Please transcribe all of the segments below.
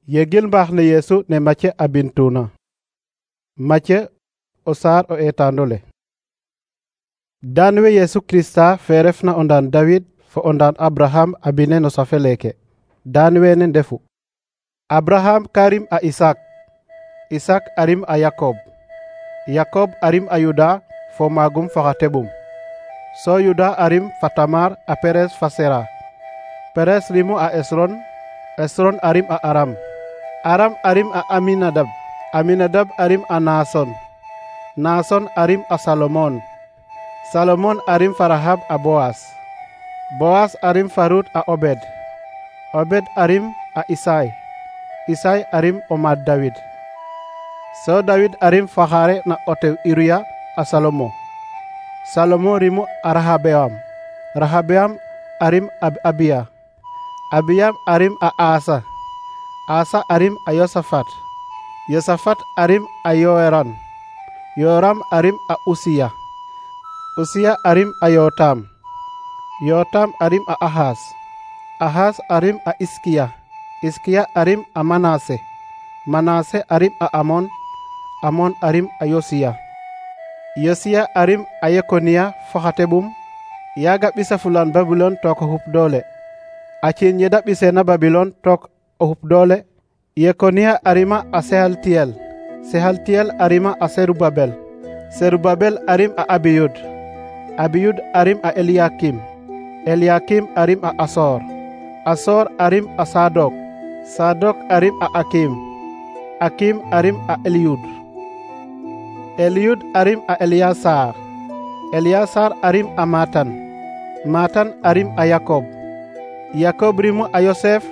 Yegil mbaax ne Yeesu ne Mathieu a bintuna. Mathieu o saar o eetaandole. Daan we Yeesu Krista fe refna o ndaan David fo o ndaan Abraham a bine no safe leeke. Daan wene ndefu: Abraham ka rim a Isak, Isak a rim a Yakob, Yakob a rim a Yuda fo maagum fo xa teɓum. So Yuda a rim fa Tamar a Peres fa Sera. Peres rimu a Esron, Esron a rim a Aram, Aram a rim a Aminadab, Aminadab a rim a Naason, Naason a rim a Salomon, Salomon a rim fa Rahab a Boas, Boas a rim fa Rut a Obed, Obed a rim a Isai, Isai a rim o maad David. So David a rim fa xaare na o tew Uriya a Salomo, Salomo rimu a Rahabeam, Rahabeam a rim a Abiya, Abiyam a rim a Asa, Asa a rim a Yosafat, Yosafat a rim a Yoram, Yoram a rim a Usiya, Usiya a rim a Yotam, Yotam a rim a Ahas, Ahas a rim a Iskiya, Iskiya a rim a Manase, Manase a rim a Amon, Amon a rim a Yosiya, Yosiya a rim a Yekoniya fo xa teɓum. Yaaga ɓisa fulan Babilon took o xup doole. A ciin yeda ɓiseena Babilon took o xup doole. Yekoniya a rima a Sehaltiyel, Sehaltiyel a rima a Serubabel, Serubabel a rim a Abiyud, Abiyud a rim a Eliakim, Eliakim a rim a Asor, Asor a rim a Sadok, Sadok a rim a Akim, Akim a rim a Eliyud, Eliyud a rim a Eliyasar, Eliyasar a rim a Matan, Matan a rim a Yakob, Yakob rimu a Yosef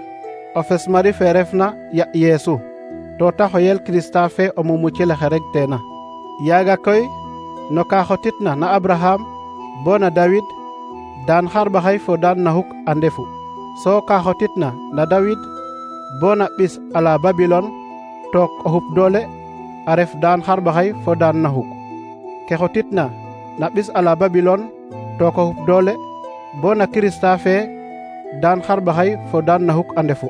o fes mari fe refna ya Yeesu, to ta xoyel Krista fe o mumucile xe reg teena. Yaaga koy no ka xotitna na Abraham bo na David, daan xarɓaxay fo daan naxuk a ndefu. So ka xotitna na David bo na ɓis ala Babilon took o xup doole a ref daan xarɓaxay fo daan naxuk. Ke xotitna na ɓis ala Babilon took o xup doole bo na Krista fe daan xarɓaxay fo daan naxuk a ndefu.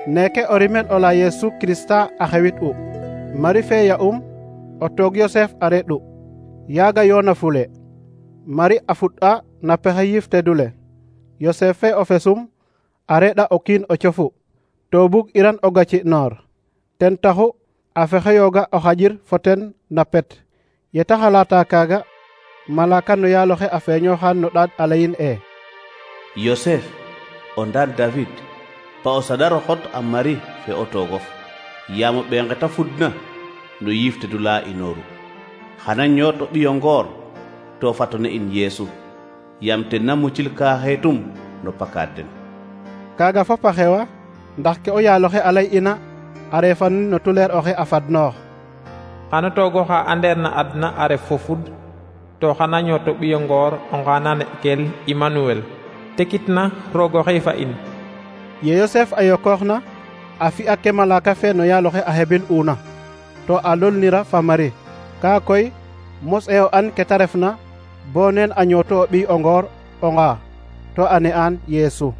Neke o rimel ola Yeesu Krista a xewit u. Mari fe ya o toog Yosef a reɗ u. Yaaga yoona fule. Mari a fuɗ'a na pexe yiif tedule. Yosef fe o fesum a reɗ'a o kiin o cofu. To bug iran o gaci noor. Ten taxu a fexeyooga o xajir fo ten na pet. Yeta xalata kaaga, malaka no yaaloxe a feeñooxaan no ɗaad a layin Yosef o ndaan David, pa o saɗar o xot a Mari fe o toogof, yaam o ɓee nge ta fudna no yiiftedula inooru. Xana ñoot o ɓiyo ngoor to fatone in Yeesu, yaam ten na mucil ka xeetum no pakaad den. Kaaga fop a xewa ndax ke o yaaloxe a lay ina a reefanin no tuleer oxe a fadnoox. Xana toogo xa andeer na adna a ref fo fud, to xana ñoot o ɓiyo ngoor o ngana ne'kel Emmanuel, tekitna roog oxe fa in. Ye Yosef a yokooxna a fi'a ke malaka fe no yaaloxe a xebil una, to a lolnira fa Mari. Kaa koy mos e o an ke ta refna bo neen a ñooto o ɓiy o ngoor o nga, to a ne'aan Yeesu.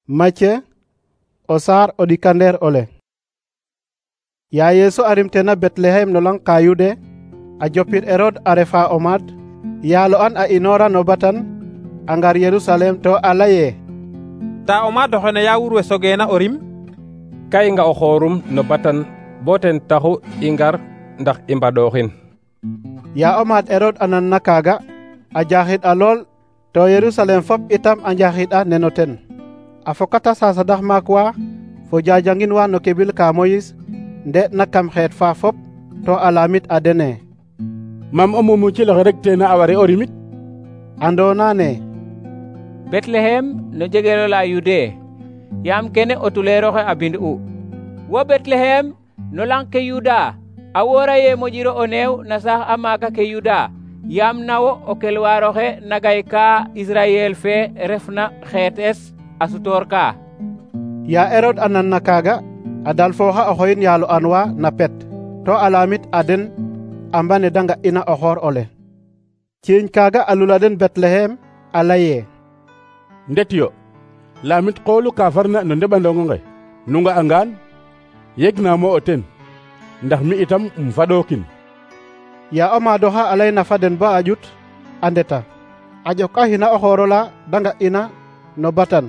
Mathieu o saar o ɗikandeer ole. Ya Yeesu a rimtena Betlehem no lang ka Yude, a jopir Erod a refa o maad, yaalo an a inoora no batan a ngar Yerusalem to a laye: Ta o maad oxene ya wurwe sogeena o rim? Ka i nga o xoorum no batan bo ten taxu i ngar ndax i mbaɗooxin. Ya o maad Erod a nanna kaaga, a jaaxid a lool, to Yerusalem fop itam a njaaxid'a neno ten. A fokata sasadax maak wa fo jajangin wa no kebil ka Moyis nde'na kam xeet fa fop, to a laamit a dene: Mam o mumucil oxe reg teena a ware o rimit? Andoona ne Betlehem no jegelola Yude, yaam kene o tuleeroxe a bind'u. Wo Betlehem no lang ke Yuda, a woora ye moƴiro o neew na saax a maaka ke Yuda, yaam nawo o kelwaaroxe na gay ka Israyel fe refna xeetes a sutoor ka. Ya Erod a nanna kaaga, a dalfooxa o xoyin yaalo an wa na pet, to a laamit a den a mbane da nga'ina o xoor ole. Ciiñ kaaga a lula den Betlehem a laye: Ndet yo, lamit qoolu ka farna no ndeɓandongo nge nu nga'angaan yegnamo o ten ndax mi itam faɗokin. Ya o maadoxa a layna fa den ba a ƴut a ndeta a ƴokaxina o xoorola da nga'ina no batan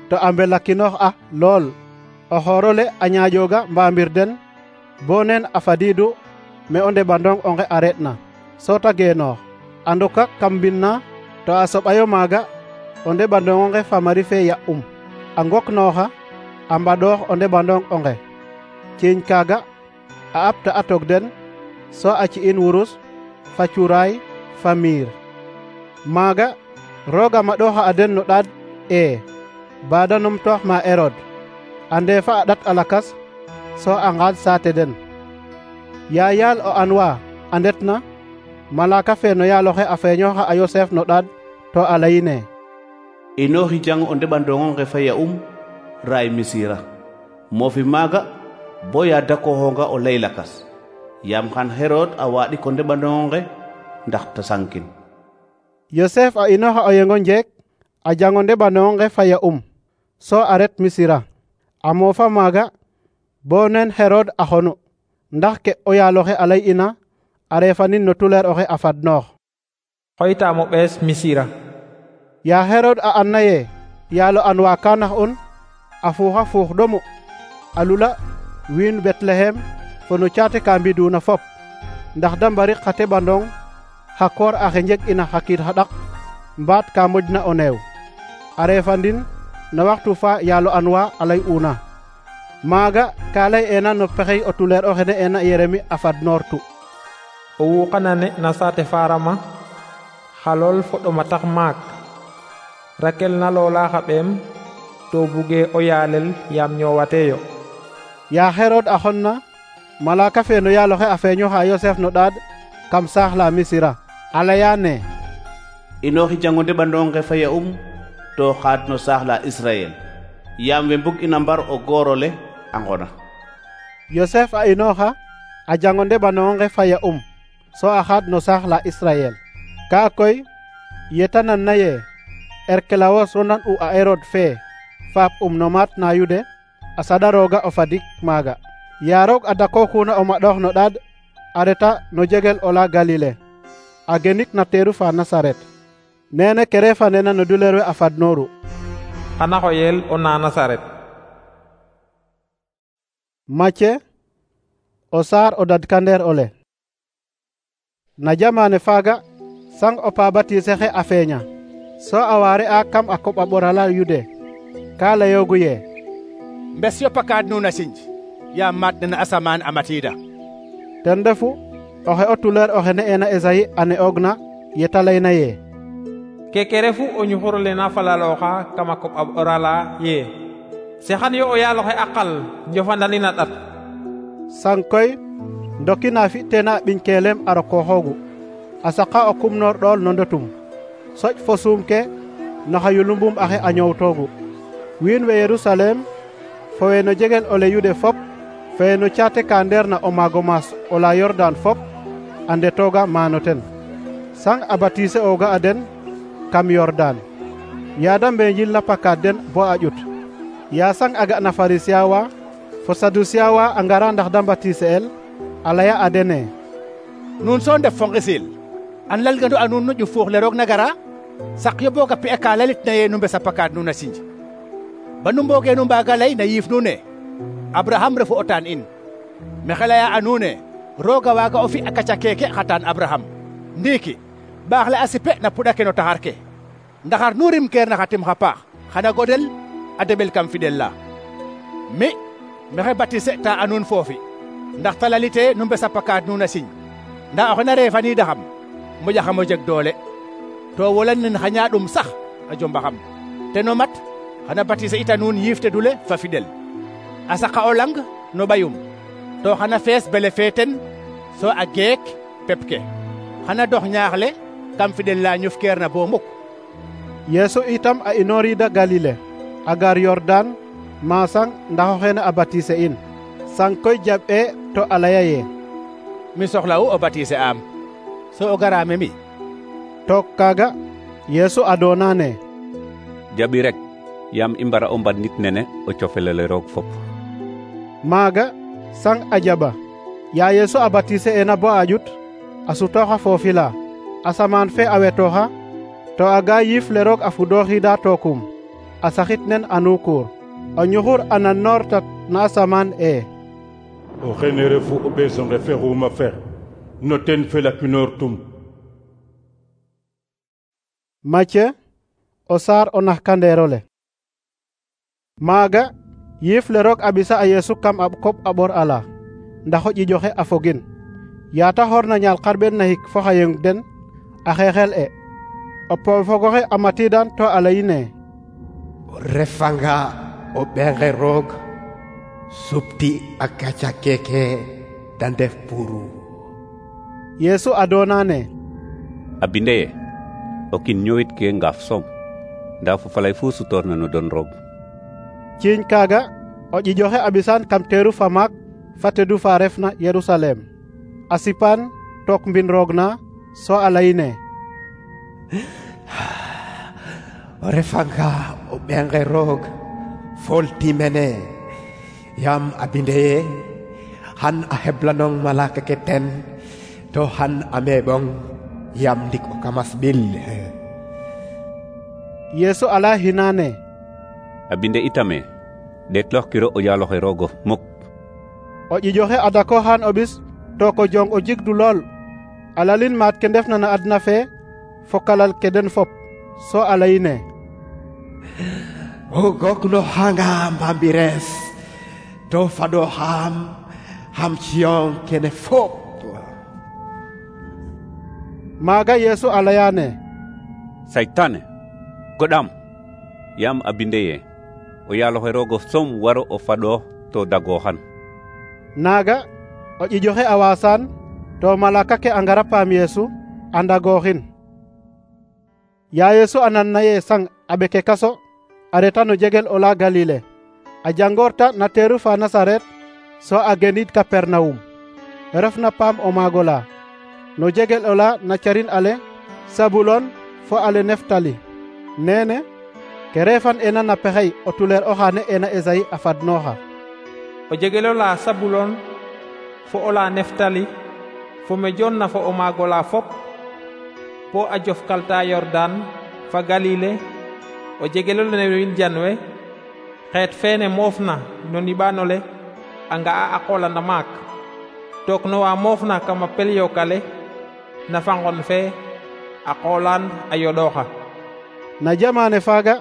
to a mbelakinoox a lool. o xoorole a ñaaƴooga mbaamir den bo neen a fadiidu me o ndeɓandong onge a re'na so ta geenoox a ndoka kam mbind na to a soɓayo maaga o ndeɓandong onge fa mari fe ya'um a ngoknooxa a mbaɗoox o ndeɓandong onge ciiñ kaaga a apta a tog den so a ci'in wurus fa cuuraay fa miir. Maaga rooga maɗooxa a den no ɗaad baada numtoox ma Erod a ndeefa a ɗat a lakas so a ngaad saate den. Ya yaal o anwa a ndetna malaka fe no yaaloxe a feeñooxa a Yosef no ɗaad to a layine inooxi jang o ndeɓandongo nge fa ya'um raay Misira moofi maaga bo ya dakooxonga o lay lakas yaam xan Herod a waaɗik o ndeɓandongo nge ndax ta sankin. Yosef a inooxa o yengo njeek a jango ndeɓandongo nge fa ya'um so a ret Misira a moofa maaga bo nen Herod a xonu ndax ke o yaaloxe a lay ina a reefanin no tuleer oxe a fadnoox. xoytaamo ɓees Misira. Ya Herod a anna ye yaalo anwa ka nax un a fuuxa fuux ɗomu a lula wiin Betlehem fo no caate ka mbiduna fop ndax da mbari xa teɓandong xa koor axe njeg ina xa kiid xa ɗak mbaat ka moƴna o neew a reefandin no waxtu fa yaalo anwa a lay una. Maaga ka lay ena no pexey o tuleer oxe ne ena Yeremi a fadnoortu. o wuuqanane na saate farama xalool fo ɗoma tax maak Rakel na loola xa ɓeem to buge o yaalel yaam ñoowateeyo. Ya Herod a xonna malaka fe no yaaloxe a feeñoxa Yosef no ɗaad kam saax la Misira a laya ne inooxi jango ndeɓandongo nge fa ya'um to xaad no saax la Israel yaam we mbug ina mbar o goorole a ngona. Yosef a inooxa a jango ndeɓandongo nge fa ya'um so a xaad no saax la Israel. Ka koy yeta nan na ye Erkelawos ronan u a Herod fe faap no maat na Yude a saɗa rooga o fadik maaga. Ya roog a dakooxuna o maɗoox no ɗaad a reta no jegel ola Galile a genik na teeru fa Nasaret nene ke reefanena no duleer we a fadnooru. xana xoyel o na Nasaret. Macye o saar o dadkandeer ole. Na jamaane faaga sang o pa batiise xe a feeña so a waare a kam a koɓ a ɓorala Yude ka layoogu ye mbes yo pakaad nuun a sinj yaam maat nena asamaan a matiida. ten refu oxe o tuleer oxe ne ena Esayi a ne'oogna yeta layna ye keke refu o ñuxurole na falalooxa kam a koɓ a ɓorala ye sexan yo o yaaloxe a qal njofandanin a ɗat. sang koy ndokina fi teena ɓiñ keelem a rokooxoogu a saqa o kumnoor ɗool no ndotum soƴ fo suum ke no xa yulumbum axe a ñoowtoogu. Wiin we Yerusalem fo we no jegel ole Yude fop fo we no caate ka ndeerna o maago maas ola Yordan fop a ndetooga maano ten sang a batiise ooga a den kam Yordan yaada mbenjil na pakaad den bo a ƴut. Ya sang a ga na Farisiya wa fo Sadusiya wa a ngara ndax da batiise el a laya a dene nuun so ndef fo ngisil an lalgandu a nuun no ƴuf fuux le roog na gara sak yo boog a pi'a ka lalitna ye nu mbesa pakaad nuun a sinj ba nu mbooge nu mbaaga lay na yiif nuun ne Abraham refu o taan in maxey laya a nuun ne rooga waaga o fi' a kaca keeke xa taan Abraham ndiiki baax le a sipe na puɗa ke no taxar ke ndaxar nu rimkeer na xa tim xa paax xana godel a deɓel kam fidel la mi maxey batise ta a nuun foofi ndax ta lalite nu mbesa pakaad nuun a sinj ndaa oxe na reefaniidaxam moƴaxam o jeg doole to wolan nen xa ñaaɗum sax a jombaxam teno mat xana batise ita nuun yiif tedule fa fidel a saqa o lang no ɓayum to xana fees bele fe ten so a geek pep ke xana dox ñaax le kam fidel la ñufkeer na bo muk. Yeesu itam a inoorida Galile a gar Yordan maasang ndax oxene a batiise in sang koy jaɓ'e to a laya ye mi soxla'u o batiise am so o garaame mi. Took kaaga Yeesu adoona ne jaɓi rek yaam i mbara o mbadnit nene o cofelole roog fop. maaga sang a jaɓa ya Yesu a baptiser ena bo a ƴut a sutooxa foofi la asamaan fe a wetooxa to a ga yiif le roog a fudooxiida tookum a saxit nen a nuukuur o ñuxur a nannoortat na asamaan e o xene refu o ɓeesonge fexuma fex no ten felakinoortum. Matthieu o saar o naxkandeerole. maaga yiif le roog a ɓisa a Yesu kam a koɓ a ɓor ala ndax o ƴiƴoxe a fogin yaata xoorna ñaal xarɓeen na hik fo xa yeng den a xeexel e o poofogoxe a matiidan to a layine o refanga o ɓeenge roog supti a gaca keke da ndef puru. Yesu a doonane a binde ye o kin ñowit ke ngaaf soom nda fo falay fu sutoorna no don roog. ciiñ kaaga o ƴiƴoxe a ɓisan kam teeru fa maak fa tedu fa refna Yerusalem a sipan took mbin roog na so a layine o refanga o ɓeenge roog folti mene yaam a binde ye han a heblanong malaka ke ten to han a meɓong yaam ndik o kamas ɓil. Yesu ala hinane a binde itame ɗeetloox kiro o yaaloxe roogo muk. o ƴiƴoxe a dako han o ɓis to ko jong o jigdu lool a lalin maat ke ndefna na adna fe fo kalal ke den fop so a layine o gokno hanga mbambires to fado ham ciyon kene fop. maaga Yesu a layane saytane goɗam yaam a binde ye o yaaloxe roogo som waro o faɗo to dagooxan. naaga o ƴiƴoxe a waasan to malaka ke a ngara paam Yesu a ndagooxin. ya Yesu a nanna ye sang a ɓeke kaso a reta no jegel ola Galile a jangoorta na teeru fa Nasaret so a genid Kapernawum refna paam o maago la no jegel ola na carin ale Sabulon fo ale Neftali nene ke refan ena na pexey o tuleer oxa ne ena Esayi a fadnooxa. o jegelola Sabulon fo ola Neftali fo me jonna fo o maagola fop po a jofkalta Yordan fa Galile o jegelole ne win janwe xeet feene moofna no niɓaanole a nga'a a qoolanda maak took no wa moofna kama pel yokale na fangon fe a qoolaan a yoɗooxa. na jamaane faaga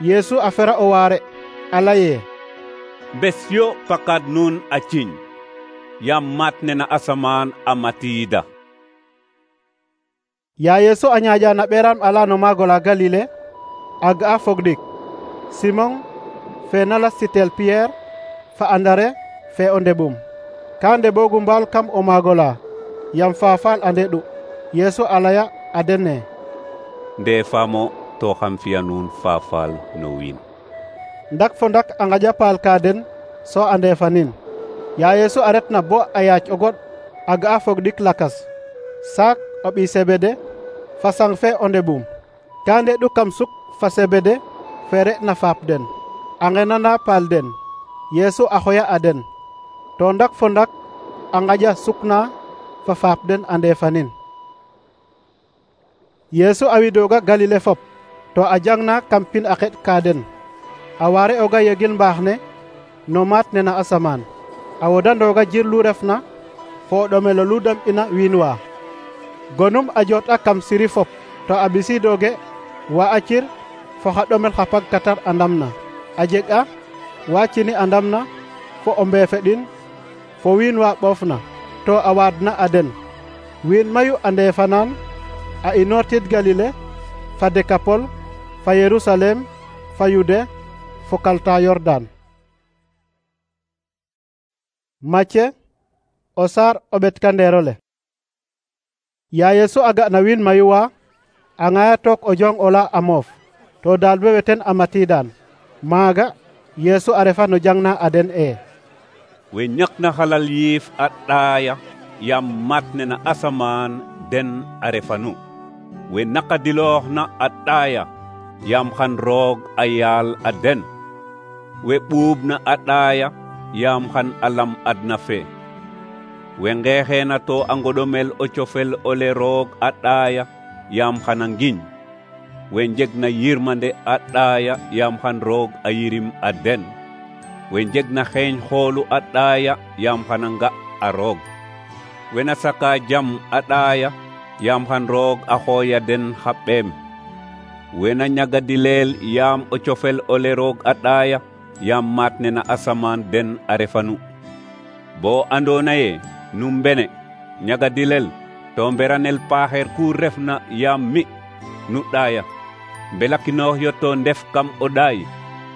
Yesu a fera o waare a laye bes yo pakad nun a ciñ yaam maat ne na asamaan a matiida. ya Yesu a ñaaƴa na ɓeeram ala no maagola Galile a ga'a fogɗik Simon fe na lastitel Pierre fa Andare fe o ndeɓum ka ndeɓoogu mbaal kam o maagola yam faafaal a ndeɗu. Yesu a laya a denne nde faamo to xam fiya nuun faafaal no wiin. ndak fo ndak a ngaƴa paal ka den so a ndeefanin. ya Yesu a retna bo a yaac o goɗ a ga'a fogɗik lakas saak o ɓii Sebede fa sang fe o ndeɓum ka ndeɗu kam suk fa Sebede fe re'na faap den a ngenana paal den. Yesu a xoya a den to ndak fo ndak a ngaƴa sukna fa faap den a ndeefanin. Yesu a widooga Galile fop to a jangna kam pin a xeɗ ka den a waare oga yegil mbaax ne no maat ne na asamaan a wodandooga jir lu refna fo o ɗomelo lu dam'ina wiin wa gonum a joot'a kam siri fop to a ɓisiidooge wa a cir fo xa ɗomel xa pagkatar a ndamna a jeg'a wa cini a ndamna fo o mbeefeɗin fo wiin wa ɓoofna to a waadna a den. wiin mayu a ndeefanaan a inoortid Galile fa Dekapol fa Yerusalem fa Yude fo kalta Yordan. Matthieu o saar o ɓetkandeerole. ya Yesu a ga na wiin mayu wa a ŋaya took o jong ola a moof to daal be weten a matiidan maaga Yesu a refa no jangna a den we ñakna xalal yiif a ɗaaya yaam maat ne na asamaan den a refanu we naqadiloox na a ɗaaya yaam xan roog a yaal a den we ɓuubna a ɗaaya yaam xan a lam adna fe we ngeexeena to a ngoɗomel o cofel ole roog a ɗaaya yaam xan a ngiñ we njegna yirmande a ɗaaya yaam xan roog a yirim a den we njegna xeeñ xoolu a ɗaaya yaam xan a nga a roog we na saka jam a ɗaaya yaam xan roog a xooya den xa ɓeem we na ñagadileel yaam o cofel ole roog a ɗaaya yaam maat ne na asamaan den a refanu bo andoona ye nu mbene ñagadilel to mberanel paaxeer ku refna yaam mi nu ɗaaya mbelakinoox yo to ndef kam o ɗaay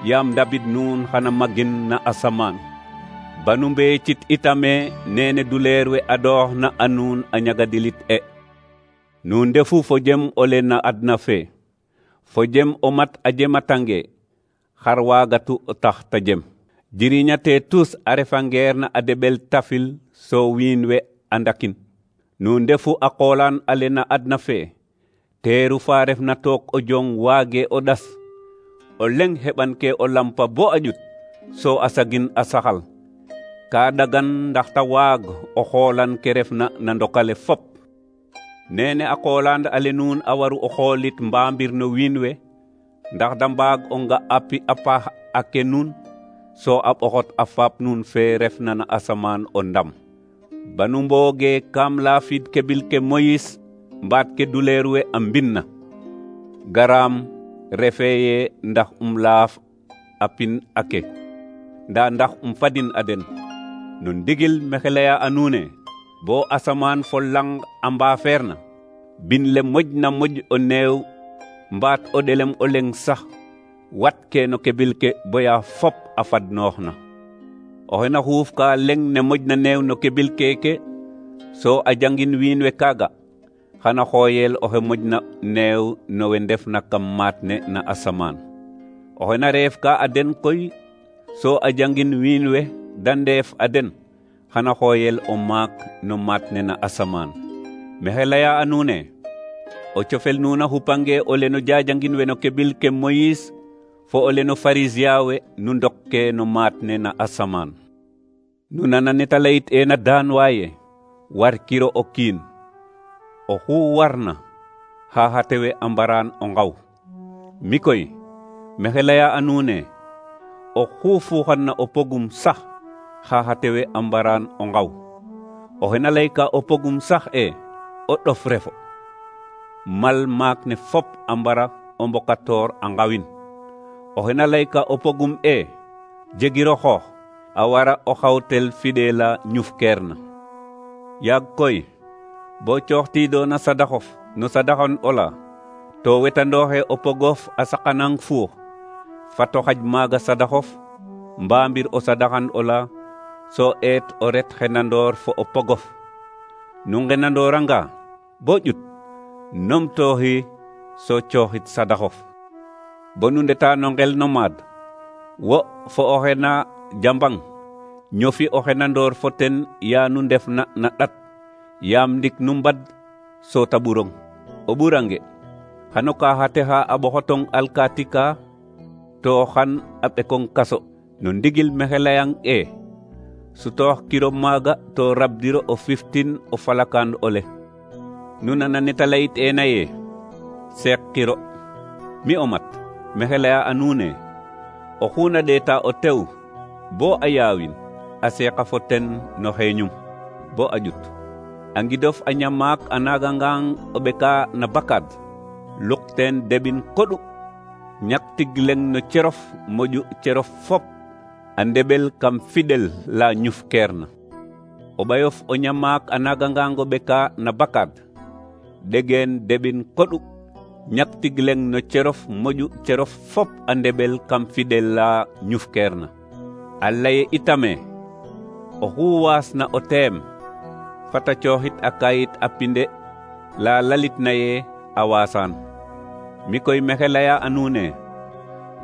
yaam ndabid nuun xana magin na asamaan banu mbeecit itame nene duleer we adooxna a nuun a ñagadilit nuun ndefu fo jem ole na adna fe fo jem o mat a jematange xar waagatu tax ta jem jiriñate tus a refa ngeer na a deɓel tafil so wiin we a ndakin nuun ndefu a qoolaan ale na adna fe teeru fa refna took o jong waage o ɗas o leng heɓan ke o lampa bo a ƴut so a sagin a saxal ka ɗagan ndax ta waag o xoolan ke refna na ndokale fop nene a qoolaan ale nuun a waru o xoolit mbaambir no wiin we ndax da mbaag o nga api a paax a ke nuun so a ɓoxot a faap nuun fe refna na asamaan o ndam banu mbooge kam laafid kebil ke Moyis mbaat ke duleer we a mbinna garaam refe ye ndax laaf a pin ake nda ndax fadin a den no ndigil mexe leya a nuune bo asamaan fo lang a mbaafeerna bin le moƴna moƴ o neew mbaat o ɗelem o leng sax wat ke no kebil ke boya fop a fadnooxna oxe na xuuf ka leng ne moƴna neew no kebil keke so a jangin wiin we kaaga xana xooyel oxe moƴna neew no we ndefna kam maat ne na asamaan oxe na reef ka a den koy so a jangin wiin we da ndeef a den xana xooyel o maak no maat ne na asamaan mexe leya a nuune o cofel nuuna xupange ole no jajangin we no kebil ke Moyis fo ole no Farisiya we nu ndokke no maat ne na asamaan nu nana neta layit ena daan waaye war kiro o kiin oxu warna xaxate we a mbaraan o ngaw mi koy mexe leya a nuune oxu fuuxanna o pogum sax xaxate we a mbaraan o ngaw oxe na layka o pogum sax o ɗof refo mal maak ne fop a mbara o mbokatoor a ngawin oxe na layka o pogum jegiro xoox a wara o xawtel fidela ñufkeerna yaag koy bo cooxtiidona sadaxof no sadaxon ola to wetandooxe o pogof a saqanang fuux fato xaj maaga sadaxof mbaambir o sadaxan ola so eet o ret xenandoor fo o pogof nu ngenandooranga bo ƴut nomtooxi so cooxit sadaxof bo nu ndeta no ngel no maad wo fo oxe na jambang ñofi o xenandoor fo ten ya nu ndefna na ɗat yaam ndik nu mbad so ta ɓurong o ɓurange xano kaxate xa a ɓoxotong alkaati ka to xan a ɓekong kaso no ndigil mexe layang sutoox kiro maaga to rabdiro o fiftin o falakaan ole nu nana neta layit ena ye seek kiro mi o mat mexe leya a nuune oxu na ɗeeta o tew bo a yaawin a seeqa fo ten no xeeñum bo a ƴut a ngidof a ñamaak a naagangang o ɓeka na bakad luk teen deɓin koɗu ñak tig leng no cerof moƴu cerof fop a ndeɓel kam fiɗel la ñufkeerna o ɓayof o ñamaak a naagangang o ɓeka na bakad ɗegen deɓin koɗu ñak tig leng no cerof moƴu cerof fop a ndeɓel kam fiɗel la ñufkeerna a laye itame oxu waasna o teem fata cooxit a kayit a pinde la lalitna ye a waasaan mi koy mexe leya a nuune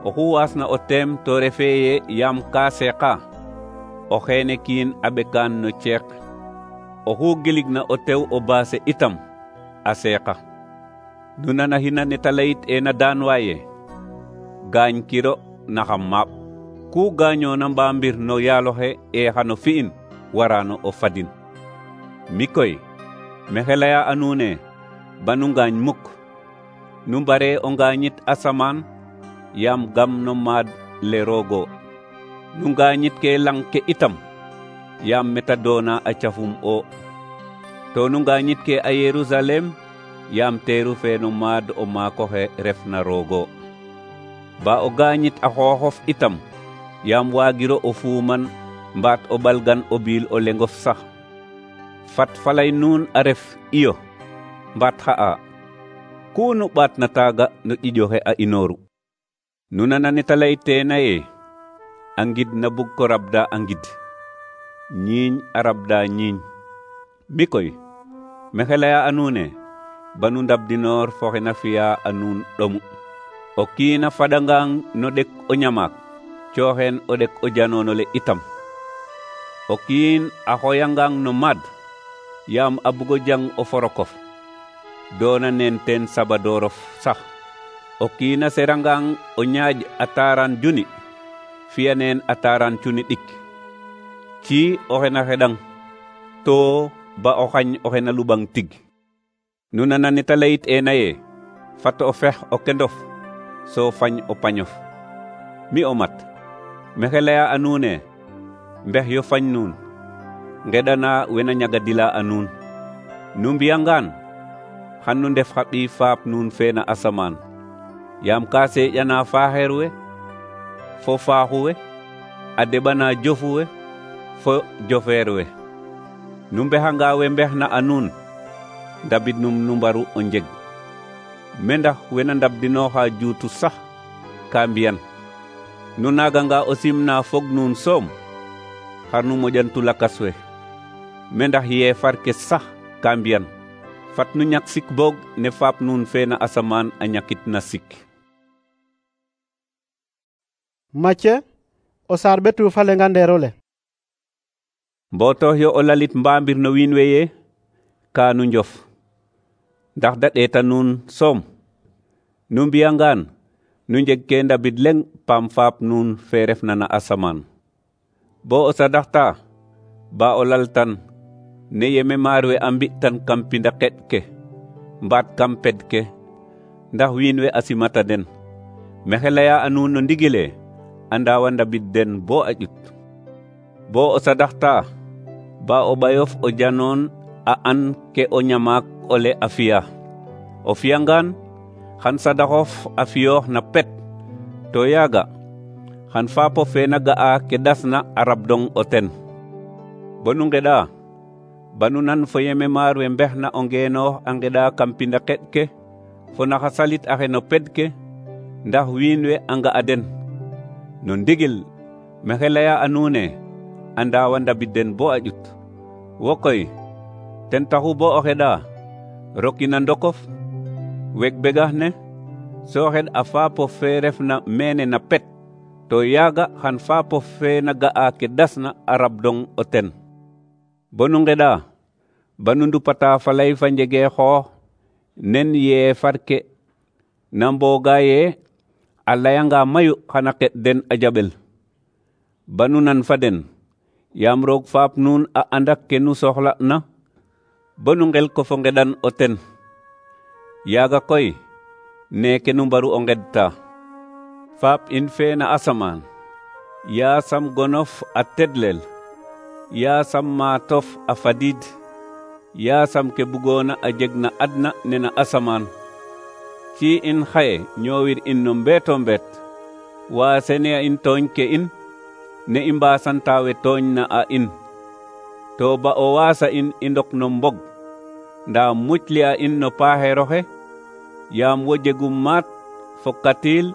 oxu waasna o teem to refe ye yaam ka seeqa o xeene kiin a ɓekaan no ceeq oxu giligna o tew o baase itam a seeqa nu nana xina neta layit ena daan waaye gaañ kiro naxa maap ku gaañoona mba mbir no yaaloxe xano fi'in warano o fadin. Mi koy maxey laya a nuun ne banu ngaañ mukk, nu mbare o ngaañit asamaan yaam gam no maad le roogo. Nu ngaañit ke lang ke itam yaam meta doona a cafum o. To nu ngaañit ke a Yerusalem yaam teeru fe no maad o maakoxe refna roogo. Ba o gaañit a xooxof itam yaam waagiro o fuuman mbaat o ɓalgan o biil o lengof sax. Fat falay nuun a ref iyo mbaat xa'a ku nu ɓaatna taaga no ƴiƴoxe a inooru. Nu nana neta layteena ye a ngid na bug ko rabda a ngid, ñiiñ a rabda ñiiñ. Mi koy maxey laya a nuun ne banu ndabdinoor fo xe na fi'a a nuun ɗomu. O kiin a faɗangang no ɗek o ñamaak cooxeen o ɗek o janoonole itam. O kiin a xoyangang no maad yaam a bugo jang o forokof doona neen teen sabadoorof sax. O kiin a serangang o ñaaj a taaran juni fiya neen a taaran cuni ɗik. Ci oxe na xeɗang to ba o xañ oxe na luɓang tig. Nu nana neta layit ena ye fat o fex o kendof so fañ o pañof. Mi o mat maxey laya a nuun ne mbex yo fañ nuun ngeɗana wena ñagadila a nuun. Nu mbiyangaan xan nu ndef xa ɓii faap nuun fe na asamaan yaam ka seeƴana faaxeer we fo faaxu we a deɓana jofu we fo jofeer we. Nu mbexanga we mbexna a nuun ndabid num nu mbaru o njeg. Me ndax wena ndabdinooxa juutu sax ka mbiyan. Nu naaganga o simna fog nuun soom xar nu moƴantu lakas we. Me ndax yeefar ke sax ka mbiyan. Fat nu ñak sik boog ne faap nuun fe na asamaan a ñakit na sik. Macye o saar ɓetu fa lenga ndeerole. Mbootox yo o lalit mbaambir no wiin we ye ka nu njof ndax da ɗeeta nuun soom. Nu mbiyangaan nu njeg ke ndabid leŋ paam faap nuun fe refna na asamaan. Bo o sadaxta ba o laltan ne yeme maar we a mbi'tan kam pinda qeɗ ke mbaat kam ped ke ndax wiin we a simata den. Maxey laya a nuun no ndigile a ndaawa ndabid den bo a ƴut. Bo o sadaxta ba o ɓayof o janoon a an ke o ñamaak ole a fi'a. O fiyangaan xan sadaxof a fiyoox na pet to yaaga xan faapof fe na ga'a ke dasna a rabdong o ten. Bo nu ngeɗa banu nan fo yeme maar we mbexna o ngeenoox a ngeɗa kam pinda qeɗ ke fo naxa salit axe no ped ke ndax wiin we a nga'a den. No ndigil maxey laya a nuun ne a ndaawa ndabid den bo a ƴut. Wo koy ten taxu bo o xeɗa rokina ndokof weg begax ne so xeɗ a faapof fe refna mene na pet to yaaga xan faapof fe na ga'a ke dasna a rabdong o ten. Bo nu ngeɗa banu ndupata falay fa njege xoox nen yeefar ke na mbooga ye a layanga mayu xana qeɗ den a jaɓel. Banu nan fa den yaam roog faap nuun a anda ke nu soxla'na bo nu ngel ko fo ngeɗan o ten. Yaaga koy neeke nu mbaru o ngeɗta. Faap in fe na asamaan yaasam gonof a tedlel, yaasam maatof a fadid, yaasam ke bugoona a jeg na adna ne na asamaan. Ci in xaye ñoowir in no mbeeto mbeet waasene a in tooñ ke in ne i mbaasanta we tooñ na a in. To ba o waasa in i ndok no mbog ndaa mucli a in no paaxeeroxe yaam wo jegum maat fo katiil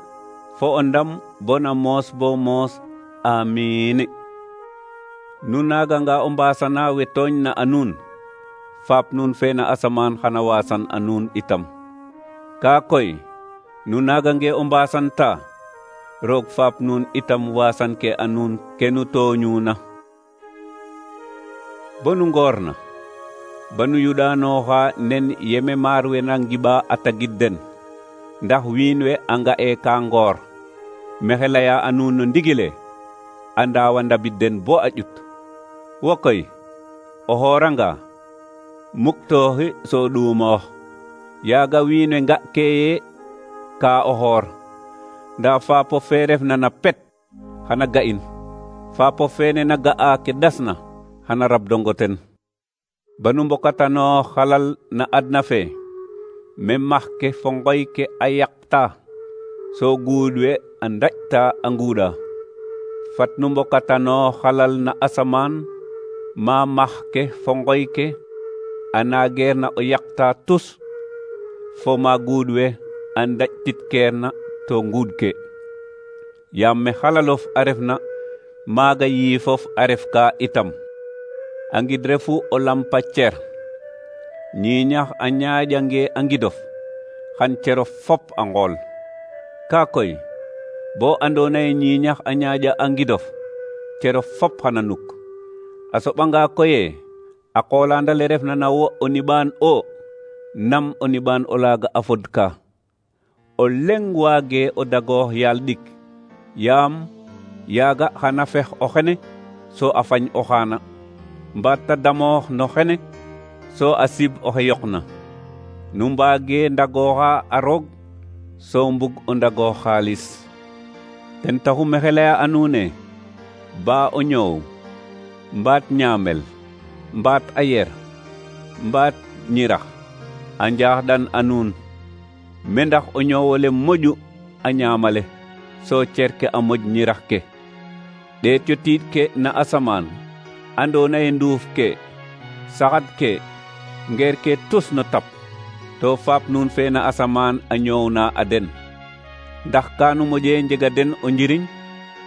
fo o ndam bona moos bo moos. Amiin. Nu naaganga o mbaasana we tooñ na a nuun faap nuun fe na asamaan xana waasan a nuun itam. Kaa koy nu naagange o mbaasanta roog faap nuun itam waasan ke a nuun ke nu tooñuuna. Bo nu ngoorna ba nu yuɗaanooxa nen yeme maar we na ngiɓa a tagid den ndax wiin we a nga'e ka ngoor maxey leya a nuun no ndigile a ndaawa ndabid den bo a ƴut. Wo koy o xooranga muktooxi so ɗuumoox, yaaga wiin we nga'ke ye ka o xoor. Ndaa faapof fe refna na pet xana ga'in, faapof fene na ga'a ke dasna xana rabdongo ten. Banu mbokatanoox xalal na adna fe, me max ke fo ngoy ke a yaqta, so guud we a ndaƴta a nguuɗa. Fat nu mbokatanoox xalal na asamaan, ma max ke fo ngoy ke a naageerna o yaqta tus, fo ma guud we a ndaƴtitkeerna to nguud ke. Yaam me xalalof a refna maaga yiifof a ref ka itam. A ngid refu o lampa cer, ñiiñax a ñaaƴange a ngidof xan cerof fop a ngool. Ka koy bo andoona ye ñiiñax a ñaaƴa a ngidof, cerof fop xana nuk. A soɓanga koye a qoolaand ale refna na wo o niɓaan o, nam o niɓaan o laaga a fodka. O leŋ waage o dagoox yaal ɗik, yaam yaaga xana fex o xene so a fañ o xaana, mbaat ta damoox no xene so a sib oxe yoqna. Nu mbaage ndagooxa a roog so mbug o ndagoox xaalis. Ten taxu maxey leya a nuune ba o ñoow, mbaat ñaamel, mbaat a yer, mbaat ñirax a njaaxɗan a nuun, me ndax o ñoowole moƴu a ñaamale so cerke a moƴ ñirax ke. Ɗeet yo tiid ke na asamaan, andoona ye nduuf ke, saxad ke, ngeer ke tus no tap, to faap nuun fe na asamaan a ñoowna a den. Ndax kaanu moƴe njega den o njiriñ,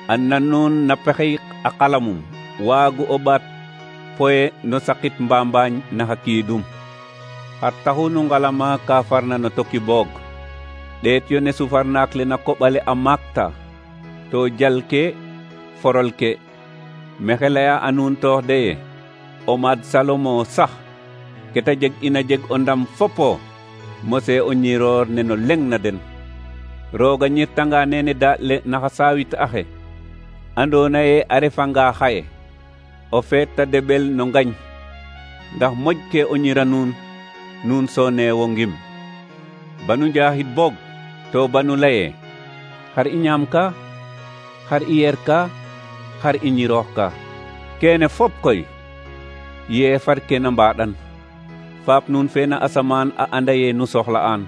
a nan nuun na pexey a qalamum waagu o ɓaat poye no sakit mbambaañ na xa kiidum. Xar taxu nu ngalama ka farna no toki boog. Ɗeet yo ne sufarnaak le na koɓale a maakta, to jal ke forol ke. Maxey leya a nuun toox de ye o maad Salomo sax ke ta jeg ina jeg o ndam fopo mose o ñiroor ne no leŋ na den. Rooga ñirtanga nene daaɗ le naxa saawit axe, andoona ye a refanga xaye o feet ta deɓel no ngañ, ndax moƴ ke o ñira nuun, nuun so neewo ngim. Banu njaxit boog to banu laye xar i ñaam ka, xar i yer ka, xar i ñiroox ka. Keene fop koy yeefar ke na mbaaɗan. Faap nuun fe na asamaan a anda ye nu soxla'aan.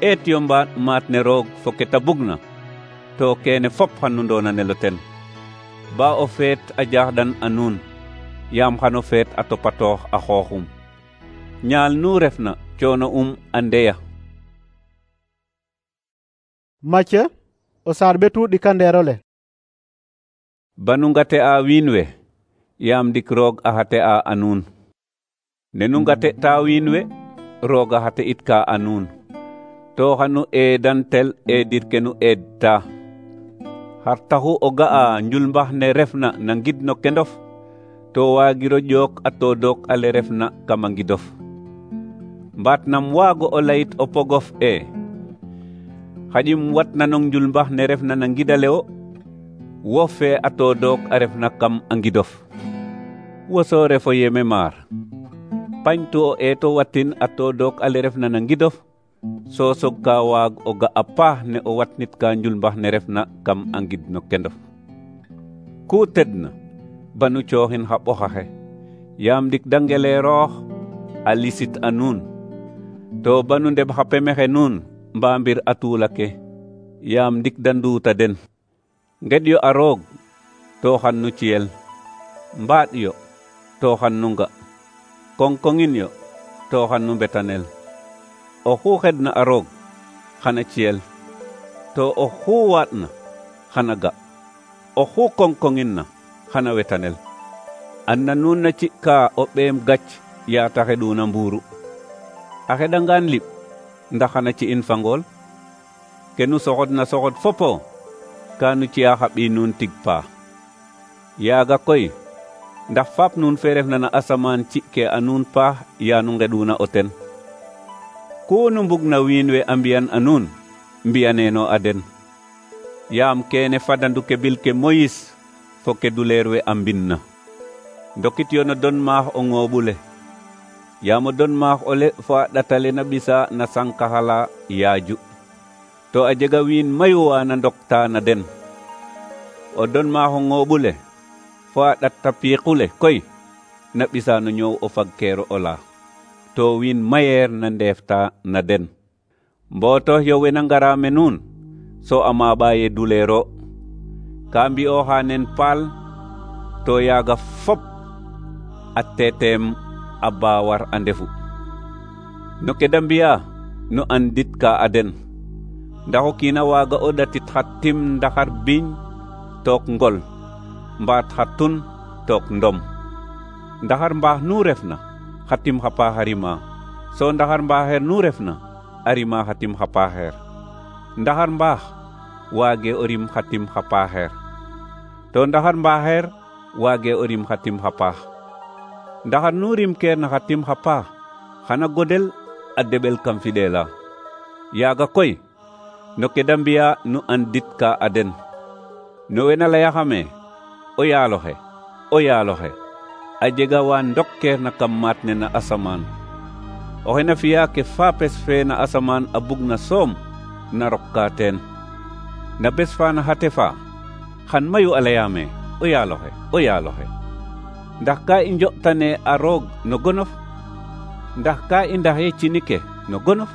Eet yo mbaaɗ maat ne roog fo ke ta bugna, to keene fop xan nu ndoonanelo ten. Ba o feet a jaaxɗan a nuun, yaam xano feet a topatoox a xooxum. Ñaal nu refna coono a ndeya. Macë o saar ɓetu ɗikandeerole. Banu ngate a wiin we, yaam ndik roog a xate a nuun. Ne nu ngate ta wiin we, roog a xate it ka a nuun. To xanu eedantel eedir ke nu eedta. Xar taxu o ga'a njulmbax ne refna na ngid no kendof, to waagiro ƴook a toodook ale refna kam a ngidof. Mbaat nam waago o layit o pogof e xaƴim watnanong njulmbax ne refna na ngidale wo, wo fe a toodook a refna kam a ngidof. Wo so refo yeme maar, pañtu o eeto watin a toodook ale refna na ngidof, so sog ka waag o ga a paax ne o watnit ka njulmbax ne refna kam a ngid no kendof. Ku tedna banu cooxin xa ɓoxaxe, yaam ndik da ngeleeroox a lisit a nuun. To banu ndeb xa pemexe nuun mbaa mbir a tuula ke, yaam ndik da nduuta den. Nged yo a roog to xan nu ciyel, mbaaɗ yo to xan nu nga, koŋkoŋin yo to xan nu mbetanel. Oxu xedna a roog xana ciyel, to oxu waaɗna xana ga, oxu koŋkoŋin na xana wetanel. Anna nuun na ci'ka o ɓeem gac yaata xeɗuna mbuuru. A xeɗangaan liɓ ndax xana ci'in fa ngool. Ke nu soxodna soxod fopo ka nu ci'a xa ɓiy nuun tig paa. Yaaga koy ndax faap nuun fe refna na asamaan ci'ke a nuun paax yaa nu ngeɗuna o ten. Ku nu mbugna wiin we a mbi'an a nuun, mbi'aneeno a den. yaam kene fadandu ke bil ke Moïse fo ke duleer we a mbinna. Ndokit yo no don maax o ŋooɓule, yaam o don maax ole fo a ɗatale na ɓisa na sankaxala yaaju, to a jega wiin mayu wa na ndokta na den. O don maax o ŋooɓule fo a ɗatta piiqule koy na ɓisa no ñoow o fagkeero ola, to wiin mayeer na ndeefta na den. Mbootox yo wena ngara me nuun so a maaɓa ye duleero, ka mbi'ooxa nen paal to yaaga fop a teeteem a baawar a ndefu. No ke da mbi'a nu anditka a den, ndax o kiin a waaga o ɗatit xa tim ndaxar biiñ took ngol, mbaat xa tun took ndom. Ndaxar mbaax nu refna xa tim xa paax a rima, so ndaxar mbaaxeer nu refna a rima xa tim xa paaxeer. Ndaxar mbaax waage o rim xa tim xa paaxeer, to ndaxar mbaaxeer waage o rim xa tim xa paax. Ndaxar nu rim keer na xa tim xa paax xana godel a deɓel kam fiɗeela. Yaaga koy no ke da mbi'a nu anditka a den. No wena layaxame o yaaloxe, o yaaloxe, a jega wa ndokkeer na kam maat ne na asamaan. Oxe na fi'a ke faapes fe na asamaan a bug na soom na rokka teen. Na bes fa na xate fa xan mayu a layaame o yaaloxe, o yaaloxe. Ndax ka i njo'tane a roog no gonof? Ndax ka i ndaxe cinike no gonof?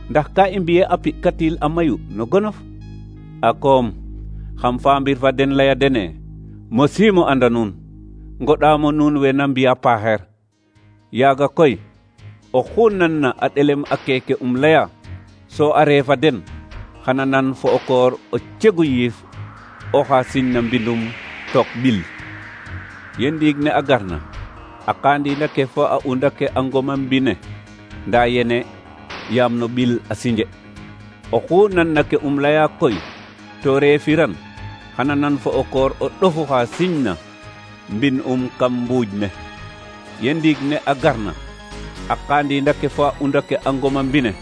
Ndax ka i mbi'e a pi'katil a mayu no gonof? A koom xam faambir fa den laya dene, mosiimo anda nuun, ngoɗaamo nuun we na mbi'a paaxeer. Yaaga koy oxu nanna a ɗelem a keeke laya so a reefa den, xana nan fo o koor o cegu yiif oxa siñna mbindum took ɓil. Ye ndiig ne a garna, a qaandiina ke fo a unda ke a ngoma mbine, ndaa yene yaam no ɓil a sinje. Oxu nanna ke laya koy to reefiran, xana nan fo o koor o ɗofu xa siñna mbin kam mbuuj ne. Ye ndiig ne a garna, a qaandiina ke fo a unda ke a ngoma mbine,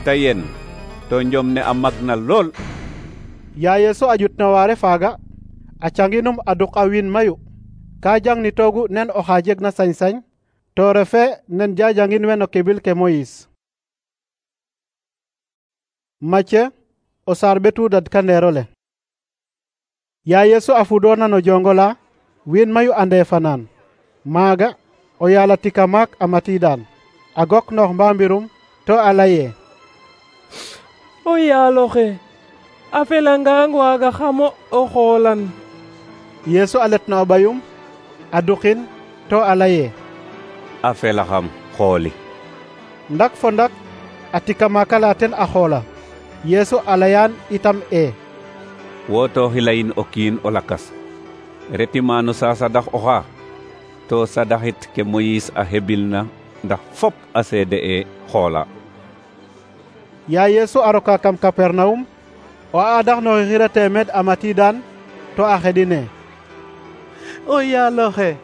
ta yen to njom ne a magna lool. Ya Yesu a jutna waare faaga, a canginum a duk a wiin mayu, ka jangnitoogu nen oxa jegna sañ-sañ, to refe nen jajangin we no kebil ke Moïse. Macye o saar ɓetu dadkandeerole. Ya Yesu a fudoona no jongola, wiin mayu a ndeefanaan. Maaga o yaala tika maak a matiidaan, a gok noox mbaambirum to a laye, o yaaloxe, a felangang waaga xamo o xoolan. Yesu a letna o ɓayum, a dukin to a laye, a felaxam xooli. Ndak fo ndak a tika maaka la ten a xoola. Yesu a layaan itam wootooxi layin o kiin o lakas, reti maano sa sadax oxa, to sadaxit ke Moïse a hebilna ndax fop a seede xoola. Ya Yesu a roka kam Kapernawum, o aadax no xixira teemed a matiidaan to a xedine, o yaaloxe,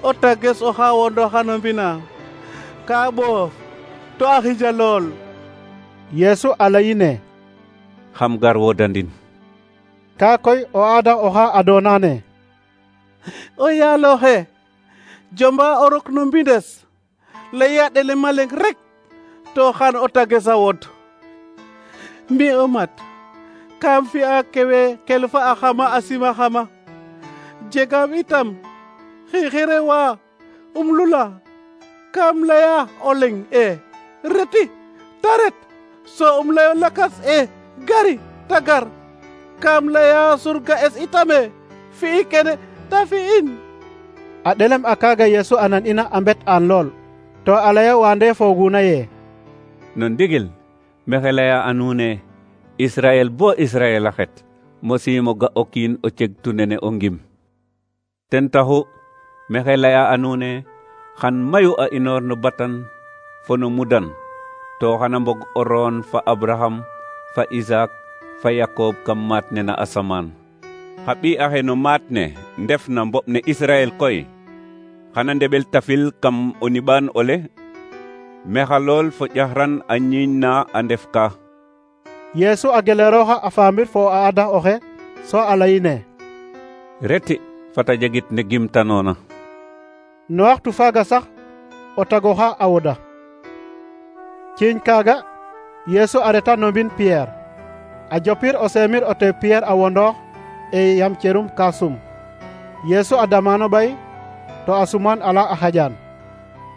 o tages oxa wondoxa no mbina, ka ɓoof to a xija lool. Yesu a layine, xam gar wodandin. Ka koy o aadax oxa adoonane, o yaaloxe, jomba o rok no mbindes, laya ɗele maleng rek to xan o tages a wod. Mi o mat, kam fi'a kewe kelfa a xama a sima xama, jegam itam xixire wa lula, kam laya o leŋ reti ta ret, so layo lakas gari ta gar, kam laya surga es itame fi'i kene ta fi'in. A ɗelem a kaaga Yesu a nan ina a mbet aan lool, to a laya waande fooguna ye, no ndigil mexe laya a nuune Israel bo Israel a xet mosiimo ga o kiin o cegtu nene o ngim. Ten taxu mexe laya a nuune xan mayu a inoor no batan fo no mudan, to xana mbog o roon fa Abraham, fa Isaac, fa Yakob kam maat ne na asamaan. Xa ɓi axe no maat ne ndef na mboɓ ne Israel koy, xana ndeɓel tafil kam o niɓaan ole, mexa lool fo ƴaxran a ñiiñ na a ndef ka. Yesu a geleroxa a faamir fo a ada oxe so a layine: reti fata jegit ne gimtanoona. No waxtu faaga sax o tagoxa a woda. Ciiñ kaaga Yesu a reta no mbin Pierre. A jopir o seemir o tew Pierre a wondoox e yam cerum ka sum. Yesu a damano ɓay to a suman ala a xaƴan.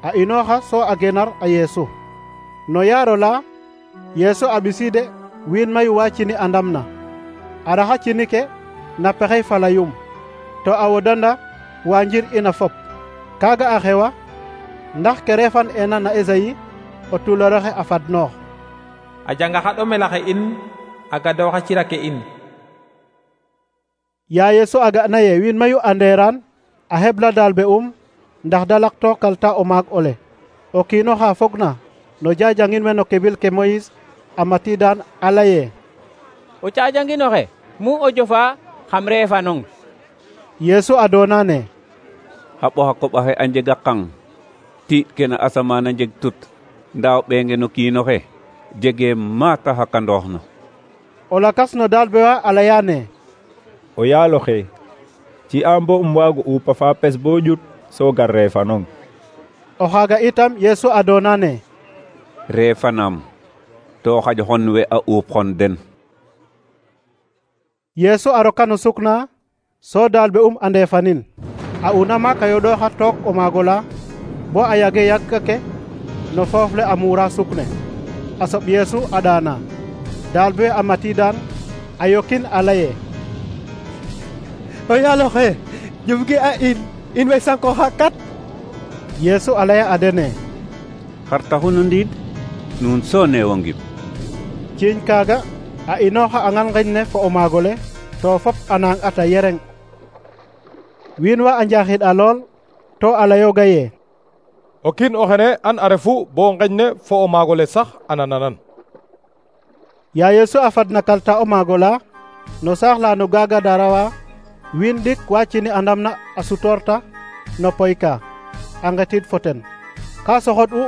A inooxa so a genar a Yesu. No yaaro la Yesu a ɓisiide wiin mayu wa cini a ndamna. A raxa cini ke na pexey falayum. To a wodanda wa njir ina fop. Kaaga a xewa ndax ke refan ena na Esayi o tuloroxe a fadnoox: a janga xa ɗomelaxe in a gadooxa cirake in. Ya Yesu a ga'na ye wiin mayu anderan a hebla dalbe ndax da lakto kalta o maag ole. O kiino xa fogna no jajangin we no kebil ke Moyis a matidan a laye: o cajanginoxe mu o jofa xam reefanong. Yesu a doona ne: xa ɓoxa koɓaxe a njega qang, tiiɗ ke na asamaan a njeg tut, ndaa o ɓeenge no kiinoxe jegee maata xakandooxna. O lakas no dalbe wa a layane: o yaaloxe ci a mbo waago uupa fa pes bo ƴut so gar reefanong. O xaaga itam Yesu a doona ne: reefanaam to xaƴ xon we a uup xon den. Yesu a roka no sukna so dalbe a ndeefanin. A una maak a yoɗooxa took o maag ola bo a yage yagka ke no foof le a muura sukne. A soɓ Yesu a ɗaana. dalbe a matidan a yokin a laye: o yaaloxe jumgi a in way sankoxa kat. Yesu a laya a dene: xar taxu no ndiid nuun so neewo ngim. Ciiñ kaaga a inooxa a ngal ngeñ ne fo o maagole to fop a naang ata yereng. Wiin wa a njaxid a lool to a layooga ye: o kiin o xene an a refu bo ngeñ ne fo o maagole sax a nananan. Ya Yesu a fadna kalta o maagola no saax la no gaaga darawa, wiin ɗik wa cini a ndamna a sutorta no poy ka a ngetid fo ten. Ka soxod u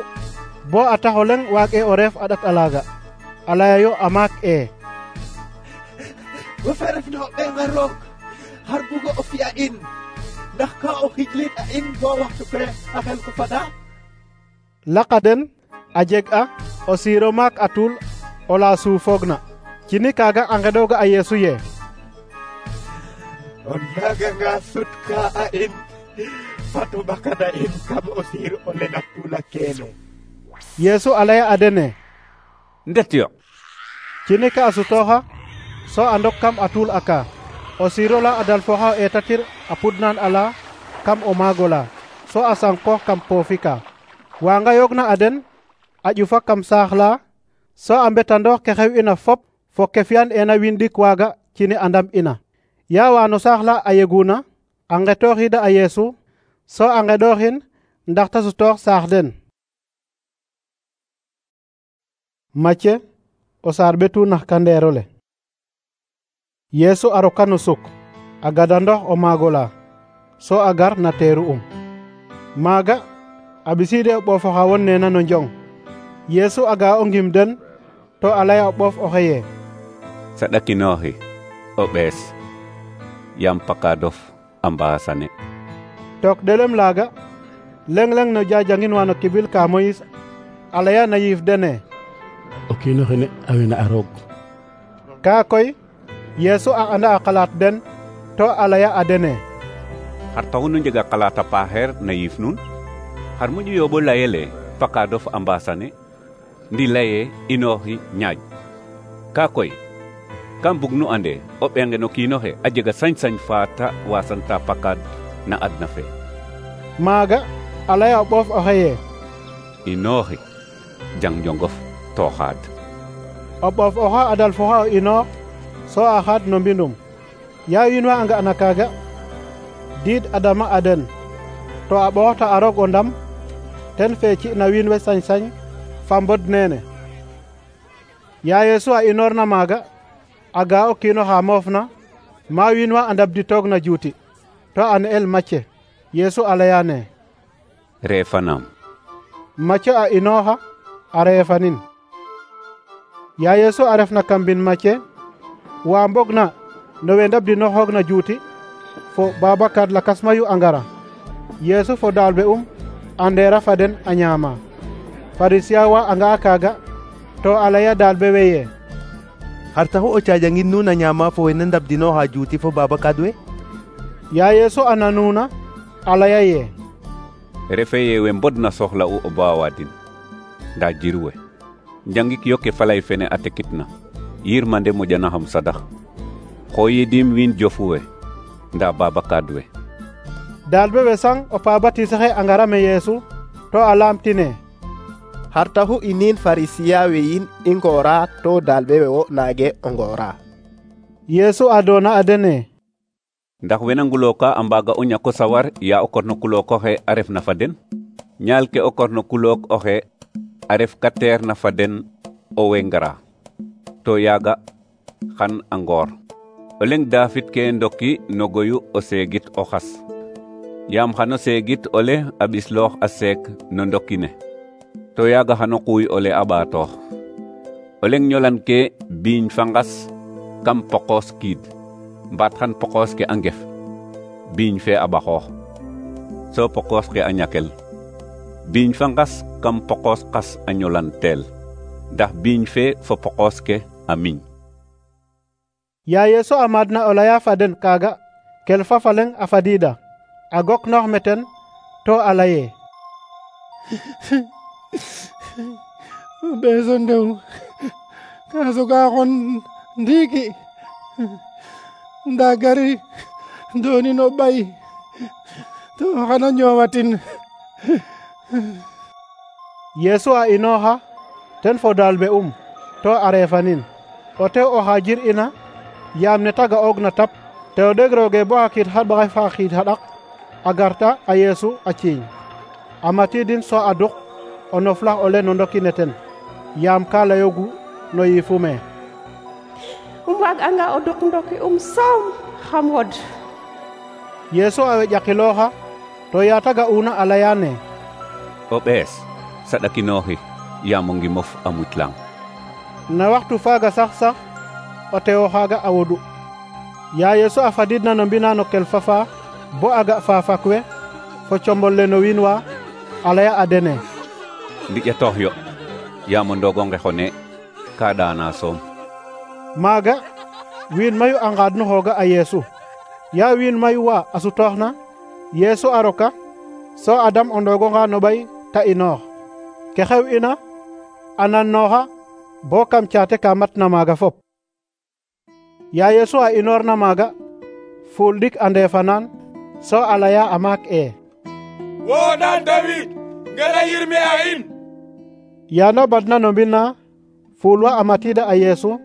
bo a tax o leŋ waag e o reef a ɗat alaaga. A laya yo a maak e: wo fe refna o ɓenga roog xar bugo o fi'a in, ndax ka o xijlin a in bo waxtu fe a xel ko fada? Laqa den a jeg a o siiro maak a tuul ola suufoogna. Cini kaaga a ngeɗooga a Yesu ye: o naaganga sutka a in fat o ɓakana in kam o siir o lena tuula keene. Yesu a laya a dene: ndet yo. Cini ka a sutooxa so a ndok kam a tuul aka. O siirola a dalfoxa o eetatir a pudnan ala kam o maagola so a sankoox kam poofi ka. Wa ngayoogna a den a ƴufa kam saax la so a mbetandoox ke xew ina fop fo ke fi'an ena wiin ɗik waaga cini a ndam ina. Ya wa no saax la a yeguna a ngetooxiida a Yesu so a ngeɗooxin ndax ta sutoox saax den. Macye o saar ɓetu nax kandeerole. Yesu a roka no suk a gada ndox o maagola so a gar na teeru maaga a ɓisiide o ɓoof oxa won neena no njong. Yesu a ga o ngim den to a laya o ɓoof oxe ye: saɗakinooxi o ɓees yam pakadof a mbaasane. Took ɗelem laaga leŋ-leŋ no jajangin wa no kibil ka Moyis a laya na yiif dene: o kiino xene a wena a roog. Kaa koy Yesu a anda a xalaat den to a laya a dene: xar taxu nu njega xalaat a paaxeer na yiif nuun? xar moƴu yooɓo layele pakadof a mbaasane ndi laye inooxi ñaaj. Kaa koy kam bug nu ande o ɓenge no kiinoxe a jega sañ-sañ fa ta wasanta pakad na adna fe. Maaga a laya o ɓoof oxe ye: inooxi jang njongof to xaad. O ɓoof oxa a dalfoxa o inoox so a xaad no mbindum. Ya wiin wa a nga'na kaaga diid a dama a den to a ɓooxta a roog o ndam ten fe ci'na wiin we sañ-sañ fa mbod neene. Ya Yesu a inoorna maaga a ga o kiino xa moofna ma wiin wa a ndabditoogna juuti to a ne'el Macye. Yesu a laya ne: reefanaam. Macye a inooxa a reefanin. Ya Yesu a refna kam mbin Mathieu wa mbogna no we ndabdinoxoogna juuti fo Babacar lakas mayu a ngara. Yesu fo daalbe a ndeera fa den a ñaama. Farisiya wa a nga'a kaaga to a laya daalbe we ye: xar taxu o caajangin nuun a ñaama fo wene ndabdinooxa juuti fo Babacar we? Ya Yesu a nanuuna a laya ye: refe ye we mbodna soxla'u o baawadin nda jirwe njangik yo ke falay fene a tekitna yirmande moƴanaxam sadax xoyidim wiin jofu we nda Babacar we. Daalbe we sang o pa batisaxe a ngara me Yesu to a laamtine: xar taxu inin farisiya we yin i ngoora to daalbe we wo naage o ngoora? Yesu a doona a dene: ndax wena ngulooka a mbaaga o ñako sawar ya o korno kulook oxe a refna fa den? ñaal ke o korno kulook oxe a ref ka teerna fa den o we ngara to yaaga xan a ngoor. o leng daafit ke ndoki no goyu o seegit o xas yaam xano seegit ole a ɓisloox a seek no ndokine to yaaga xano quuy ole a ɓaatoox. o leng ñolan ke biiñ fa ngas kam poqoos kiid mbaat xan poqoos ke a ngef biiñ fe a ɓaxoox so poqoos ke a ñakel. biiñ fa ngas kam poqoos qas a ñolan teel ndax biiñ fe fo poqoos ke a miñ. Ya Yesu a maadna o laya fa den kaaga kel fa fa leng a fadiida a goknoox meten to a laye: ɓeeso ndew ka soga xon ndiiki nda gari doonin o ɓay to xana ñoowatin. Yesu a inooxa ten fo daalbe to a reefanin o tew oxa jir'ina yaam ne ta ga'oogna tap te o ɗegrooge bo xa kiid xaɓaxay fa xiid xaɗaq a garta a Yesu a ciiñ a matidin so a duk o noflax ole no ndokine ten yaam ka layoogu no yiifu me: waag'anga o duk ndoki soom xam wod. Yesu a weƴakilooxa to ya ta ga'uuna a layaane: o ɓees saɗakinooxi yaam o ngimof a muclang. na waxtu faaga sax o tewo xaaga a wodu. Ya Yesu a fadidna no mbina no kel fafa bo a ga faafak we fo combol le no wiin wa a laya a dene: ndiƴatoox yo yaam o ndoogo ngexone ka ɗaana soom. maaga wiin mayu a ngaadnuxooga a Yesu. ya wiin mayu wa a sutooxna Yesu a roka so a dam o ndoogonga no ɓay ta inoox. ke xew ina a nannooxa bo kam caate ka matna maaga fop. Ya Yesu a inoorna maaga fuul ɗik a ndeefanaan so a laya a maak e: woɗan David ngara yirme a in. yaana badna no mbina fuul wa a matiida a Yesu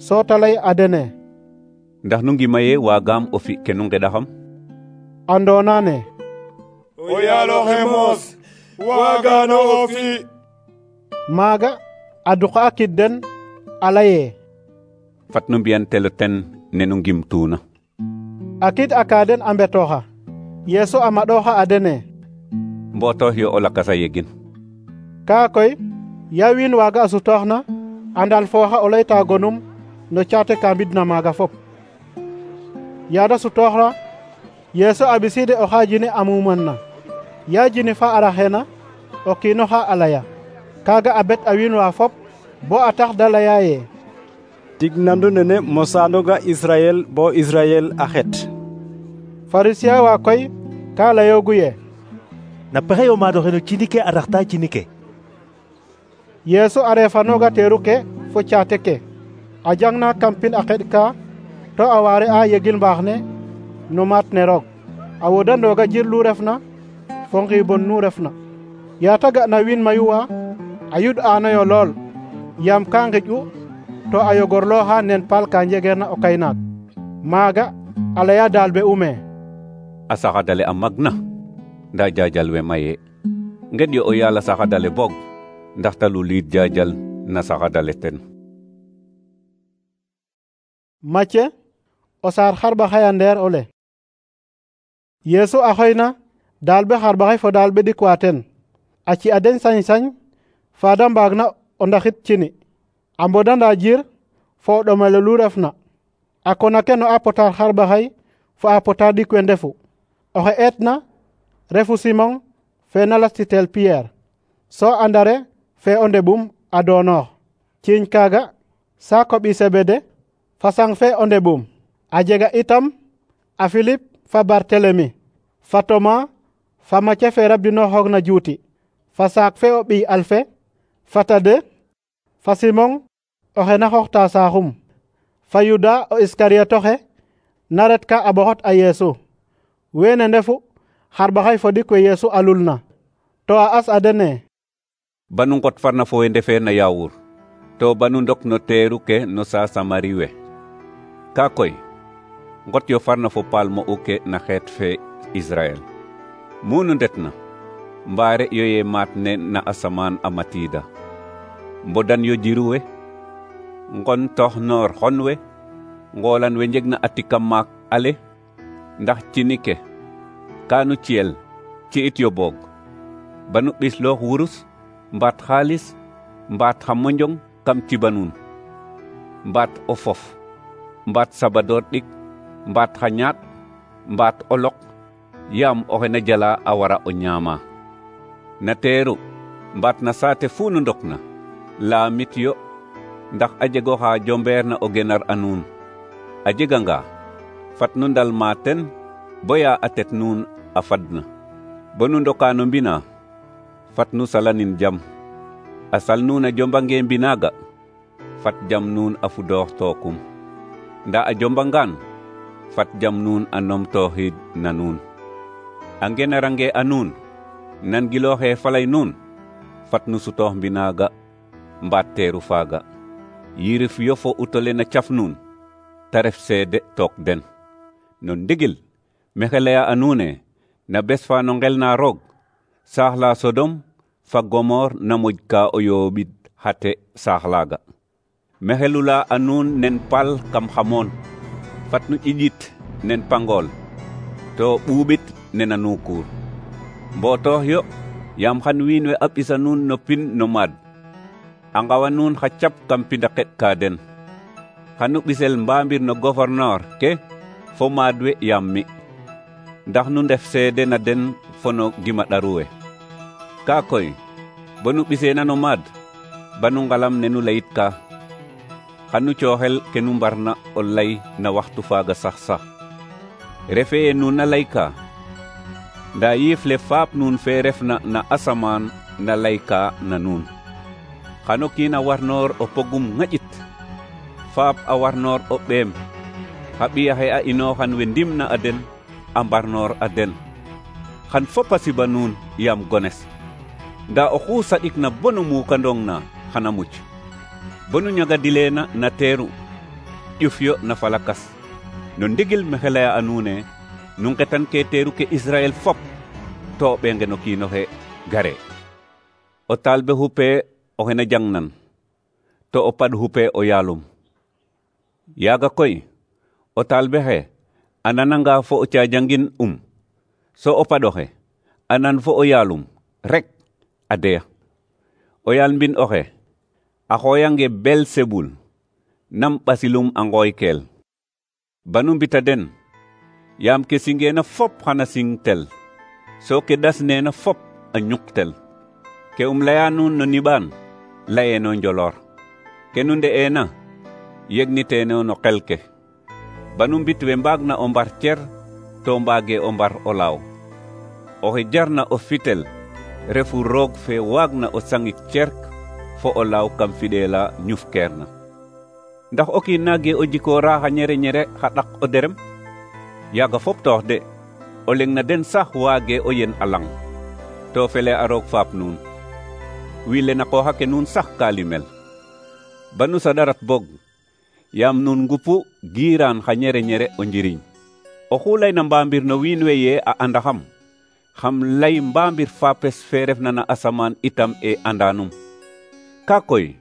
so ta lay a dene: ndax nu ngima ye waagaam o fi ke nu ngeɗaxam? a ndoonaane: o yaaloxe moos waagano o fi. maaga a duqa a kid den a laye: fat nu mbiyan telo ten ne nu ngimtuuna. a kid a ka den a mbetooxa. Yesu a maɗooxa a dene: mbootoox yo o lakas a yegin. kaa koy ya wiin waaga a sutooxna a ndalfooxa o layta gonum no caate ka mbidna maaga fop. yaada sutooxna Yesu a ɓisiide oxa jine a mumanna. ya jini fa a raxeena o kiinoxa a laya. kaaga a bet a wiin wa fop bo a tax da laya ye: tig nandu nene mosaanoga Israyel bo Israyel a xet. Farisiya wa koy ka layoogu ye: na pexe yo maad oxe no cini ke a raxta cini ke. Yesu a reefanooga teeru ke fo caate ke a jangna kam pin a xeɗ ka to a waare a yegil mbaax ne no maat ne roog a wodandooga jir lu refna fo ngiibon nu refna. yaa ta ga'na wiin mayu wa a yud'aanoyo lool yaam ka ngiƴ'u to a yogorlooxa nen paal ka njegeerna o kaynaak. maaga a laya daalbe me: a saxadale a magna nda jaajal we maye. ngeɗ yo o yaal a saxadale boog ndax ta luliid jaajal na saxadale ten. Mathieu o saar xarɓaxay a ndeer ole. Yesu a xoyna daalbe xarɓaxay fo daalbe ɗikwa ten a ci a den sañ-sañ fa da mbaagna o ndaxit cini. a mbodanda jir fo o ɗomelo lu refna a kona ke no a pota xarɓaxay fo a pota ɗik we ndefu. Oxe eetna refu Simon fe na lastitel Pierre, so Andare fe o ndeɓum a donoox, ciiñ kaaga saako ɓi Sebede fa sang fe o ndeɓum. A jega itam a Philip fa Bartelemi, fa Toma, fa Mathieu fe rabdinooxoogna juuti, fa saak fe o ɓiy Alfe, fa Tade, fa Simon oxe na xooxta saaxum, fa Yuda o Iskariotoxe na retka a ɓoxot a Yeesu. Weene ndefu xarɓaxay fo ɗik we Yeesu alulna. To a as a dene: banu ngot farna fo we ndefeerna yaawur to banu ndok no teeru ke no sa Samari we. Ka koy ngot yo farna fo paal mo'u ke na xeet fe Israel. Munu ndetna mbaare yo ye maat ne na asamaan a matiida. Mbodan yo jiru we, ngon tox noor xon we, ngoolan we njegna a tika maak ale, ndax cini ke kaanu ciyel ci it yo boog. Banu ɓisloox wurus, mbaat xaalis, mbaat xa monjong kam cibanuun, mbaat o fof, mbaat sabadoor ɗik, mbaat xa ñaat, mbaat o lok, yaam oxe na jala a wara o ñaama. Na teeru mbaat na saate fu nu ndokna laamit yo, ndax a jego xa jombeerna o genar a nuun. A jeganga fat nu ndalma ten boya a tet nuun a fadna. Bonu ndoka no mbina fat nu salanin jam. A sal nuun a jombange mbinaga fat jam nuun a fudoox tookum. Nda a jombangaan fat jam nuun a nomtooxid na nuun. A ngenarange a nuun nan gilooxe falay nuun fat nu sutoox mbinaga mbaat teeru faaga. Yirif yo fo utole na caf nuun ta ref seede took den. No ndigil mexe laya a nuune na bes fa no ngel na roog saax la Sodom fa Gomor na moƴ ka o yooɓid xate saax laaga. Mexe lula a nuun nen pal kam xamoon fat nu ƴiƴit nen pangool to ɓuuɓit nena nuukuur. Mbotoox yo yaam xan wiin we a ɓisa nuun no pin no maad, a ngawa nuun xa cap kam pinda xeɗ ka den. Xanu ɓisel mbaambir no gouverneur ke fo maad we yaam mi, ndax nu ndef seede na den fo no gima ɗaru we. Ka koy bonu ɓiseena no maad banu ngalam ne nu layit ka, xanu cooxel ke nu mbarna o lay na waxtu faaga sax. Refe ye nuun na layka, nda yiif le faap nuun fe refna na asamaan na layka na nuun. Xano kiin a warnoor o pogum ŋaƴit, faap a warnoor o ɓeem, xa ɓiyaxe a inooxan we ndimna a den a mbarnoor a den. Xan fop a siba nuun yaam gones, nda oxu saɗikna bonu muukandong na xana muc. Bonu ñagadileena na teeru ƴuf yo na falakas. No ndigil mexe laya a nuune nu ngetan ke teeru ke Israel fop to o ɓenge no kiinoxe gare. O talbe xupe oxe na jangnan to o pad xupe o yaalum. Yaaga koy o talbe xe a nananga fo o caajangin so o padoxe a nan fo o yaalum rek a deya. O yaal mbin oxe a xooyange Belsebul nam ɓasilum a ngooykeel. Banu mbita den yaam ke singeena fop xana singtel, so ke dasneena fop a ñuqtel. Ke laya nuun no niɓaan layeeno njoloor, ke nu nde'eena yegniteeno no qel ke. Banu mbit we mbaagna o mbar cer to mbaage o mbar o laaw. Oxe jarna o fitel refu roog fe waagna o sangik cerk fo o laaw kam fiɗeela ñufkeerna. Ndax o kiin naage o jikoora xa ñere xa ɗak o derem? Yaaga fop toox de, o leng na den sax waage o yen a lang, to fele a roog faap nuun. Wiile na qooxa ke nuun sax ka limel. Banu saɗarat bog, yaam nuun ngupu giiraan xa ñere o njiriñ. Oxu layna mbaambir no wiin we ye a andaxam, xam lay mbaambir faapes fe refna na asamaan itam e andanum. Ka koy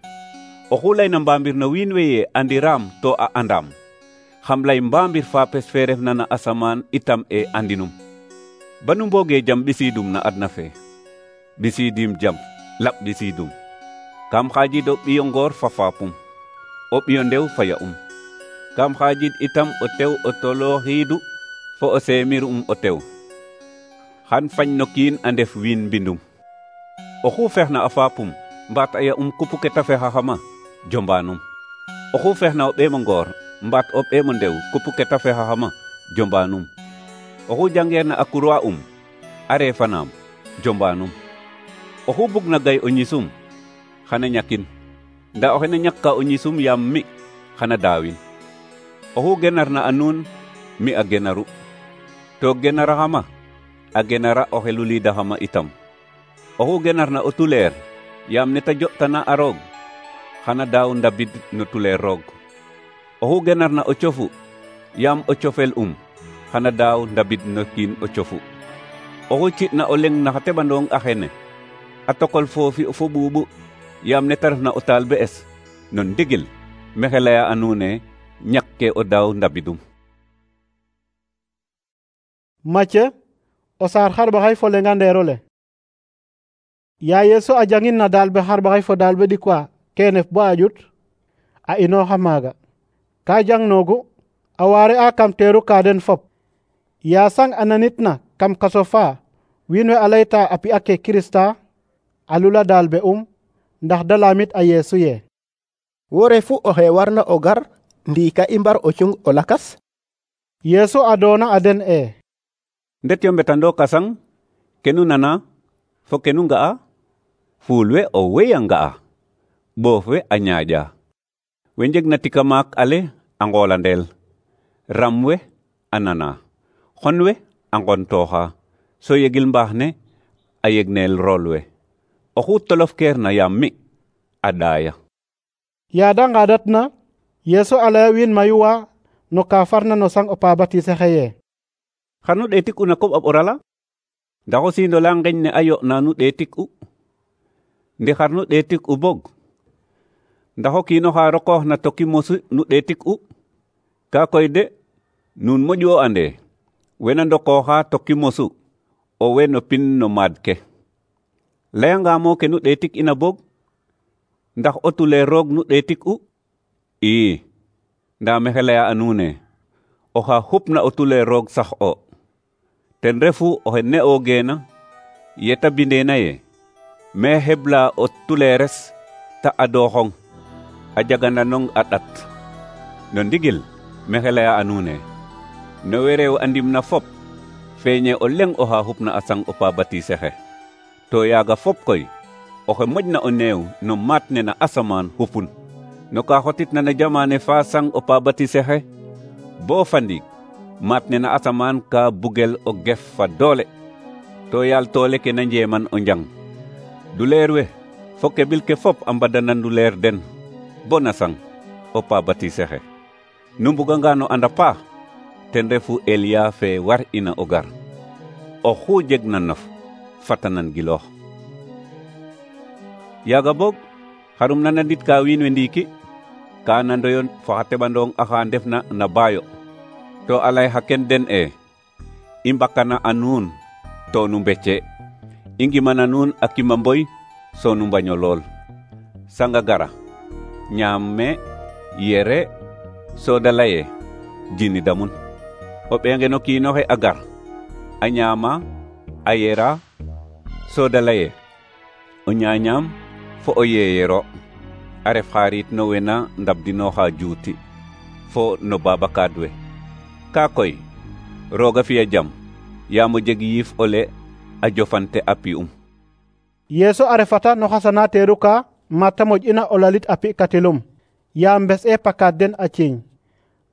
oxu layna mbaambir no wiin we ye andiraam to a andaam, xam lay mbaambir faapes fe refna na asamaan itam e andinum. Banu mbooge jam ɓisiidum na adna fe, ɓisiidim jam laɓ ɓisiidum. Kam xaajid o ɓiyo ngoor fa faapum. o ɓiyo ndew faya kam xaajid itam o tew o tolooxiidu fo o seemir o tew xan fañ no kiin a ndef wiin mbindum oxu fexna a faapum mbaat a ya kupu ke ta fexaxama jombanum oxu fexna o ɓeemo ngoor mbaat o ɓeemo ndew kupu ke ta fexaxama jombanum oxu jangeerna a kurwa a reefanaam jombanum oxu bugna gay o ñisum xana ñakin nda oxe na ñakka o ñisum yaam mi xana daawin oxu genarna a nuun mi a genaru to genaraxama a genara oxe luliidaxama itam oxu genarna o tuleer yaam neta jo'tana a roog xana daaw ndabid no tuleer roog oxu genarna o cofu yaam o cofel xana daaw ndabid no kiin o cofu oxu ci'na o leng na xa teɓandong a xene a tokol foofi fo ɓuuɓu yaam neta refna o taalibe es no ndigil maxey laya a nuune ñakke o daaw ndabidum. Macë o saar xarɓaxay fo lenga ndeerole. Ya Yeesu a jangin na daalbe xarɓaxay fo daalbe ɗikwa keenef bo a ƴut a inooxa maaga ka jangnoogu a waare a kam teeru ka den fop yaasang a nanitna kam kaso fa wiin we a layta a pi'a ke Kirista a lula daalbe ndax da laamit a Yeesu ye wo refu oxe warna o gar ndiika i mbar o cung o lakas. Yeesu a doona a den ndet yo mbetando kasang kenu nana fo kenu nga'a fuul we o wey a nga'a ɓoof we a ñaaƴa we njegna tika maak ale a ngoolandeel ram we a nana xon we a ngontooxa so yegil mbaax ne a yegneel rool we oxu tolof keerna yaam mi a ɗaaya. Yaada ngaadatna Yeesu a laya wiin mayu wa no ka farna no sang o pa batise xeye xanu ɗeetik u na koɓ a ɓorala ndax o siindola ngeñ ne a yo'na nu ɗeetik u ndi xar nu ɗeetik u bog ndax o kiin oxa rokooxna toki mosu nu ɗeetik u ka koy de nuun moƴu o ande wena ndokooxa toki mosu o we no pin no maad ke layangamo ke nu ɗeetik ina bog ndax o tulee roog nu ɗeetik u nda maxey laya a nuune oxa xupna o tulee roog sax o ten refu oxe ne'oogeena yeta bindeena ye me xebla o tuleeres ta adooxong a jagananong a ɗat no ndigil maxey laya a nuune no we reew a ndimna fop feeñe o leng oxa xupna a sang o pa batise xe to yaaga fop koy oxe moƴna o neew no maat ne na asamaan xupun no ka xotitna na jamaane fa sang o pa batise xe bo fa ndiik maat ne na asamaan ka bugel o gef fa doole to yaal toole ke na njeeman o njang duleer we fo keɓil ke fop a mbadana nduleer den bo na sang o pa batise xe nu mbuganga no anda paax ten refu Eliya fe war ina o gar oxu jegna nof fatanan giloox yaaga boog xarum nanandit ka wiin we ndiiki ka nandoyo fo xa teɓandong axa ndefna na baayo to a lay xa ken den i mbakana a nuun to nu mbece i ngimana nuun a kima mboy so nu mbaño lool sanga gara ñaam me yere so da laye jini damun o ɓeenge no kiinoxe a gar a ñaama a yera so da laye o ñaañaam fo o yeeyero a ref xaarit no wena ndabdinooxa juuti fo no babakaad we ka koy rooga fiya jam yaam o jeg yiif ole a jofante a pi'um. Yeesu a refata no xasana teeru ka mata moƴ'ina o lalit a pi'katilum yaam mbes'e pakaad den a ciiñ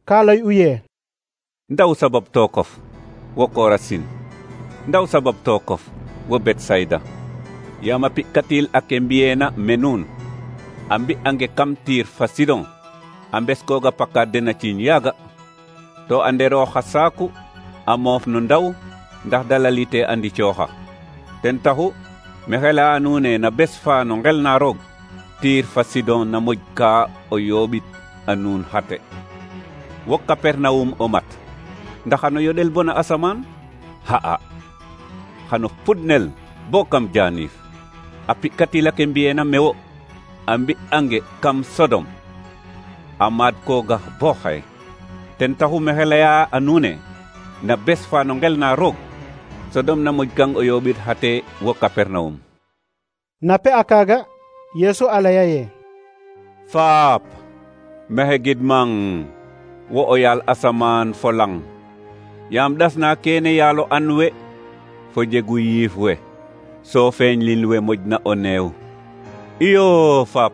ka lay'u ye ndaw sabab tookof wo Korasin ndaw sabab tookof wo Betsayda yaam a pi'katil ake mbi'eena me nuun a mbi'ange kam tiir fa Sidon a mbeskooga pakaad den a ciiñ yaaga to a nderoox xa saaku a moof no ndaw ndax da lalite a ndicooxa ten taxu maxey laya nuune na bes fa no ngel na roog tiir fa Sidon na moƴ ka o yooɓit a nuun xate wo Kapernawum o mat ndax xano yoɗel bo na asamaan xa'a xano pudnel bo kam jaaniif a pi'katil ake mbi'eena me wo a mbi'ange kam Sodom a maad kooga bo xaye ten taxu maxey leya a nuun ne na bes fa no ngel na roog Sodom na moƴ kang o yooɓid xate wo Kapernawum. Na pe a kaaga Yeesu a laya ye: Faap, maxey gidmang wo o yaal asamaan fo lang, yaam ɗasna kene yaalo an we fo jegu yiif we so feeñ lin we moƴna o neew. Iyo Faap,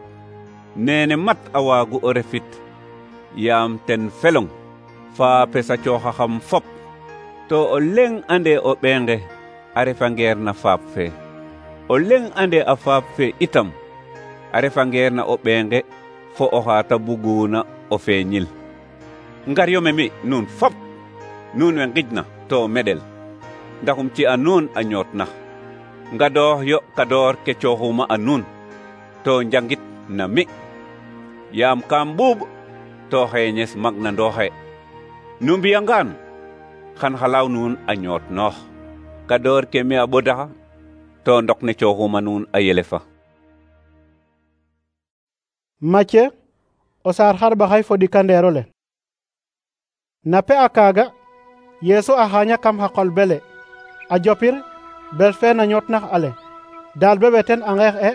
nene mat a waagu o refit, yaam ten felong faapes a cooxaxam fop, to o leŋ ande o ɓeenge a refa ngeer na faap fe, o leŋ ande a faap fe itam a refa ngeer na o ɓeenge fo oxa ta buguna o feeñil. Ngar yo me mi nuun fop, nuun we ngijna to meɗel, ndaxum ci a nuun a ñoot nax. Ngadoox yo kadoor ke cooxuma a nuun, to njangit na mi, yaam kam ɓuuɓ to xeeñes mag na ndooxe. Nu mbiyangaan xan xalaaw nuun a ñoot noox, kadoor ke mi a ɓodaxa, to ndok ne cooxuma nuun a yelefa. Macye o saar xarɓaxay fo ɗikandeero le. Na pe a kaaga Yeesu a xaaña kam xa qol bele a jopir bel fe na ñootnax ale daal be ɓeten a ngeex e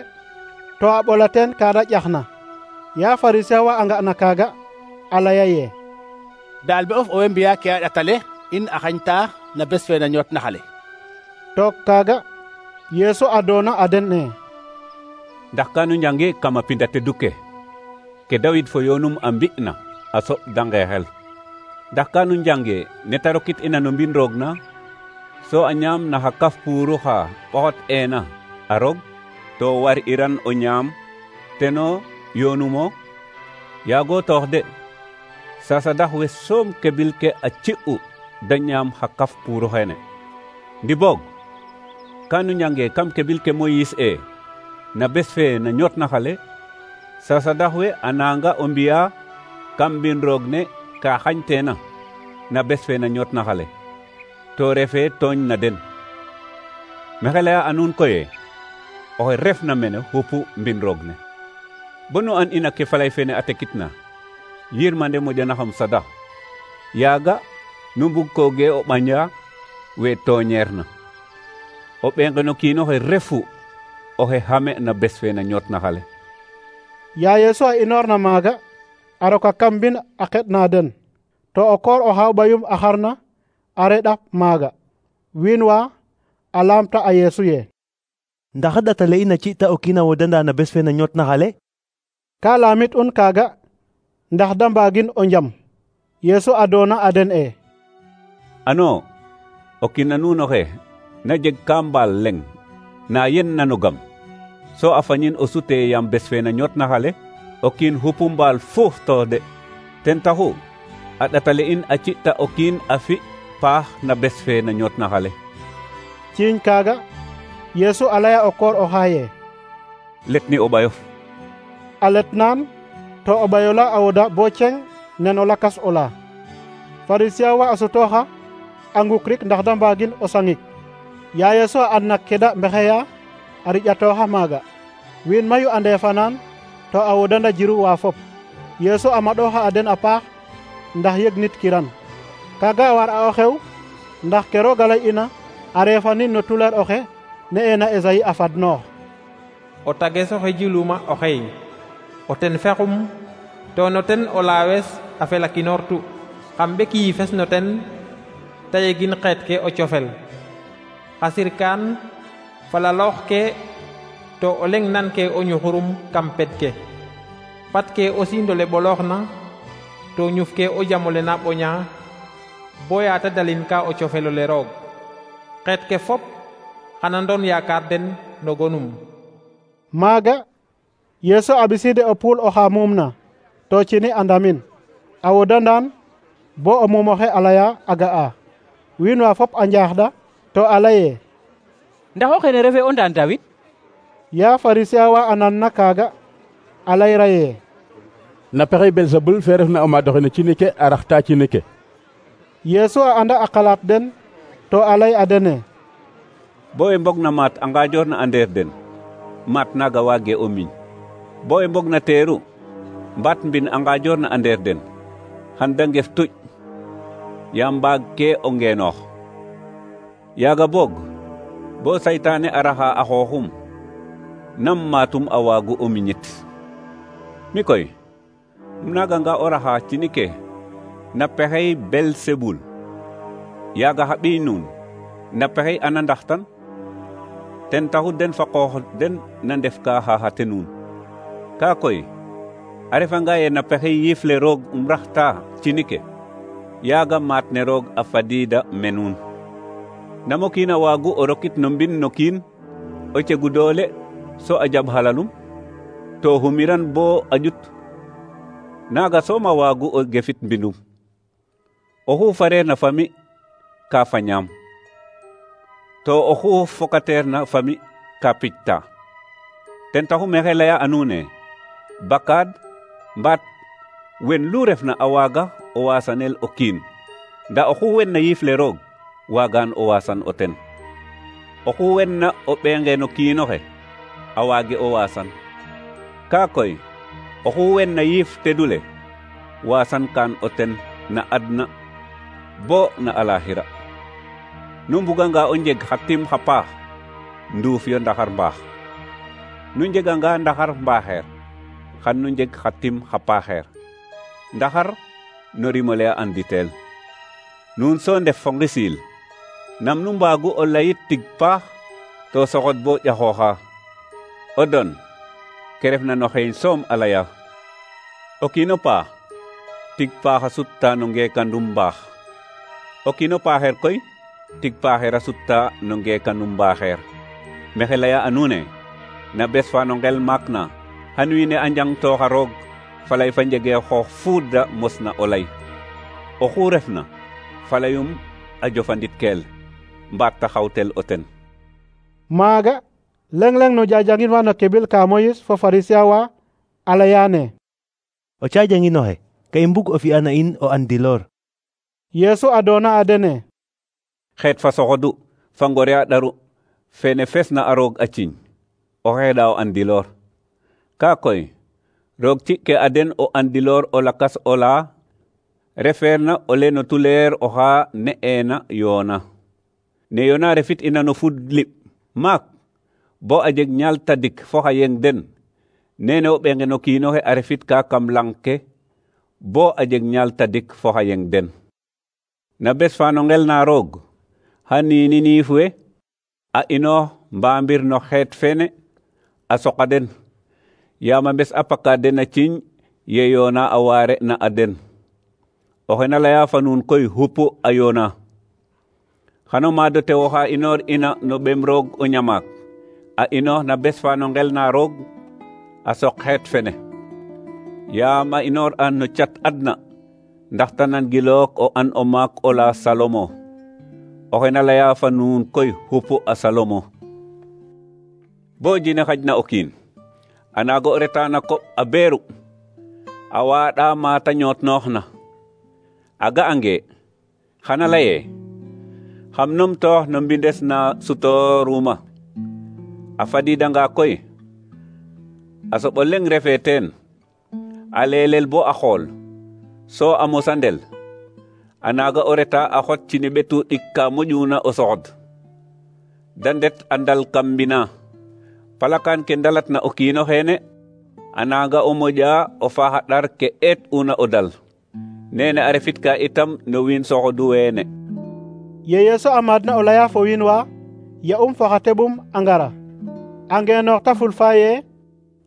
to a ɓola teen kaada ƴaxna. Ya Farisien wa a nga na kaaga a laya ye: daal be of owey mbiya ke a ɗatale in a xañta na bes fe na ñootnax ale. Took kaaga Yeesu a doona a den ne: ndax kanu njange kama pinda teddu ke Dawid fo yoonum a mbi'na a soɓ da ngeexel. Ndax kanu njange ne ta rokit ina no mbin roog na so a ñaam na xa kaf puuru xa ɓoxot eena a roog to war iran o ñaam teno yoonumo. Yaago toox de, sasadax we soom kebil ke a ci'u da ñaam xa kaf puuru xene. Ndi boog kanu njange kam kebil ke Moyis e na bes fe na ñootna xale, sasadax we a nanga o mbiya kam mbin roog ne ka xañteena na bes fe na ñootna xale, to refe tooñ na den. Maxey leya a nuun koye oxe refna mene xupu mbin roog ne. Bonu an ina ke falay fene a tekitna yirmande moƴanaxam sadax, yaaga nu mbug koge o ɓaña we tooñeerna. O ɓeenge no kiinoxe refu oxe xame na bes fe na ñootna xale. Ya Yeesu a inoorna maaga a roka kam mbin a xeɗna den, to o koor o xaaw ɓayum a xarna a reɗa maaga. Wiin wa a laamta a Yeesu ye: ndax a ɗatale in a ci'ta o kiin a wodanda na bes fe na ñootna xale? Ka laamit un kaaga ndax da mbaagin o njam. Yeesu a doona a den e: ano o kiin a nuun oxe na jeg ka mbaal leŋ na yen nano gam, so a fañin o sute yaam bes fe na ñootna xale, o kiin xupu mbaal fuuf to de. Ten taxu a ɗatale in a ci'ta o kiin a fi paax na bes fe na ñootna xale. Ciiñ kaaga Yeesu a laya o koor o xaaye: letni o ɓayof. A letnaan to o ɓayo la a woda bo ceng nen o lakas o la. Farisien wa a sutooxa a ngukrik ndax da mbaagin o sangik. Ya Yeesu a adna ke da mbexeya a riƴatooxa maaga. Wiin mayu a ndeefanaan to a wodanda jiru wa fop. Yeesu a maɗooxa a den a paax ndax yeg nit kiran. Kaaga a war a o xew ndax ke roog a lay'ina a reefanin no tuleer oxe ne'eena Esayi a fadnoox: o tages oxe jiluma o xey, o ten fexum to no ten o laawes a felakinoortu, xam ɓek yiifes no ten ta yegin xeet ke o cofel. Xa sirkaan falaloox ke to o leŋ nan ke o ñuxurum kam ped ke. Pat ke o siindole ɓolooxna to ñuf ke o jamole na ɓoña boya ta dalin ka o cofelole roog. Xeet ke fop xana ndon yaakaar den no gonum. Maaga Yeesu a ɓisiide o puul oxa muumna to cini a ndamin a wodandaan bo o muum oxe a laya a ga'a. Wiin wa fop a njaaxɗa to a laye: ndax o xene refe o ndaan Dawid? Ya Farisien wa a nanna kaaga a layra ye: na pexey Belzebul fe refna o maad oxe no cini ke a raxta cini ke. Yeesu a anda a qalaat den to a lay a dene: bo e mbog na maat a ngajoor na a ndeer den, maat naaga waage o miñ. Bo e mbog na teeru mbaat mbin a ngaajoor na a ndeer den xan da ngef tuƴ yaam mbaag ke o ngeenoox yaaga boog bo saytaane a raxa a xooxum nam maatum a waagu o miñit mi koy naaganga o raxa cini ke na pexey Belsebul yaaga xa ɓiy nuun na pexey ana ndaxtan ten taxu den fa qoox den na ndef ka xaxate nuun kaa koy a refanga ye na pexey yiifle roog raxta cini ke yaaga maat ne roog a fadiida me nuun namo kiin a waagu o rokit no mbin no kiin o cegu doole so a jaɓ halalum to xumiran bo a ƴut naaga soom a waagu o gefit mbinum oxu fareer na fami ka fañaam to oxu fokateer na fami ka picta ten taxu maxey leya a nuun e bakaad mbaat wen lu refna a waaga o waasanel o kiin nda oxu wenna yiifle roog waagaan o waasan o ten oxu wenna o ɓeenge no kiinoxe a waage o waasan kaa koy oxu wenna yiif tedule waasan kaan o ten na adna bo na alaxira nu mbuganga o njeg xa tim xa paax nduuf yo ndaxar mbaax nu njeganga ndaxar mbaaxeer xan nu njeg xa tim xa paaxeer ndaxar no rimole a anditel nuun so ndef fo ngisiil nam nu mbaagu o layit tig paax to soxod bo ƴaxooxa o don ke refna no xeeñ soom a laya o kiino paax tig paax a sutta no ngeekandum mbaax o kiino paaxeer koy tig paaxeer a sutta no ngeekandum mbaaxeer maxey leya a nuun e na bes fa no ngel maak na xan wiin we a njangtooxa roog falay fa njegee xoox fuuda mosna o lay oxu refna falayum a jofanditkeel mbaat ta xawtel o ten maaga leng-leng no jajangin wa no kebil ka Moyis fo Farisiya wa a layaane o cajanginoxe ka i mbug o fi'an a in o andiloor. Yeesu a doona a dene xeet fa soxodu fa ngore a ɗaru fene fesna a roog a ciñ o xeeɗa o andiloor kaa koy roog ci'ke a den o andiloor o lakas o laa refeerna o le no tuleer oxa ne'eena yoona ne yoona refit ina no fud liɓ maak bo a jeg ñaal tadik fo xa yeng den nene o ɓenge no kiinoxe a refit ka kam lang ke bo a jeg ñaal tadik fo xa yeng den na bes fa no ngel na roog xa niini niif we a inoox mbaambir no xeet fene a soqa den yaam a mbes a paka den a ciñ ye yoona a waare na a den oxe na leya fa nuun koy xupu a yoona xano maado tewo xa inoor ina no ɓem roog o ñamaak a inoox na bes fa no ngel na roog a soq xeet fene yaam a inoor an no cat adna ndax ta nan gilook o an o maak o la Salomo oxe na leya fa nuun koy xupu a Salomo bo jine xajna o kiin a naago o reta na koɓ a beeru a waaɗa maata ñootnooxna a ga'ange xana laye xam numtoox no mbindes na sutooruma a fadiidanga koy a soɓo leŋ refee teen a leelel bo a xool so a mosandel a naaga o reta a xot cini ɓetu ɗik ka moƴuna o soxod da ndet a ndal kam mbina palakaan ke ndalatna o kiino xeene a naaga o moƴa o faaxa ɗar ke eet una o dal nene a refit ka itam no wiin soxodu weene ye Yeesu a maadna o laya fo wiin wa ya'um fo xa teɓum a ngara a ngeenoox ta fulfa ye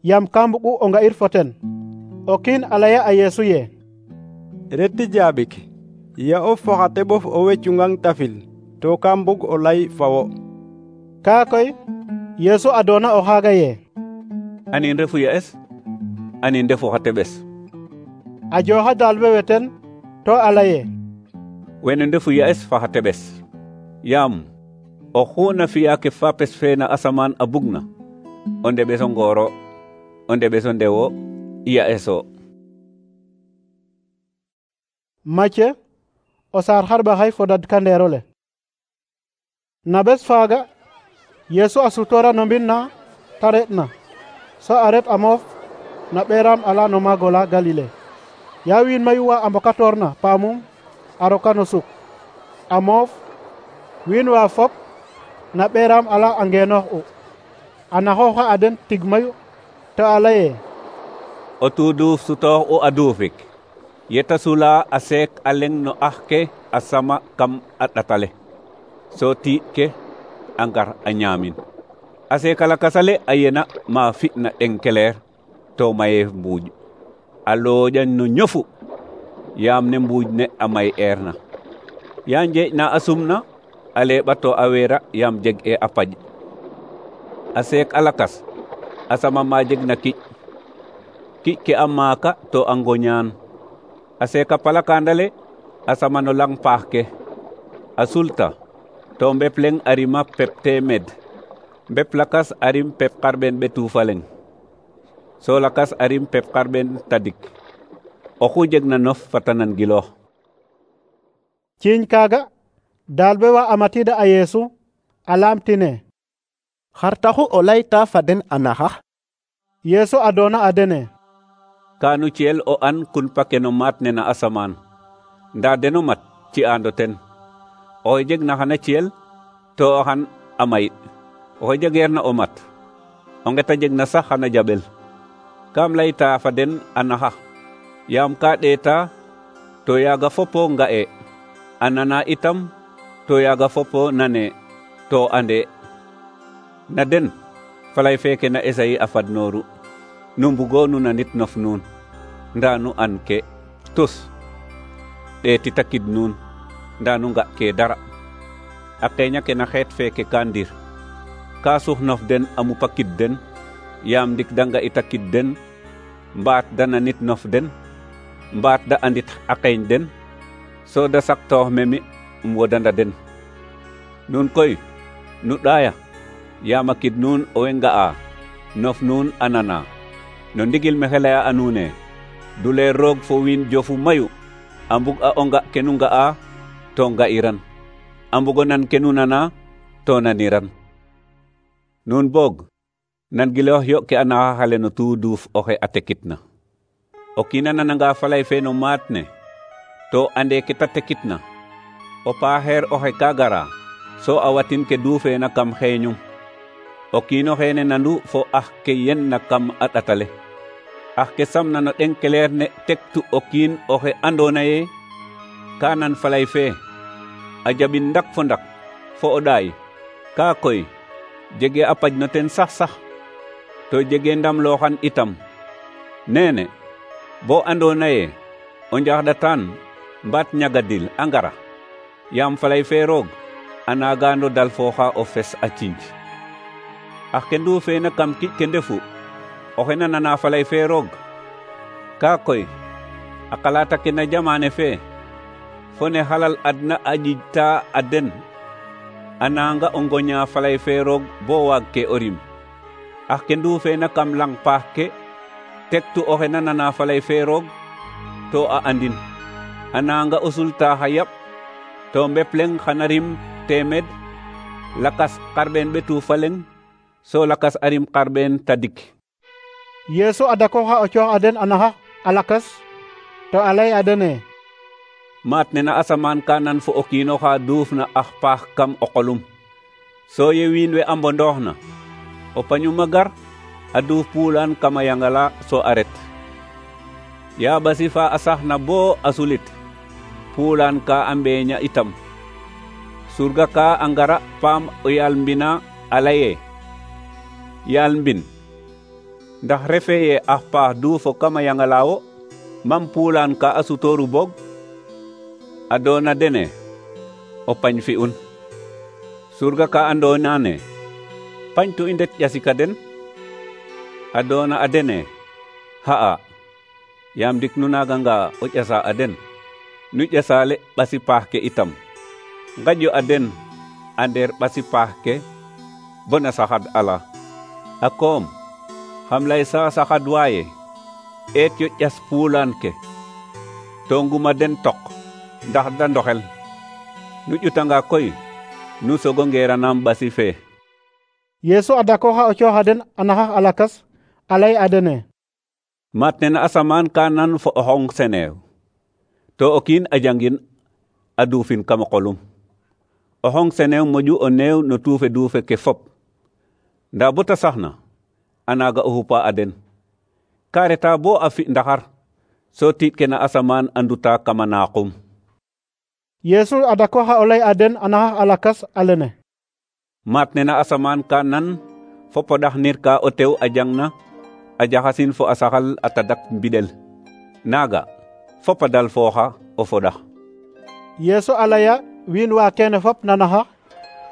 yaam ka mbugu o nga'ir fo ten o kiin a laya a Yeesu ye reti jaabik ya'of fo xa teɓof o wecungang tafil to ka mbug o lay fa wo kaa koy Yeesu a doona o xaaga ye anin refu ya'es anin ndefu xa teɓes a jooxa daal we ten to a laye wene ndefu ya'es fa xa teɓes yaam oxu na fi'a ke fapes fe na asamaan a bugna o ndeɓeso ngooro o ndeɓeso ndewo ya'eso Macye o saar xarɓaxay fo dadkandeero le na bes faaga Yeesu a sutoora no mbin na ta re'na so a ret a moof na ɓeram ala no maago la Galile. Ya wiin mayu wa a mbokatoorna paamum a roka no suk a moof, wiin wa fop na ɓeram ala a ngeenoox u a naxooxa a den tig mayu to a laye: o tuuduuf sutoox u a duufik, yeta sula a seek a leng no ax ke a sama kam a ɗatale, so tiiɗ ke a ngar a ñaamin. A seeka lakas ale a yena ma fi'na ɗenkeleer to mayeef mbuuƴ, a looƴan no ñofu yaam ne mbuuƴ ne a may eerna. Ya njeeƴ na a sumna a leeɓa to a weera yaam jeg e a paƴ. A seek a lakas a sama ma jeg na kiƴ, kiƴ ke a maaka to a ngoñaan. A seeka palakandale a sama no lang paax ke, a sulta to mbep leng a rima pep teemed, mbep lakas a rim pep xarɓeen ɓetu fa leng, so lakas a rim pep xarɓeen tadik. Oxu jeg na nof fata nan giloox. Ciiñ kaaga daalbe wa a matiida a Yeesu a laamtine: xar taxu o layta fa den a naxax? Yeesu a doona a dene: Kaanu ciyel o an kunpa ke no maat ne na asamaan, ndaa deno mat ci'aando ten. Oxe jeg na xana ciyel to xan a may, oxe jegeerna o mat o nget a jeg na sax xana jaɓel. Kaam layta fa den a naxax, yaam ka ɗeeta to yaaga fopo nga'e, a nana itam to yaaga fopo nane to ande. Na den falay feeke na Esayi a fadnooru, nu mbugo nu nanit nof nuun, ndaa nu an ke tus. Ɗeeti takid nuun, ndaa nu nga ke dara. A qeeña ke na xeet feeke ka ndir, ka sux nof den a mupakid den, yaam ndik da nga'ita kid den, mbaat da nanit nof den, mbaat da andit a qeeñ den, so da saktoox memi wodanda den. Nuun koy nu ɗaaya, yaam a kid nuun owey nga'a, nof nuun a nana. No ndigil mexe laya a nuune, duleer roog fo wiin jofu mayu a mbug a onga ke nu nga'a to nga'iran, a mbugo nan ke nu nana to naniran. Nuun boog nan giloox yo ke a naxax ale no tuuduuf oxe a tekitna. O kiin a nananga falay fe no maat ne to ande ke ta tekitna, o paaxeer oxe ka gara so a watin ke duufeena kam xeeñum. O kiin oxeene nandu fo ax ke yenna kam a ɗatale, ax ke samna no ɗenkeleer ne tektu o kiin oxe andoona ye ka nan falay fe a jaɓin ndak fo ndak fo o ɗaay, ka koy jege a paj no ten sax to jege ndam looxan itam. Neene bo andoona ye o njaxɗatan mbaat ñagadil a ngara, yaam falay fe roog a naagaano dal fooxa o fes a cinj. Ax ke nduufeena kam kiƴ ke ndefu oxe na nana falay fe roog, ka koy a qalaata ke na jamaane fe fo ne xalal adna a ƴiƴta a den a nanga o ngoña falay fe roog bo waag ke o rim. Ax ke nduufeena kam lang paax ke tektu oxe na nana falay fe roog to a andin, a nanga o sulta xa yaɓ to mbep leng xana rim teemed, lakas xarɓeen ɓetu fa leng, so lakas a rim xarɓeen tadik. Yeesu a dakooxa o coox a den a naxax a lakas to a lay a dene: maat ne na asamaan ka nan fo o kiin oxa duufna ax paax kam o qolum, so ye wiin we a mbondooxna, o pañum a gar a duuf puulaan kam a yangala so a ret. Ya ɓasi fa a saxna bo a sulit, puulaan ka a mbeeña itam. Surga ka a ngara paam o yaal mbina a laye: yaal mbin, ndax refe ye ax paax duufo kam a yangala wo, mam puulaan ka a sutooru boog? A doona dene o pañ fi'un. Surga ka andoona ne pañtu i ndet ƴasika den? A doona a dene: xa'a, yaam ndik nu naaganga o ƴasa a den, nu ƴasaale ɓasi paax ke itam. Ngaƴyo a den a ndeer ɓasi paax ke bona saxad ala. A koom xam lay sa saxad waaye eet yo ƴas puulaan ke to nguma den tok ndax da ndoxel. Nu ƴutanga koy nu sogo ngeeranaam ɓasi fe. Yeesu a dakooxa o cooxa den a naxax a lakas a lay a dene: Mat nena asamaan ka nan fo o xong seneew to o kiin a jangin a duufin kam o qolum. O xong seneew moƴu o neew no tuufe duufe ke fop. Ndaa bo ta saxna a naaga o xupa a den. Ka reta bo a fi ndaxar so tiiɗ ke na asamaan a nduta kama naaqum. Yesu a dakoxa o lay a den a naxax a lakas a lene: Mat nena asamaan ka nan fo poɗax nir ka o tew a jangna a jaxasin fo a saxal a tadak mbiɗel. Naaga fop a dal fooxa o foɗax. Yesu a laya wiin wa kene fop na naxax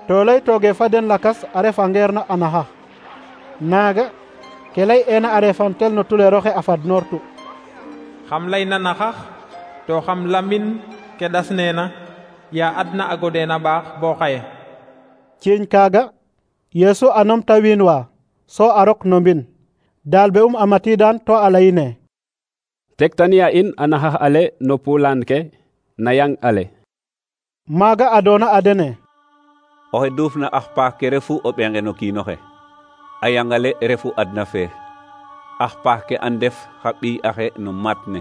to lay tooge fa den lakas a refa ngeerna a naxax. Naaga ke lay eena a refamtel no tuleeroxe a fadnoortu. Xam lay na naxax to xam lamin ke ɗas neena ya adna a godeena baax bo xaye. Ciiñ kaaga Yesu a nomta wiin wa so a rok no mbin. Daalbe a matiidan to a layine: Tegtaniya in a naxax ale no pulaan ke na yang ale. Maaga a doona a dene: Oxe duufna ax paax ke refu o ɓenge no kiinoxe. A yangale refu adna fe. Ax paax ke a ndef xa ɓiy axe no mat ne.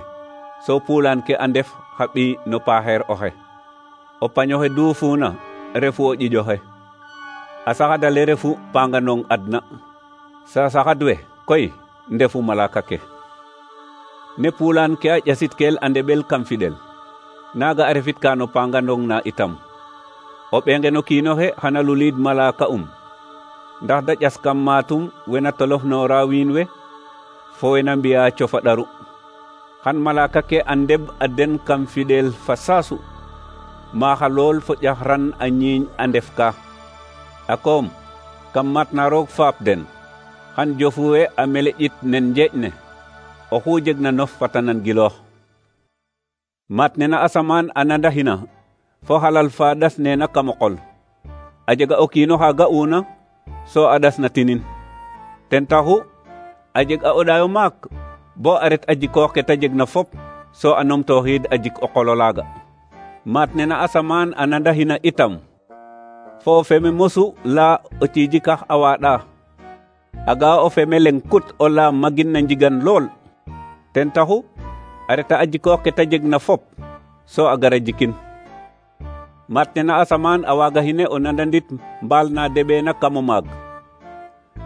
So pulaan ke a ndef xa ɓiy no paaxeer oxe. O pañoxe duufuna refu o ƴiƴoxe. A saxadale refu panganong adna. Sa saxad we koy ndefu malaka ke. Ne pulaan ke a ƴasitkel a ndeɓel kam fiɗel. Naaga a refit ka no panganong na itam. O ɓenge no kiinoxe xana luliid malaka ndax da ƴas kam maatum wena tolof noora wiin we fo wena mbiya cofa ɗaru. Xan malaka ke a ndeɓ a den kam fiɗel fa saasu. Maaxa lool fo ƴaxran a ñiiñ a ndef ka. A koom kam matna roog faap den. Xan jofuwe a meleƴit nen njeeƴ ne. Oxu jegna nof fata nan giloox. Mat nena asamaan a nandaxina fo xalal fa ɗas neena kam o qol. A jega o kiino xa ga'una so a ɗasna tinin. Ten taxu a jeg a oɗayo maak bo a ret a jikoox ke ta jegna fop so a numtooxiid a jik o qolo laaga. Mat nena asamaan a nandaxina itam fo o feme mosu la o ciijikax a waaɗa. A ga'a o feme leng kut o la magin na njigan lool. Ten taxu a reta a jikoox ke ta jegna fop so a gara jikin. Mat nena asamaan a waagaxine o nandandit mbaal na deɓeena kam o maag.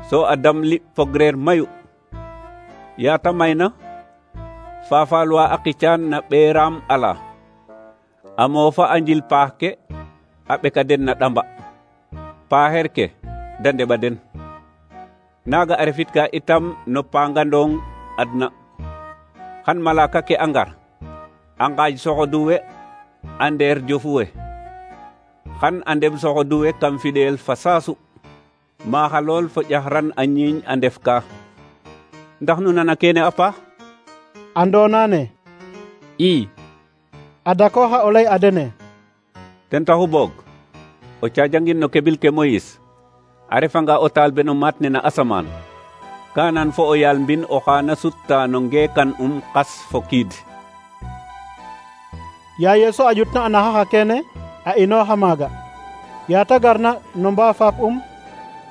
So a damli fogreer mayu. Yaata mayna faafaalwa a qicaan na ɓeeraam ala. A moofa a njil paax ke a ɓeka den na ɗamba. Paaxeer ke da ndeɓa den. Naaga a refit ka itam no pangandong adna. Xan malaka ke a ngar a ngaaj soxoduwe a ndeer jofuwe. Xan a ndem soxoduwe kam fiɗeel fa saasu. Maaxa lool fo ƴaxran a ñiiñ a ndef ka. Ndax nu nana kene a paax? Andoona ne: I. A dakooxa o lay a dene: Ten taxu boog o caajangin no kebil ke Moyis a refanga o taal beno maat ne na asamaan. Kanan fo o yaal mbin oxa na sutta no ngeekan qas fo kiid. Ya Yesu a jutna a naxaxa kene a inooxa maaga. Yaata garna no mbaa faap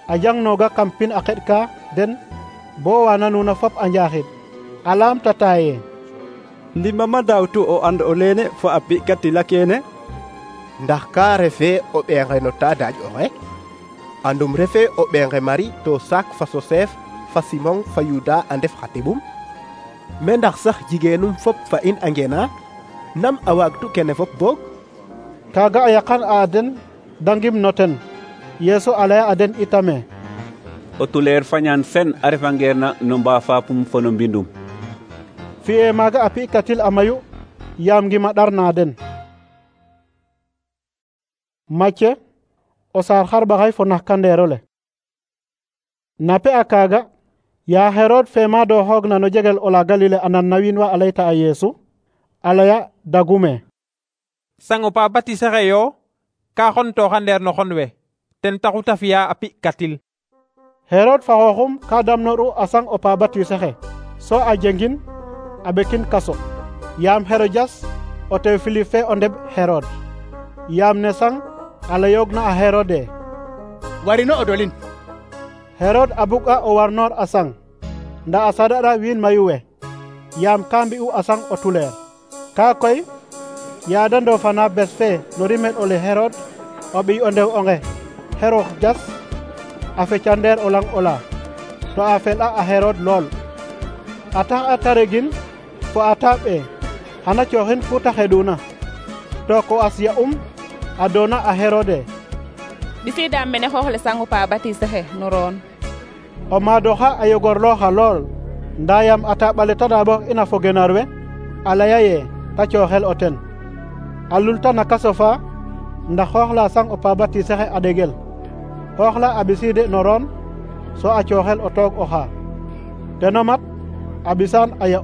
a jangnooga kam pin a xeɗ ka den bo waana nuuna fop a njaaxid. A laamtata ye: Ndimama daawtu o and o leene fo a pi'katila kene? Ndax ka refe o ɓeenge no ta daaj oxe? Andum refe o ɓeenge Mari to Sak fa Sosef fa Simon fa Yuda a ndef xa teɓum? Me ndax sax jigeenum fop fa in a ngena? Nam a waagtu kene fop boog? Kaaga a yaqan a den da ngim no ten. Yesu a laya a den itame: O tuleer fañaan sen a refangeerna no mbaa faapum fo no mbindum. Fi'e maaga a pi'katil a mayu yaam ngima ɗarna den. Macce o saar xarɓaxay fo naxkandeerole. Na pe a kaaga ya Herod fe maadooxoogna no jegel ola Galile a nan na wiin wa a layta a Yesu a laya dagume: Sang o pa batisaxe yo ka xontooxa ndeer no xon we ten taxu ta fi'a a pi'katil. Herod fa xooxum ka damnoru a sang o pa batisaxe so a jengin a ɓekin kaso yaam Herodias o tew Philippe fe o ndeɓ Herod. Yaam ne sang a layoogna a Herode: Warino o dolin. Herod a bug'a o warnoor a sang nda a saɗaɗa wiin mayu we. yaam ka mbi'u a sang o tuleer. Kaa koy yaada ndofana bes fe no rimel ole Herod o ɓiy o ndew onge Herod jas a feca ndeer o lang ola to a fel'a a Herod lool. A tax a taregin fo a taaɓe xana cooxin ku ta xeɗuna to ko as ya a doona a Herode. ɓisiidaam mene xoox le sangu pa batise xe no roon. O maadoxa a yogorlooxa lool ndaa yam a taaɓale ta daaɓox ina fo genar we a laya ye ta cooxel o ten. A lulta na kaso fa ndax xoox la sang o pa batise xe a ɗegel. Xoox la a ɓisiide no roon so a cooxel o toog oxa. Teno mat a ɓisaan a ya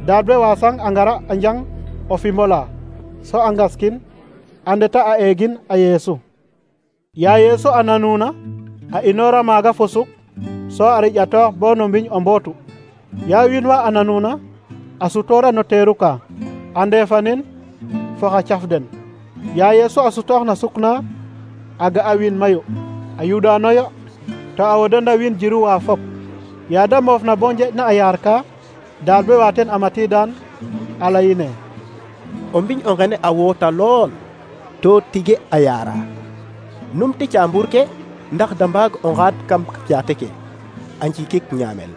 daad we wa sang a ngara a njang o fimbola so a ngaskin a ndeta a eegin a Yeesu. Ya Yeesu a nanuna a inoora maaga fo suk so a riƴatoox bo no mbiñ o mbootu. Ya wiin wa a nanuna a sutoora no teeru ka a ndeefanin fo xa caf den. Ya Yeesu a sutoox na suk na a ga'a wiin mayu a yuɗaanoyo to a wodanda wiin jiru wa fop. Ya da moof na bo njeƴna a yaar ka daal be wa ten a matiidaan a layine o mbiñ o ngene a woota lool to tige a yaara. Numti caambur ke ndax da mbaag o ngaad kam caate ke a njikik ñaamel.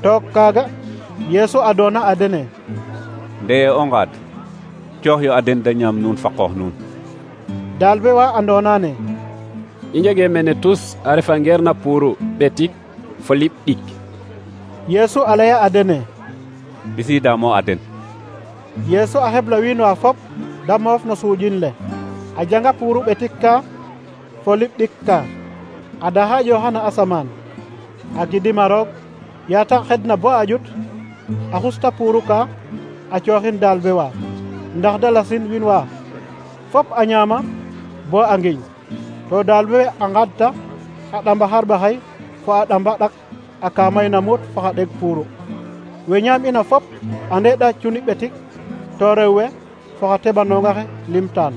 Took kaaga Yeesu a doona a dene ndeye o ngaad coox yo a den da ñaam nuun fa qoox nuun. daal be wa andoona ne i njege mene tus a refa ngeer na puuru ɓetik fo liɓ ɗik. Yeesu a laya a dene ɓisiidaamo a den. Yeesu a xebla wiin wa fop da moof no suuƴin le a janga puuru ɓetik ka fo liɓ ɗik ka a daha ƴooxana asamaan a gidima roog yaata xedna bo a ƴut a xusta puuru ka a cooxin daal be wa ndax da lasin wiin wa fop a ñaama bo a ngiñ. To daal be a ngadta a ɗamba xarɓaxay fo a ɗamba ɗak a ka mayna muut fo xa ɗeg puuru. We ñaam ina fop a ndeeɗa cuni ɓetik to rew we fo xa teɓanonga xe limtaan.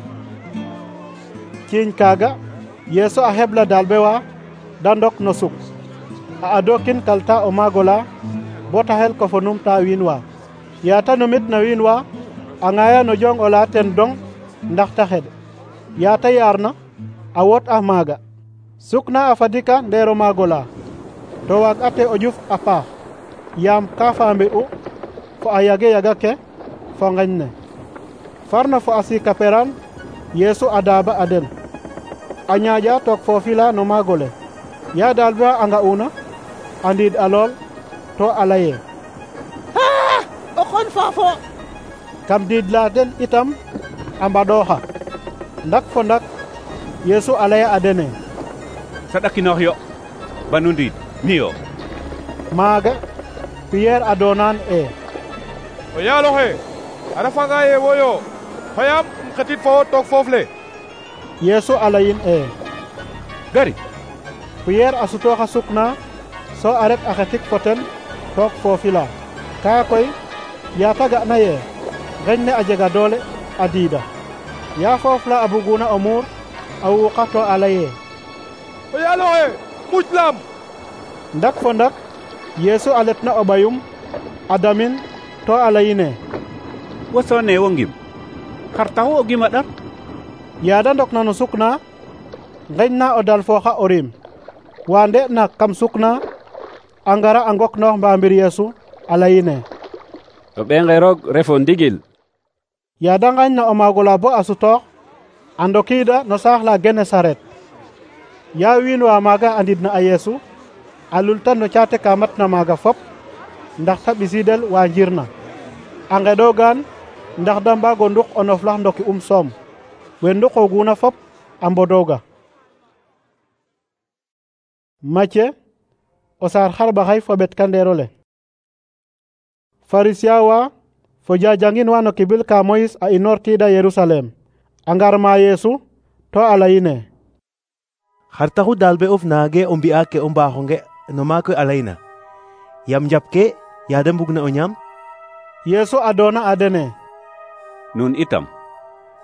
Ciiñ kaaga Yeesu a xebla daal be wa da ndok no suk a adokin kalta o maagola bo ta xel ko fo numta wiin wa. Yaata numit na wiin wa a ŋaaya no jong ola ten dong ndax ta xed. Yaata yaarna a wot a maaga sukna a fadika ndeero maagola to waag ate o ƴuf a paax yaam ka faambe'u fo a yage ke fo ngeñ ne. Farna fo a siika peraan Yeesu a daaba a den a ñaaƴa took foofi la no maagole. Ya daal be a nga'una a ndiid a lool to a laye o xon faafo. Kam diid la den itam a mbaɗooxa ndak fo ndak Yeesu a laya a dene saɗakinoox yo banu ndiid niyo. Maaga Piyeer a doonaan o yaal oxe a refanga ye woyo xoyaam um xetit fo wo took foof le. Yeesu a layin gari. Piyeer a sutooxa suk na so a ret a xetik fo ten took foofi la. Kaa koy yaata ga'na ye ngeñ ne a jega doole a diida. Ya foof la a buguna o muur a wuuqa to a laye o yaal oxe muc laam. Ndak fo ndak Yeesu a letna o ɓayum a damin to a layine wo soone wo ngim xar taxu o gim a ɗar. Yaada ndokna no suk na ngeñ na o dal fooxa o rim wa nde'na kam suk na a ngara a ngoknoox mbaambir Yeesu a layine o ɓeenge roog refo ndigil. Yaada ngañna o maagola bo a sutoox a ndokiida no saax la Genesaret. Ya wiin wa maaga a ndidna a Yeesu a lulta no caate ka matna maaga fop ndax ta ɓisiidel wa njirna a ngeɗoogaan ndax da mbaag o nduk o noflax ndoki soom we nduqooguna fop a mbodooga. Macye o saar xarɓaxay fo ɓetkandeer ole. Farisiya wa fo jajangin wa no kibil ka Moyis a inoortiida Yerusalem a ngar ma Yeesu to a layine xar taxu daal be of naage o mbi'a ke o mbaaxonge no maak we a layna yam njap ke yaada mbugna o ñaam. Yeesu a doona a dene nun itam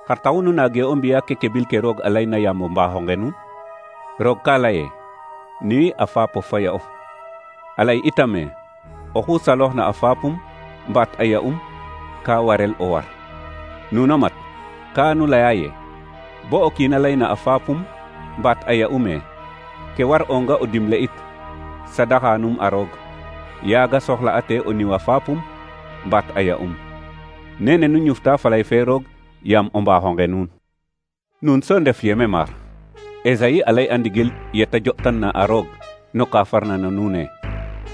xar taxu nu naage o mbi'a ke kebil ke roog a layna yaam o mbaaxonge nun. Roog ka laye nuyi a faapof fa ya of a lay itame oxu salooxna a faapum mbaat a ya'um ka warel o war. Nuno mat ka nu laya ye bo o kiin a layna a faapum mbaat a ya'ume ke war onga o dimle it sadaxanum a roog yaaga soxla ate o niwa faapum mbaat a ya'um. Nene nu ñufta falay fe roog yaam o mbaaxonge nuun. Nuun so ndef yeme maar. Esayi a lay a ndigil yeta jo'tanna a roog no ka farna na nuune.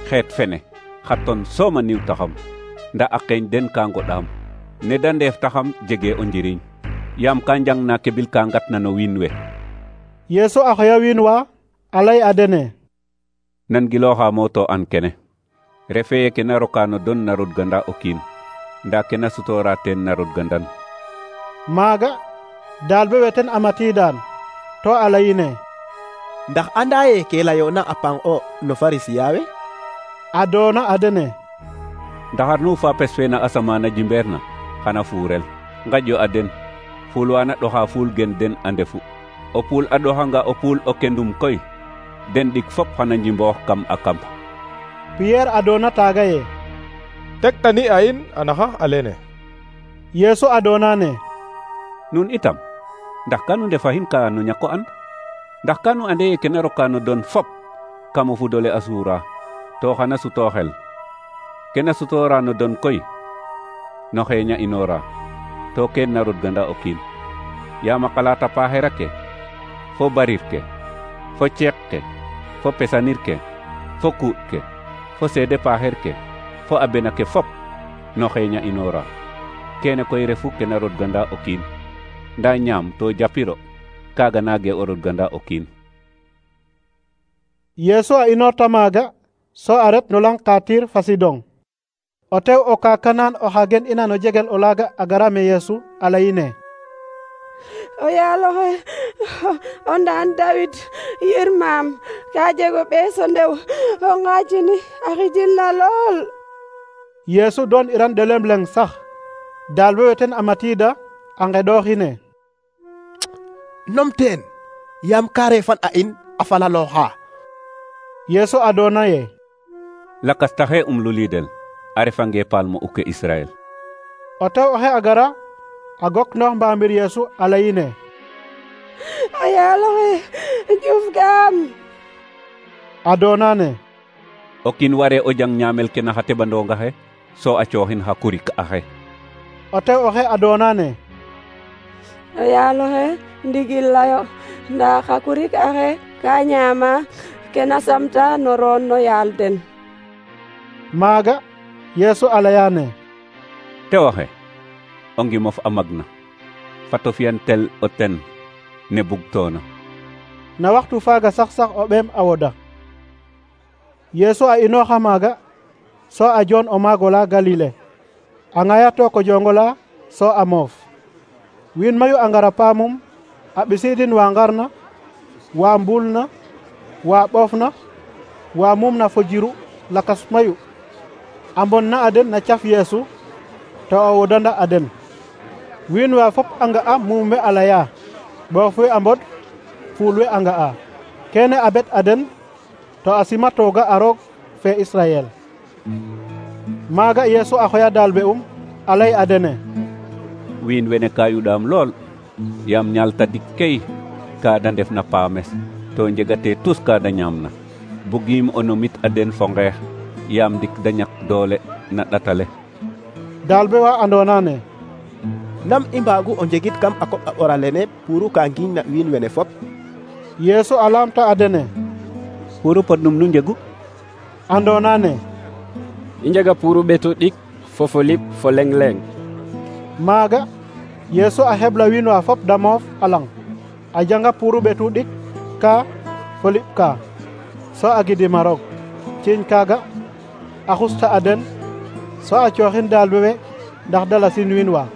Xeet fene xa ton sooma niw taxam nda a qeeñ den ka ngoɗaam ne da ndeef taxam jege o njiriñ yaam ka njangna ke bil ka ngatna no wiin we. Yeesu a xoya wiin wa a lay a dene: nan gilooxa moo to an kene refe ye ke na roka no don na rodganda o kiin nda ke na sutoora teen na rodgandan. Maaga daal be weten a matiidaan to a layine: ndax anda ye ke layoona a pang o no Farisiya we? A doona a dene: ndaxar nu faapes fe na asamaana jimbeer na xana fuurel ngaƴyo a den fuul wana ɗoxa fuul gen den a ndefu. O puul a ɗoxanga o puul o kendum koy den ɗik fop xana njimboox kam a kamp. Pierre a doona taaga ye: tegtani a in a naxax a lene. Yeesu a doona ne: nun itam ndax ka nu ndefaxin ka no ñako and? Ndax ka nu ande ye ke na roka no don fop kam o fudole a suura to xana sutooxel ke na sutoora no don koy no xeeña inoora to keen na rodganda o kiin. Yaam a qalaata paaxera ke fo barir ke fo ceeq ke fo pesanir ke fo kuuɗ ke fo seede paaxer ke fo a bena ke fop no xeeña inoora. Kene koy refu ke na rodganda o kiin nda ñaam to japiro kaaga naage o rodganda o kiin. Yeesu a inoorta maaga so a ret no lang ka Tir fa Sidon. O tew o ka Kanaan oxa gen ina no jegel o laaga a gara me Yeesu a layine: o yaaloxe o ndaan Dawid yirmaam ka jego ɓeeso ndew o ŋaajini a xijil na lool. Yeesu doon iran ɗelem leng sax daal be weten a matiida a ngeɗooxine: nom teen yaam ka refan a in a falalooxa. Yeesu a doona ye: lakas taxe lulidel a refange paal mo uke Israel. O tew oxe a gara a goknoox mbaamir Yeesu a layine: o yaaloxe juf gaam. A doona ne: o kiin ware o jang ñaamel ke na xa teɓandonga xe so a cooxin xa kurik axe. O tew oxe a doona ne: o yaaloxe ndigil layo nda xa kurik axe ka ñaama ke na samta no roon no yaal den. Maaga Yeesu a layane: tew oxe o ngimof a magna fato fiyan tel o ten ne bugtoona. Na waxtu faaga sax o ɓeem a woda. Yeesu a inooxa maaga so a joon o maagola Galile a ŋaya to ko jongola so a moof. Wiin mayu a ngara paamum a ɓisiidin wa ngarna wa mbuulna wa ɓoofna wa mumna fo jiru lakas mayu a mbonna a den na caf Yeesu to o wodanda a den. Wiin wa fop a nga'a muum we a laya, ɓoof we a mbod, fuul we a nga'a. Kene a bet a den to a simatooga a roog fe Israyel. Maaga Yeesu a xoya daalbe a lay a dene: wiin wene ka yuɗaam lool yaam ñaal tadik key ka da ndef na paames to njegate tus ka da ñaamna. Bugiim o nomit a den fo ngeex yaam ndik da ñak doole na ɗatale. Daalbe wa andoona ne: nam i mbaagu o njegit kam a koɓ a ɓora lene puru ka ngiñ na wiin wene fop? Yeesu a laamta a dene: puru podnum nu njegu? Andoona ne: i njega puru ɓetu ɗik fo fo liɓ fo leng leng. Maaga Yeesu a hebla wiin wa fop da moof a lang a janga puru ɓetu ɗik ka fo liɓ ka so a gidima roog. Ciiñ kaaga a xusta a den so a cooxin daalbe we ndax da lasin wiin wa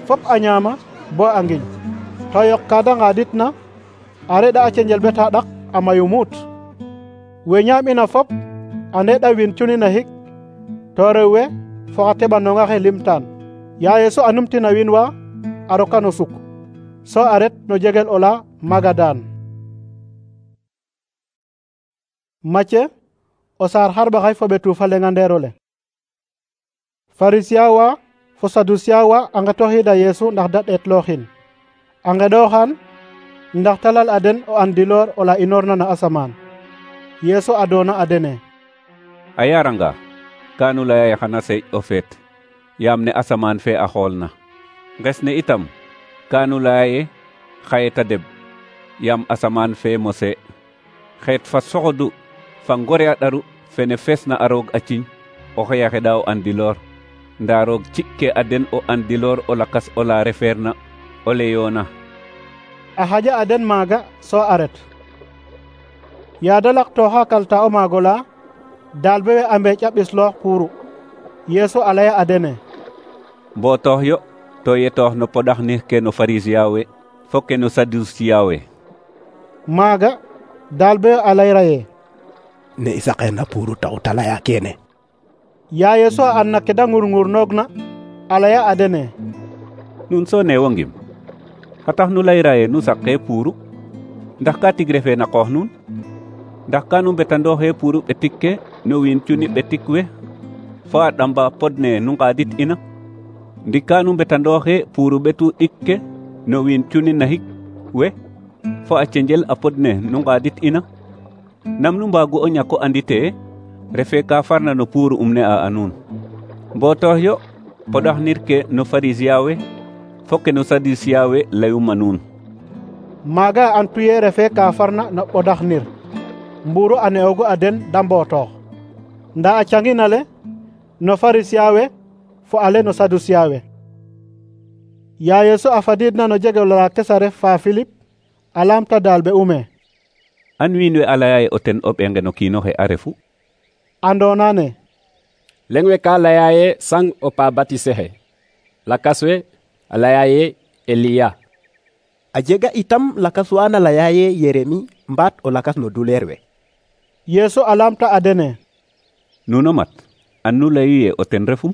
fop a ñaama bo a ngiñ to yoq ka da ngaaditna a reɗa a cenjel beta ɗak a mayu muut. We ñaam'ina fop a ndeɗa wiin cuni na hik to rew we fo xa teɓandonga xe limtaan. Ya Yeesu a numtina wiin wa a roka no suk so a ret no jegel ola Magadaan. Macye o saar xarɓaxay fo ɓetu fa lengandeerole. Pharisien wa fo Sadusiya wa a ngetoxiida Yeesu ndax da ɗeetlooxin a nqeɗooxan ndax ta lal a den o andiloor ola inoorna na asamaan. Yeesu a doona a dene: a yaranga ka nu laya ye xana seeƴ o feet yaam ne asamaan fe a xoolna. Nges ne itam ka nu laya ye xaye ta deɓ yaam asamaan fe mose. Xeet fa soxodu fa ngore a ɗaru fene feesna a roog a ciñ oxey a xeɗa o andiloor, ndaa roog ci'ke a den o andiloor o lakas ola refeerna o leyoona. A xaƴa a den maaga so a ret. Yaada laqtooxa kalta o maag ola daalbe we a mbeeƴ a ɓisloox puuru. Yeesu a laya a dene: Mbootoox yo to yetoox no poɗaxnir ke no Farisiya we fo ke no Sadusiya we. Maaga daalbe we a layra ye: ne i saqeerna puuru taxu ta laya keene. Yaa Yeesu a andna ke da ngurngur-noogna a laya a dene: Nun so neewo ngim xa tax nu layra ye nu saqee puuru? Ndax ka tig refee na qoox nuun? Ndax ka nu mbetandooxee puuru ɓetik ke no wiin cuni ɓetik we fo a ɗamba pod ne nu nqaadit ina? Ndik ka nu mbetandooxee puuru ɓetu ɗik ke no wiin cuni naxik we fo a cenjel a pod ne nu nqaadit ina? Nam nu mbaagu o ñak o anditee refee ka farna no puuru ne a nuun. Mbootoox yo poɗaxnir ke no Farisiya we fo ke no Sadusiya we layuma nuun. Maaga antu ye refee ka farna no ɓodaxnir mbuuru a ne'oogu a den da mbootoox. Ndaa a cangin ale no Farisiya we fo ale no Sadusiya we. Yaa Yeesu a fadiidna no jegel ola tes a ref fa Filip a laamta daalbe ume: an wiin we a laya ye o ten o ɓenge no kiin oxe a refu? Andoona ne leŋ we ka laya ye sang o pa batise xe, lakas we a laya ye Eliya. A jega itam lakas wa na laya ye Yeremi mbaat o lakas no duleer we. Yeesu a laamta a dene: nuno mat an nu layu ye o ten refum?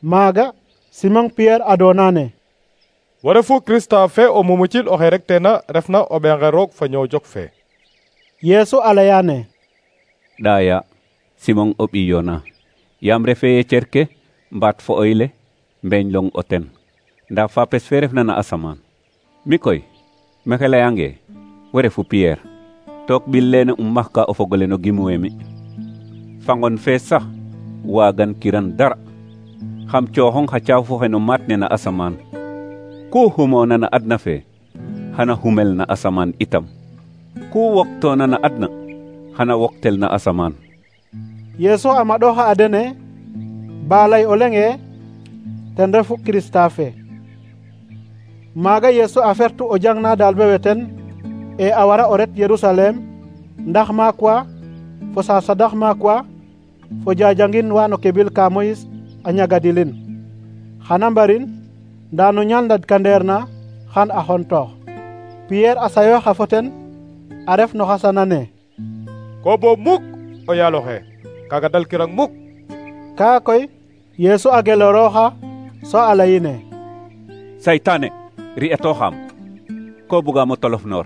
Maaga Simon Pierre a doona ne: wo refu Krista fe o mumucil oxe rek tena refna o ɓenge roog fa ñoow jok fe. Yeesu a laya ne: ɗaya Simon o ɓiy Yona, yaam refee ye cerke mbaat fo oyle mbeeñlong o ten, ndaa fapes fe refna na asamaan. Mi koy mexe layange wo refu Pierre, took ɓil lene maxka o fogole no gimwe mi. Fangon fe sax waagan kiran dara, xam cooxong xa caafu xe no maat ne na asamaan. Ku xumoona na adna fe xana xumel na asamaan itam, ku woktoona na adna xana woktel na asamaan. Yeesu a maɗooxa a dene ba lay o leŋe ten refu Krista fe. Maaga Yeesu a fertu o jangna daalbe we ten e a wara o ret Yerusalem ndax maak wa fo sasadax maak wa fo jajangin wa no kebil ka Moyis a ñagadilin. Xana mbarin ndaa no ñaal ndadkandeer xan a xontoox. Pierre a sayooxa fo ten a ref no xasana ne: ko boob muk o yaal oxe kaaga dalkirang muk. Kaa koy Yeesu a gelorooxa so a layine: Saytaane ri'etooxaam, ko bugaam o tolof noor,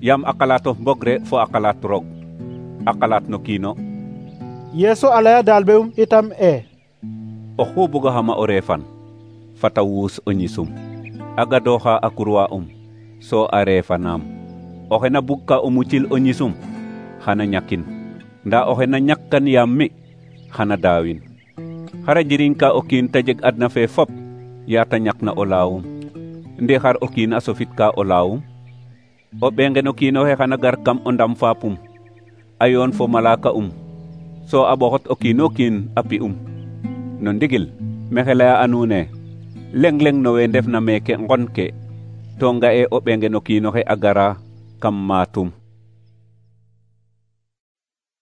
yaam a qalaatof mbogre fo a qalaat roog, a qalaat no kiino. Yeesu a laya daalbe itam oxu bugaxama o reefan fata wuus o ñisum, a gadooxa a kurwa so a reefanaam. Oxe na bugka o mucil o ñisum xana ñakin, ndaa oxe na ñakkan yaam mi xana daawin. Xara njiriñ ka o kiin ta jeg adna fe fop yaa ta ñakna o laawum, ndi xar o kiin a sofitka o laawum? O ɓenge no kiin oxe xana gar kam o ndam faapum a yoon fo malaaka so a ɓoxot o kiino kiin a pi'um. No ndigil mexe laya a nuun e leŋ-leŋ no we ndefna meeke ngon ke to nga'e o ɓenge no kiin oxe a gara kam maatum.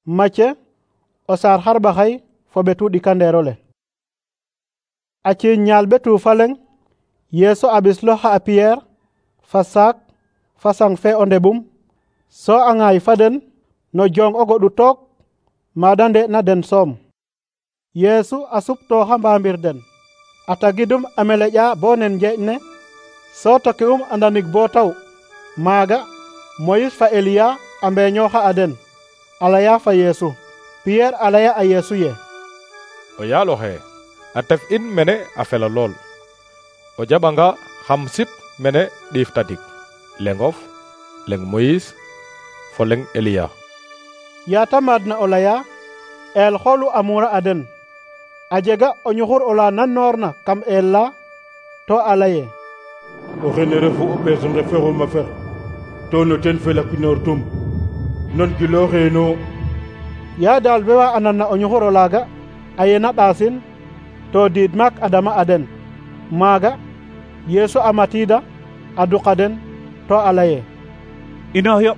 Macce o saar xarɓaxay fo ɓetu ɗikandeer ole. A ciiñ ñaal ɓetu fa leŋ Yeesu a ɓisloxa a Pierre fa saak fa sang fe o ndeɓum so a ŋaay fa den no jong o goɗu took maada nde'na den soom. Yeesu a suptooxa mbaambir den a tagidum a meleƴa bo nen njeeƴ ne so toki'um a ndanig bo taw. Maaga Moyis fa Eliya a mbeeñooxa a den a laya fa Yeesu. Pierre a laya a Yeesu ye: o yaal oxe a tef in mene a fela lool o jaɓanga xam sip mene ɗiif tadik lengof leng Moïse fo leng Eliya. Yaata maadna o laya el xoolu amuura a den a jega o ñuxur ola nannoorna kam el la to a laye o xene refu o ɓees nge fexuma fex to no ten felakinoor tum non gilooxeeno. yaa daal be wa anan na o ñuxur olaaga a yena ɗaasin to diid maak a dama a den maaga Yeesu a matiida a duqa den to a laye inoox yo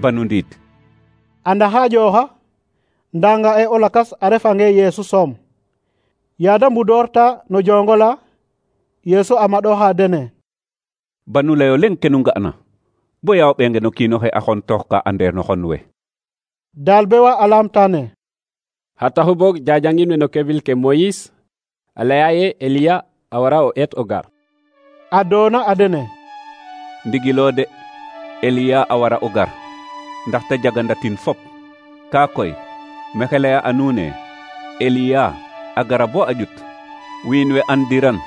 banu ndiid anda xaajooxa ndanga e o lakas a refange Yeesu soom. yaada mbudoorta no jongo la Yeesu a maɗooxa dene banu layo leng ke nu nga'na bo ya o ɓeenge no kiin oxe a xon toox ka andeer no xon we. daal be wa a laamtaane xa taxu boog jajangin we no kevil ke Moïse a laya ye Eliya a wara o eet o gar. a doona a dene ndigiloo de Eliya a wara o gar ndaxte jagandatin fop kaa koy mexe laya a nuun e Eliya a gara bo a ƴut wiin we andiran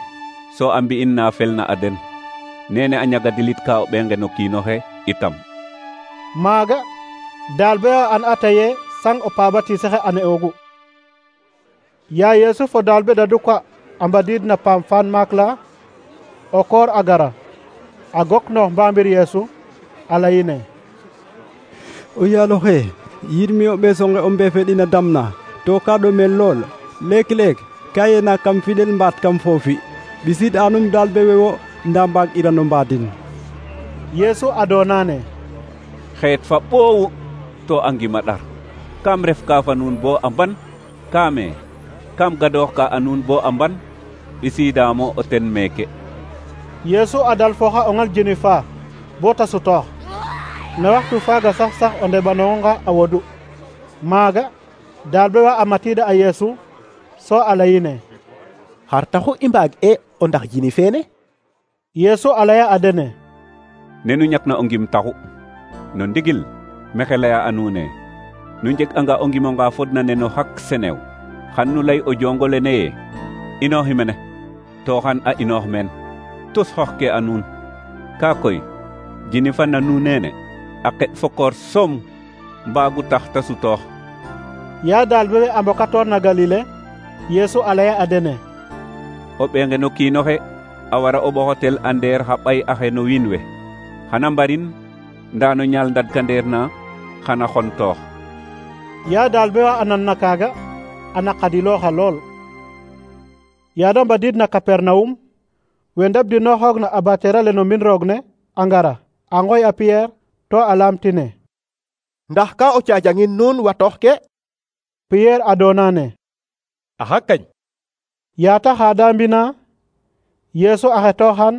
so a mbi'in na felna a den nene a ñagadilit ka o ɓeenge no kiinoxe itam. maaga daal be wa an ataye sang o pabatisexe a ne'oogu. yaa Yeesu fo daal be dadu kwa a mbadiid na paam faan maak la o koor a gara a gok noox mbaambir Yeesu a layine o yaaloxe yirmi o ɓeesonge o mbeefeɗina damna to ka ɗomel lool leek-leek ka yena kam fiɗel mbaat kam foofi ɓisid anum daal be wewo nda mbaag irano mbaadin. Yeesu a doonaane xeet fa ɓoowu to a ngima ɗar kam ref ka fa nuun bo a mban kaame kam gadoox ka a nuun bo a mban ɓisiidaamo o ten meeke. Yeesu a dalfooxa o ngal jeni faa bo ta sutoox na waxtu faaga sax o ndeɓanonga a wodu maaga daal be wa a matiida a Yeesu so a layine xar taxu i mbaag e o ndax jini feene. Yeesu a laya a dene nenu ñakna o ngim taxu no ndigil mexe laya a nuun e nu njeg'anga o ngimonga fodna ne no xak senew xan nu lay o jongo lene ye inooxi mene to xan a inoox meen tus xoxke a nuun kaa koy jini fa na nuun neene a qeɗ fo koor soom mbaagu tax ta sutoox. yaa daal be a mbokatoor na Galile Yeesu a laya a dene o ɓeenge no kiinoxe a wara o ɓoxotel a ndeer xa ɓay axe no wiin we xana mbarin ndaa no ñaal ndadkandeer na xana xontoox. yaa daal be wa a nan na kaaga a naqadilooxa lool. yaada mbadiid na Kapernawum we ndabdinooxoog na abateerale no mbin roog ne a ngara a ngoy a Piyeer to a laamtine ndax ka o caajangin nuun watoox ke. Piyeer a doonaane axa kañ. yaata xaada mbina Yeesu a xetooxan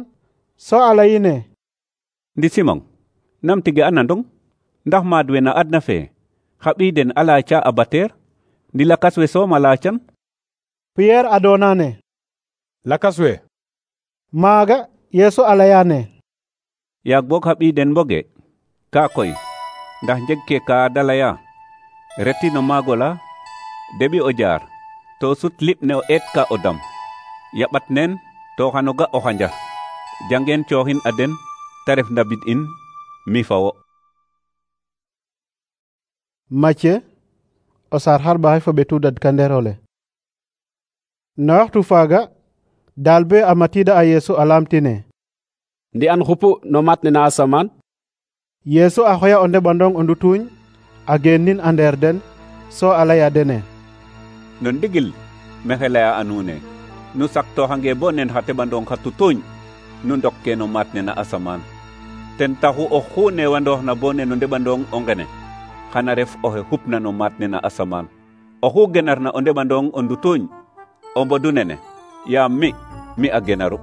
so a layine ndi Simon nam tige a nandong ndax maad we na adna fe xa ɓiy den a laaca a bateer ndi lakas we soom a laacan. Piyeer a doonaane lakas we. maaga Yeesu a layaane yaag boog xa ɓiy den mboge kaa koy ndax jeg ke ka da laya reti no maago la deɓi o jaar to sut liɓ ne o eet ka o dam yaɓat neen to xano ga o xanja jangeen cooxin a den ta ref ndabid in mi fa wo. Macye o saar xarɓaxay fo ɓetu dadkandeerole. na waxtu faaga daal be a matiida a Yeesu a laamtine ndi an xupu no mat ne na asamaan. Yeesu a xoya o ndeɓandong o ndutuuñ a geenin a ndeer den so a laya dene no ndigil mexe laya a nuun e nu saktooxange bo nen xa teɓandong xa tutuuñ nu ndokke no maat ne na asamaan ten taxu oxu newandoox na bo ne no ndeɓandong o ngene xana ref oxe xupna no maat ne na asamaan oxu genarna o ndeɓandong o ndutuuñ o mbodu nene yaam mi a genaru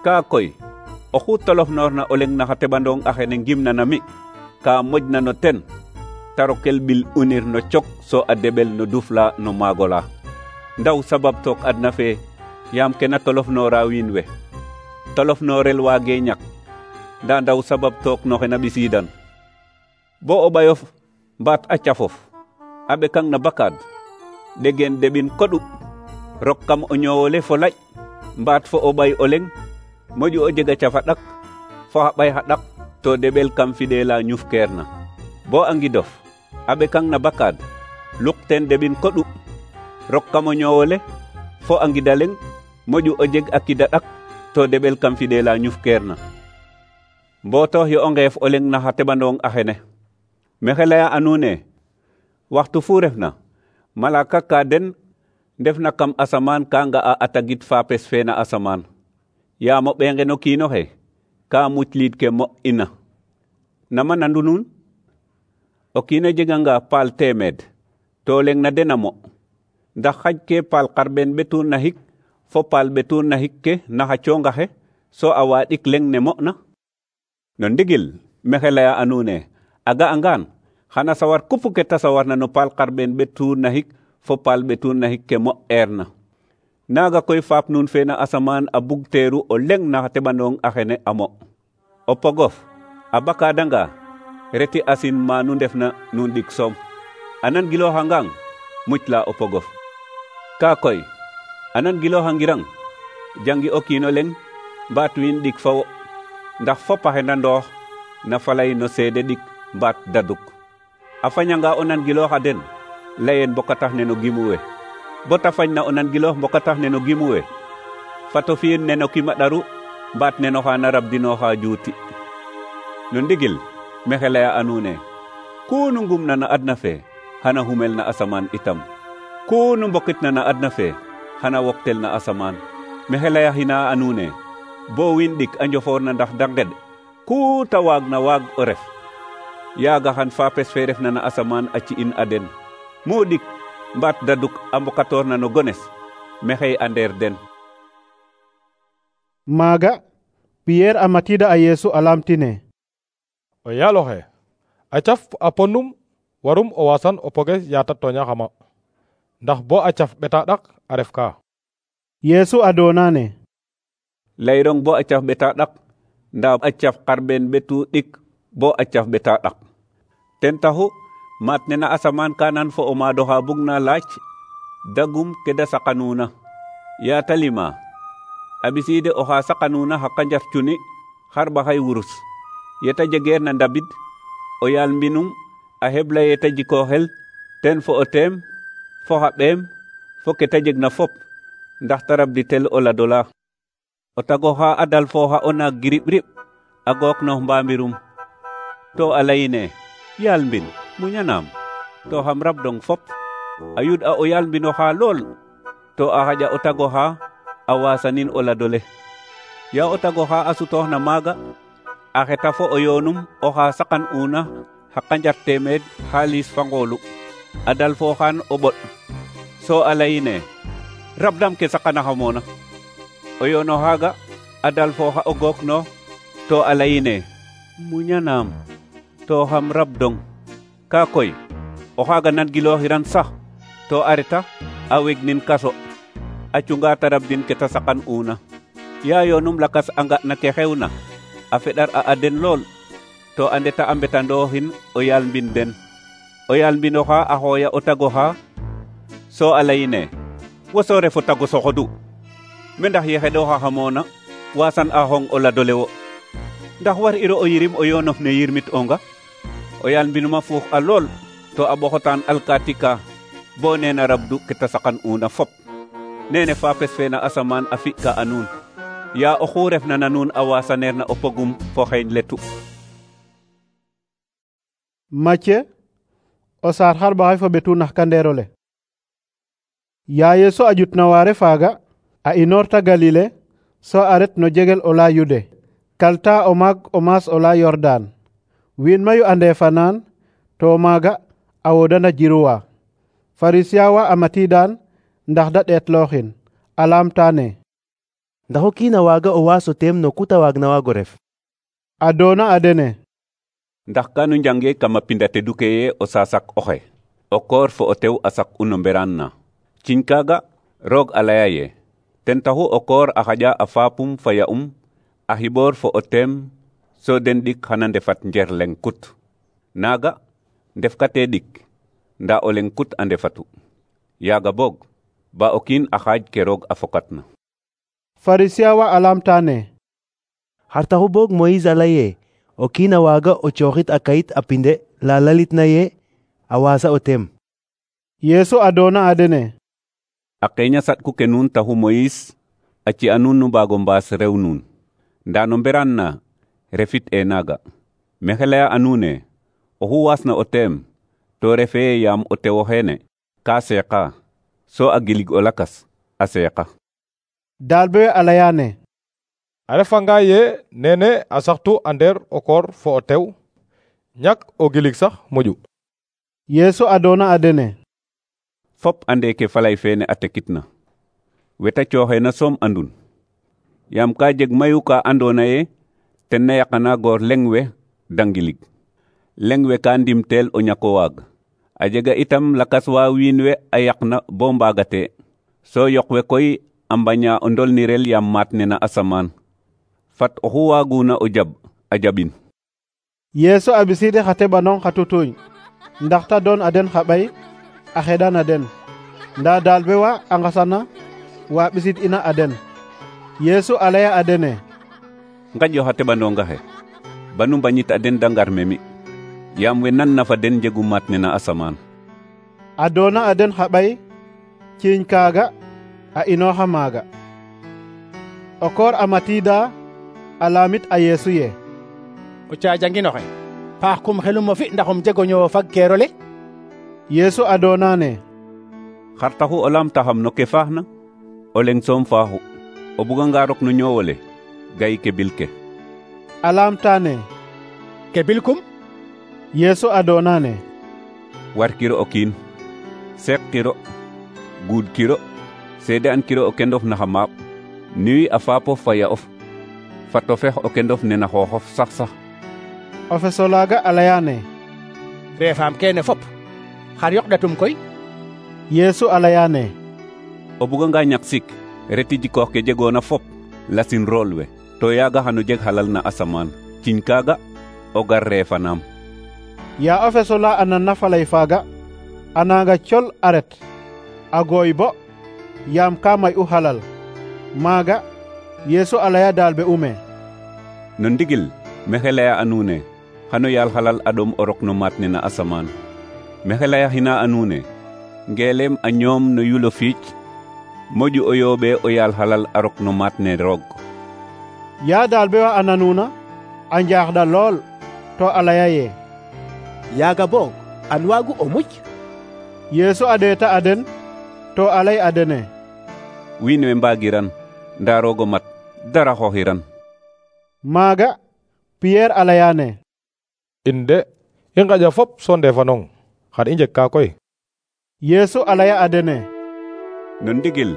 kaa koy oxu tolofnoorna o leng na xa teɓandong axene ngimna na mi ka moƴna no ten ta rokel ɓil unir no cok so a deɓel no dufla no maagola ndaw sabab took adna fe yaam ke na tolofnoora wiin we tolofnoorel waage ñak nda ndaw sabab took no xe na ɓisiidan bo o ɓayof mbaat a cafof a ɓekang na bakaad ɗegen deɓin koɗu rok kam o ñoowole fo laƴ mbaat fo o ɓay o leŋ moƴu o jega cafa ɗak fo xa ɓay xa ɗak to deɓel kam fidela ñufkeerna bo a ngidof a ɓekang na bakaad luk teen deɓin koɗu rok kam o ñoowole fo a ngida leŋ moƴu o jeg a kida ɗak to deɓel kam fidela ñufkeerna mbootox yo o ngeef o leŋ na xa teɓandong axene maxey leya a nuun ne waxtu fu refna malaka ka den ndefna kam asamaan ka nga'a a tagit faapes fe na asamaan yaam o ɓee nqen o kiin oxe ka mucliid ke mo ina nama nandu nuun o kiin a jeganga paal 100 to leŋ na den a mo ndax xaj ke paal xarɓeen ɓetuur na xik fo paal ɓetuur na xik ke na xa coongaxe so a waaɗik leŋ ne mo'na no ndigil maxey leya a nuun ne a ga'angaan xana sawar kupu ke ta sawarna no paal xarɓeen ɓetuur na xik fo paal ɓetuur na xik ke mo'eerna naaga koy faap nuun fe na asamaan a bug teeru o leŋ na xa teɓandong axene a mo o pogof a bakaadanga reti asin ma nu ndefna nuun ɗik soom a nan gilooxangang mucla o pogof kaa koy a nan gilooxangirang jangi o kiin o leŋ mbaat wiin ɗik fa wo ndax fop a xena ndoox na falay no seede ɗik mbaat daduk a fañanga o nan gilooxa den layeen mbokatax ne no gimu we bo ta fañna o nan giloox mbokatax ne no gimu we fato fi'in ne no kima ɗaru mbaat ne no xaana rabdinooxa juuti no ndigil maxey leya a nuun ne ku nu ngumna na adna fe xana xumel na asamaan itam ku nu mbokitna na adna fe xana woktel na asamaan maxey leya xina a nuun ne bo wiin ɗik a njofoorna ndax da nged ku ta waagna waag o ref yaaga xan faapes fe refna na asamaan a ci'in a den mu ɗik mbaat daduk a mbokatoorna no gones maxey a ndeer den maaga Piyeer a matiida a Yeesu a laamtine o yaal oxe a caf a ponum warum o waasan o poges yaata tooñaxama ndax bo a caf ɓeta ɗak a ref ka Yeesu a doonane layrong bo a caf ɓeta ɗak ndaa a caf xarɓeen ɓetu ɗik bo a caf ɓeta ɗak ten taxu maat ne na asamaan ka nan fo o maad oxa bugna laaj dagum ke da saqanuuna yaata lima a ɓisiide oxa saqanuuna xa qanjar cuni xarɓaxay wurus yeta jegeer na ndabid o yaal mbinum a hebla yeta jikooxel ten fo o teem fo xa ɓeem fo ke ta jegna fop ndax ta rabditel o ladola o tagoxa a dal fooxa o naag giriɓ-riɓ a gooknox mbambirum to a layine yaal mbin muñanaam to xam rabdong fop a yud a o yaal mbinoxa lool to a xaƴa o tagoxa a waasanin o ladole ya o tagoxa a sutooxna maaga a xeta fo o yoonum oxa saqan una xa qanjar 100 xaalis fa ngoolu a dal fooxaan o ɓoɗ so a layine rabdam ke saqanaxamoona o yoono xaaga a dal fooxa o gooknoox to a layine muñanaam to xam rabdong kaa koy o xaaga nan gilooxiran sax to a reta a wegnin kaso a cunga ta rabdin ke ta saqan una yaa yoonum lakas a nga na ke xewna a feɗar a aden lool to a ndeta a mbetandooxin o yaal mbin den o yaal mbinoxa a xooya o tagoxa so a layine wo so refo tago soxodu me ndax ye xeɗoxaxamoona waasan a xong o ladole wo ndax war iro o yirim o yoonof ne yirmit onga o yaal mbinuma fuux a lool to a ɓoxotaan alkaati ka bo neena rabdu ke ta saqan una fop nene faapes fe na asamaan a fi'ka a nuun yaa oxu refna na nuun a waasaneer na o pogum fo xeeñ letu Macye o saar xarɓaxay fo ɓetu nax kandeerole yaa Yeesu a ƴutna waare faaga a inoorta Galile so a ret no jegel o laya Yude kalta o maag o maas o laya Yordaan wiin mayu a ndeefanaan to maaga a wodana jiruwa Farisiyawa a matiidaan ndax da ɗeetlooxin a laamtaane ndax o kiin a waaga o waaso teem no ku ta waagna waago ref a doona a dene ndax kanu njange kama pinda teduke ye o sasak oxe o koor fo o tew a sak uno mberaan na ciñ kaaga roog a laya ye ten taxu o koor a xaƴa a faapum fa ya'um a xiɓoor fo o teem so den ɗik xana ndefat njer leng kut naaga ndefkate ɗik nda o leng kut a ndefatu yaaga boog ba o kiin a xaaj ke roog a fokatna. Pharisien wa a lamtane: xar taxu boog Moïse a lay ee o kiin a waaga o cooxit a kayit a pinde la lalitna ye a waasa o teem? Yeesu a doona a dene: a qeeña saɗku ke nuun taxu Moïse a ci'a nuun nu mbaago mbaas rew nuun. Ndaa no mberaan na refit e naaga. Maxey laya a nuun e oxu waasna o teem to refee yaam o tew oxeene ka seeqa so a gilig o lakas a seeqa. Daalbe we a layane: a refanga ye nene a saxtu a ndeer o koor fo o tew, ñak o gilig sax moƴu. Yeesu a doona a dene: fop ande ke falay feene a tekitna. Weta cooxeena soom andun. Yaam ka jeg mayu ka andoona ye ten na yaqana goor leŋ we da ngilig. Leŋ we ka ndimteel o ñako waag. A jega itam lakas wa wiin we a yaqna bo mbaagate. So yoq we koy a mbaña o ndolnirel yaam maat ne na asamaan. Fat oxu waaguna o jab a jabin. Yeesu a ɓisiidi xa teɓanong xa tutuñ ndax ta doon a den xa ɓay a xeɗan a den. Ndaa daalbe wa a ngasana wa ɓisid ina a den. Yeesu a laya a dene: ngaƴo xa teɓanonga xe banu mbañit a den da ngar memi. Yaam we nan na fa den njegu maat ne na asamaan. A doona a den xa ɓay, ciiñ kaaga a inooxa maaga. O koor a matiida a laamit a Yeesu ye: o caajanginoxe paax kum xelum o fi ndax um jego ñoowo fag keerole. Yeesu a doonane: xar taxu o laamtaxam no ke faaxna? O leŋ soom faaxu. O buganga rok no ñoowole gay ke bil ke. A laamtane: ke bilkum? Yeesu a doonane: warkiro o kiin, seqkiro, guudkiro, seede an kiro o kendof naxa maap, niwi a faapof fa ya'of, fat o fex o kendof nena xooxof sax. O feso laaga a layane: reefaam keene fop xar yoqdatum koy? Yeesu a layane: o buganga ñak sik reti jikoox ke jegoona fop lasin rool we, to yaaga xano jeg xalal na asamaan. Ciñ kaaga o gar reefanaam. Yaa o feso la a nanna falay faaga a nanga col a ret a gooy bo yaam ka may u xalal. Maaga Yeesu a laya daalbe ume: no ndigil maxey laya a nuune xano yaal xalal a ɗom o rok no maat ne na asamaan. Maxey layaxina a nuune ngeelem a ñoom no yulo fiic moƴu o yooɓe o yaal xalal a rok no maat ne roog. Yaa daalbe wa a nanuuna a njaaxɗa lool to a laya ye: yaaga boog an waagu o muc? Yeesu a ɗeeta a den to a lay a dene: wiin we mbaagiran ndaa roog o mat dara xooxiran. Maaga Piyeer a layane: in de i ngaƴa fop so ndeefanong xar i njeg ka koy? Yeesu a laya a dene: no ndigil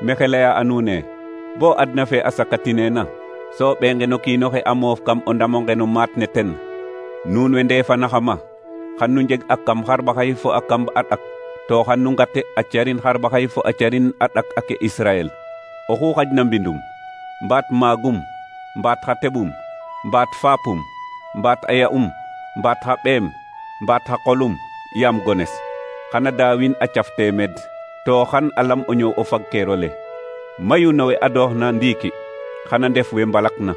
maxey laya a nuune bo adna fe a sakatineena so ɓeenge no kiinoxe a moof kam o ndamonge no maat ne ten, nuun we ndeefanaxama xan nu njeg a kam xarɓaxay fo a kam a ɗak, to xan nu ngate a carin xarɓaxay fo a carin a ɗak ake Israel. Oxu xajna mbindum, mbaat maagum, mbaat xa teɓum, mbaat faapum, mbaat a ya'um, mbaat xa ɓeem, mbaat xa qolum, yaam gones, xana daawin a caf teemed, to xan a lam o ñoow o fag keerole. Mayu no we adooxna ndiiki xana ndef we mbalakna,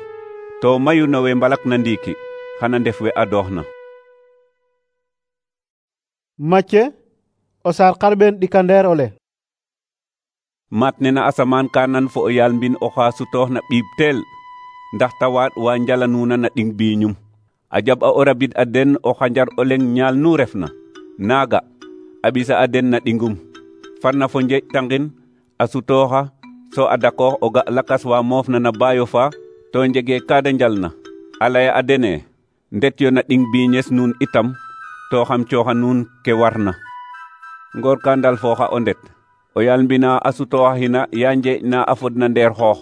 to mayu no we mbalakna ndiiki xana ndef we adooxna. Macce o saar xarɓeen ɗikandeer ole. maat ne na asamaan ka nan fo o yaal mbin oxa sutooxna ɓiib teel ndax ta waaɗ wa njalanuuna na ɗing biiñum. A jaɓ a o rabid a den o xanjar o leŋ ñaal nu refna naaga a ɓisa a den na ɗingum, farna fo njeeƴ tangin a sutooxa so a dakoox o ga lakas wa moofna na baayo fa to njege kaada njalna. A laya a dene ndet yo na ɗing biiñes nuun itam to xam cooxa nuun ke warna. Ngoor ka ndal fooxa o ndet o yaal mbina a sutooxina ya njeeƴ na a fodna ndeer xoox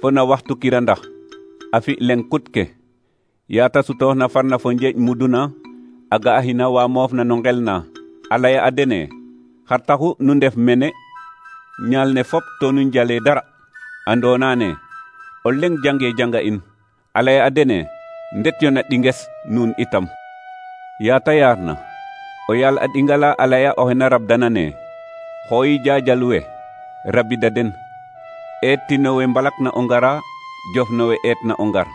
fo na waxtu kirandax a fi leŋ kut ke ya ta sutooxna farna fo njeeƴ muduna a ga'axina wa moofna no ngel na. A laya a dene xar taxu nu ndef mene ñaal ne fop to nu njale dara. Andoona ne o leŋ jange janga in. A laya a dene ndet yo na ɗinges nuun itam. Ya ta yaarna o yaal a ɗingala a laya oxe na rabdana ne xooyi jaajal we rabida den eettino we mbalakna o ngara jofno we eetna o ngar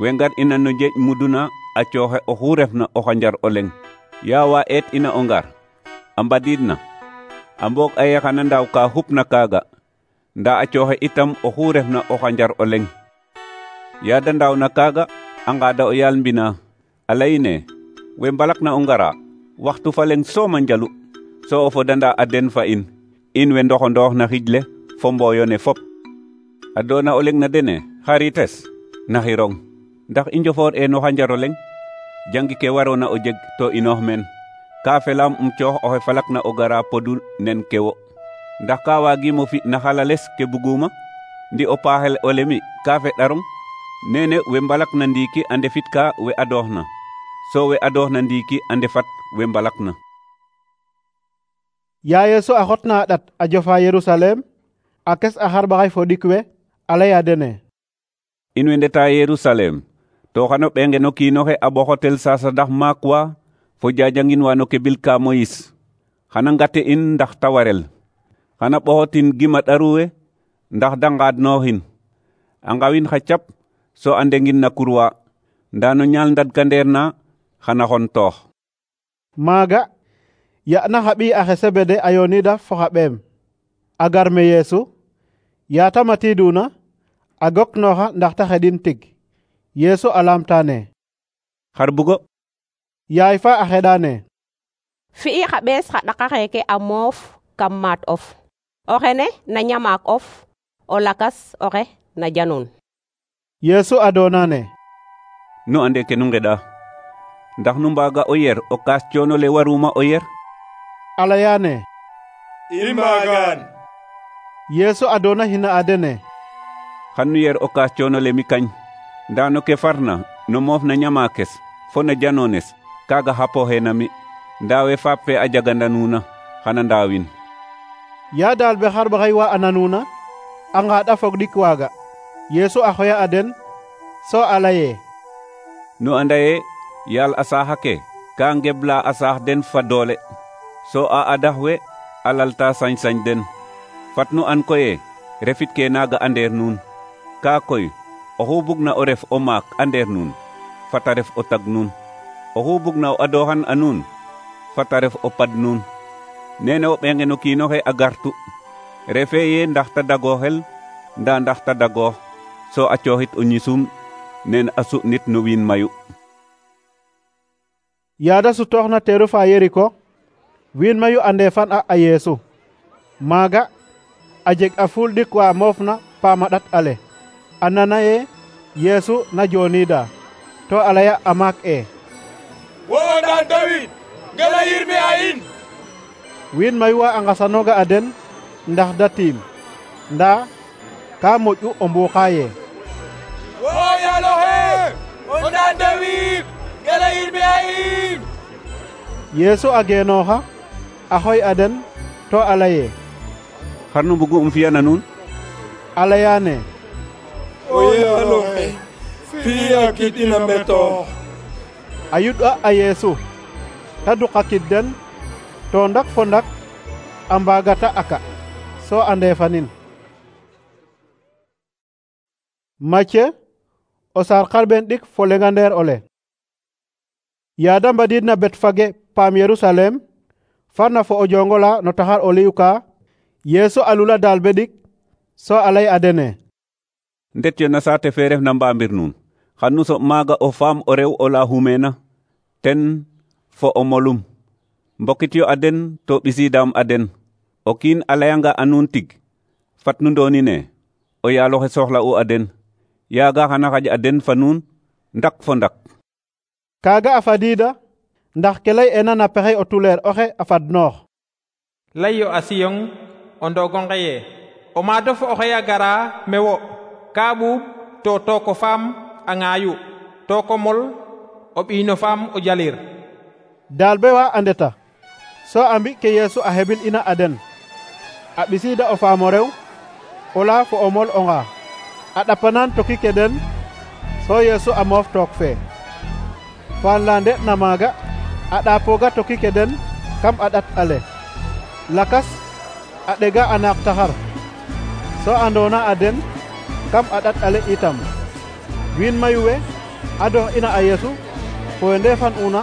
we ngar ina no jeeƴ muduna a cooxe oxu refna o xanjar o leŋ yaa wa eet ina o ngar a mbadiidna a mboog a xana ndaaw ka xupna kaaga ndaa a cooxe itam oxu refna o xanjar o leŋ yaa da ndaawna kaaga a ngaada o yaal mbina a layine we mbalakna o ngara waxtu fa leŋ soom a njalu so o fodanda a den fa in we ndoxondoox na xij le fo mbooyo ne fop a doona o leŋ na dene xarites naxirong ndax i njofoor e no xanjar o leŋ jangi ke waroona o jeg to inoox meen ka felaam coox oxe falakna o gara podu nen ke wo ndax ka waagiimo fi na xalales ke buguma ndi o paaxel o lemi ka feɗarong nene we mbalakna ndiiki a ndefit ka we adooxna so we adooxna ndiiki a ndefat we mbalakna. yaa Yeesu a xotna a ɗat a jofa Yerusalem a kes a xarɓaxay fo ɗik we a laya dene in we ndeta Yerusalem to xano ɓengeno kiinoxe a ɓoxotel sasadax maak wa fo jajangin wa no ke bil ka Moyis xana ngate in ndax ta warel xana ɓoxotin gima ɗaruwe ndax da ngaadnooxin a ngawin xa cap so a ndengin na kurwa ndaa no ñaal ndadkandeer na xana xon toox. maaga ya'na xa ɓiy axe Sebede a yoonida fo xa ɓeem a gar me Yeesu yaa ta matiiduna a goknooxa ndax ta xeɗin tig Yeesu a laamtaane xar bugo yaay fa a xeɗaane fi'i xa ɓees xa ɗaka xeeke a moof kam maat of o xene na ñamaak of o lakas oxe na janun. Yeesu a doonaane nu ande ke nu ngeɗa ndax nu mbaaga o yer o kaas coono le waruma o yer a layaane i mbaagaan. Yeesu a doona xina a dene xan nu yer o kaas coono le mi kañ ndaa no ke farna no moof na ñamaakes fo na janoones kaaga xapooxe na mi ndaa we faap fe a jaganda nuuna xana ndaawin. yaa daal be xarɓaxay wa a nanuuna a ngaaɗa fog ɗik waaga Yeesu a xoya a den so a laye nu anda ye yaal a saaxa ke ka ngebla a saax den fa doole so a adax we a lalta sañ-sañ den fat nu an koye refit ke naaga a ndeer nuun kaa koy oxu bugna o ref o maak a ndeer nuun fata ref o tag nuun oxu bugna o adooxan a nuun fata ref o pad nuun nene o ɓengeno kiinoxe a gartu refe ye ndax ta dagooxel ndaa ndax ta dagoox so a cooxit o ñisum nen a su'nit no wiin mayu. yaada sutooxna teeru fa Yeriko wiin mayu a ndeefan a Yeesu maaga a jeg a fuul ɗik wa moofna paama ɗat ale a nana ye Yeesu na jooniida to a laya a maak wo o ndaan Dawid ngela yirme a in. wiin mayu wa a nqasanooga a den ndax da tiim ndaa ka moƴ'u o mbuuxa ye wo yaaloxe o ndaan Dawid ngela yirme a in. Yeesu a geenooxa a xoy a den to a laye xar nu mbugu fi'ana nuun a layaane o yaaloxe fi'a kid ina mbetoox. a yuɗ'a a Yeesu ta duqa kid den to ndak fo ndak a mbaagata aka so a ndeefanin. Macye o saar xarɓeen ɗik fo lengandeer ole yaada mbadiidna Betfage paam Yerusalem farna fo o jongola no taxar o liyuka Yeesu a lula daal be ɗik so a lay a dene ndet yo na saate fe ref na mbaambir nuun xan nu soɓ maaga o faam o rew o la xumeena ten fo o molum mbokit yo a den to ɓisiidaam a den o kiin a layanga a nuun tig fat nu ndoonine o yaaloxe soxla'u a den yaaga xana xaƴ a den fa nuun ndak fo ndak. kaaga a fadiida ndax ke lay ena na pexey o tuleer oxe a fadnoox lay yo a siyong o ndogonge ye o maadof oxe a gara me wo ka ɓuuɓ to tooko faam a ŋaayu tooko mol o ɓiino faam o jalir. daal be wa a ndeta so a mbi ke Yeesu a heɓin ina a den a ɓisiida o faam o rew o laa fo o mol o ŋaa a ɗapanan toki ke den so Yeesu a moof took fee faan la nde'na maaga a ɗaapooga toki ke den kam a ɗat ale lakas a ɗega a naaq taxar so andona a den kam a ɗat ale itam wiin mayu we a dox ina a Yeesu fo we ndefan una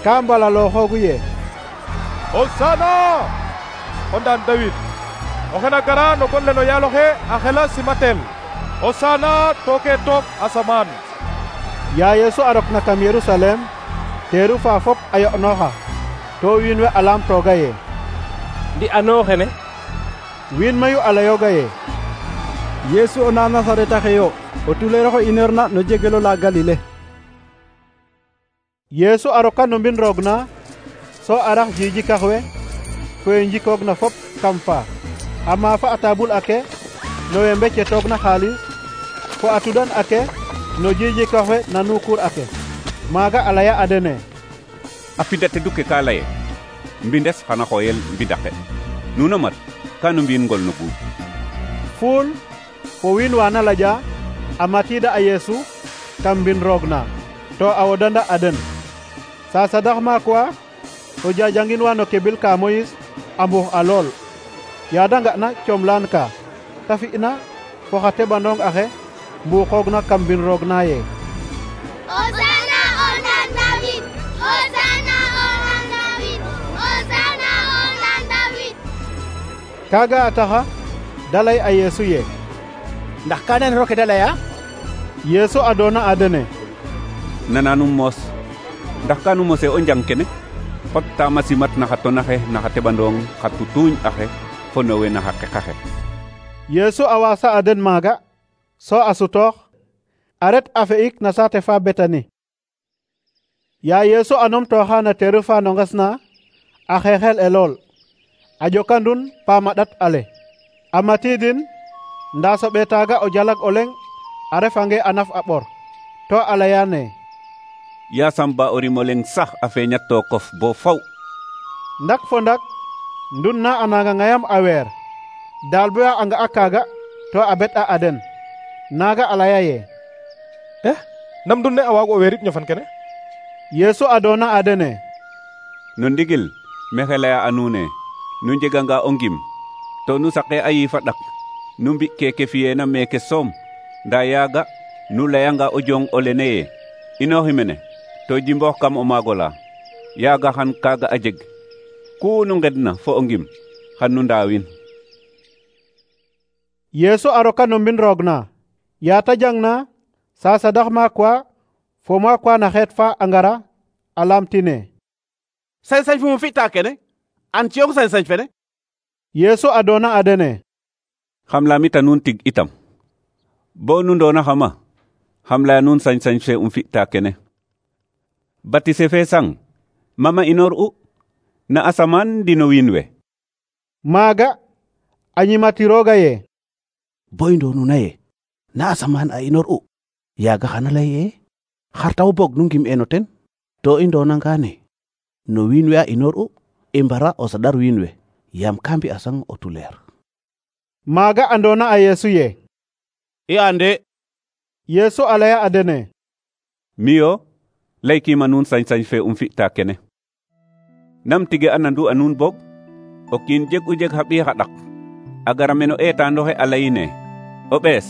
ka mbalalooxoogu ye Hosana o ndaan Dawid oxe na gara no gon le no yaal oxe a xela simatel Hosana tooke took asamaan. yaa Yeesu a rok na kam Yerusalem teeru fa fop a yo'nooxa to wiin we a laamtooga ye ndi ano xene wiin mayu a layooga ye Yeesu o na Nasareta xe yo o tuleer oxe ineerna no jegelo la Galile. Yeesu a roka no mbin roog na so a rax jijikax we fo we njikoog na fop kam fa a maafa a tabul ake no we mbecetoog na xaalis fo a tudan ake no jijikax we na nukuur ake maaga a laya a dene a fida tedu ke ka laye mbindes xana xooyel mbidake nuno mat ka no mbi'in ngol no guud fuul fo wiin wa na laja a matiida a Yeesu kam mbin roog na to a wodanda a den sa sadax maak wa to jajangin wa no kebil ka Moyis a mbux a lool yaada nga'na comlaan ka ta fi'na fo xa teɓandong axe mbuuxoogna kam mbin roog na ye Hosana o ndan David, Hosana o ndan David, Hosana o ndan David. kaaga a taxa da lay a Yeesu ye ndax ka nan roke da laya Yeesu a doona a dene nananum moos ndax ka nu mose o njang kene xot taama simat na xa tonaxe na xa teɓandong xa tutuuñ axe fo no we na xa qeqaxe Yeesu a waasa a den maaga so a sutoox a ret a fe'ik na saate fa Betani yaa Yeesu a numtooxa na teeru fa no nges na a xeexel e lool a ƴokandun paam a ɗat ale a matiidin ndaa soɓe taaga o jalag o leŋ a refange a naf a ɓor to a layane yaasam ba o rim o leŋ sax a feeñat tookof bo faw ndak fo ndak ndun na a nanga ŋayam a weer daal boya a nga'a kaaga to a bet a den naaga a laya ye nam ndun ne a waago o weerit ñofan kene Yeesu a doona a dene no ndigil mexe laya a nuune nu njeganga o ngim to nu saqe a yiif a ɗak nu mbi keke fiyeena meeke soom ndaa yaaga nu layanga o jong o lene ye inooxi mene to jimboox kam o maago la yaaga xan kaaga a jeg ku nu ngedna fo o ngim xan nu ndaawin Yeesu a roka no mbin roog na yaa ta jangna sa sadax maak wa fo maak wa na xeet fa a ngara a laamtine sañ-sañ fu mu fi'ta kene an ciyong sañ-sañ fene Yeesu a doona a dene xam laamita nuun tig itam bo nu ndoona xama xam laya nuun sañ-sañ fe fi'ta kene batise fe sang mama inoor u na asamaan ndi no wiin we maaga a ñimatirooga ye boy ndoonuna ye na asamaan a inoor u yaaga xana lay ye xar taw boog nu ngim eno ten to i ndoonangaane no wiin we a inoor u i mbara o saɗar wiin we yaam ka mbi'a sang o tuleer maaga a ndoona a Yeesu ye i ande Yeesu a laya a dene miyo laykiima nuun sañ-sañ fe fi'ta kene nam tige a nandu a nuun boog o kiin jeg u jeg xa ɓiy xa ɗak a gara meno eetaandoxe a layine o ɓees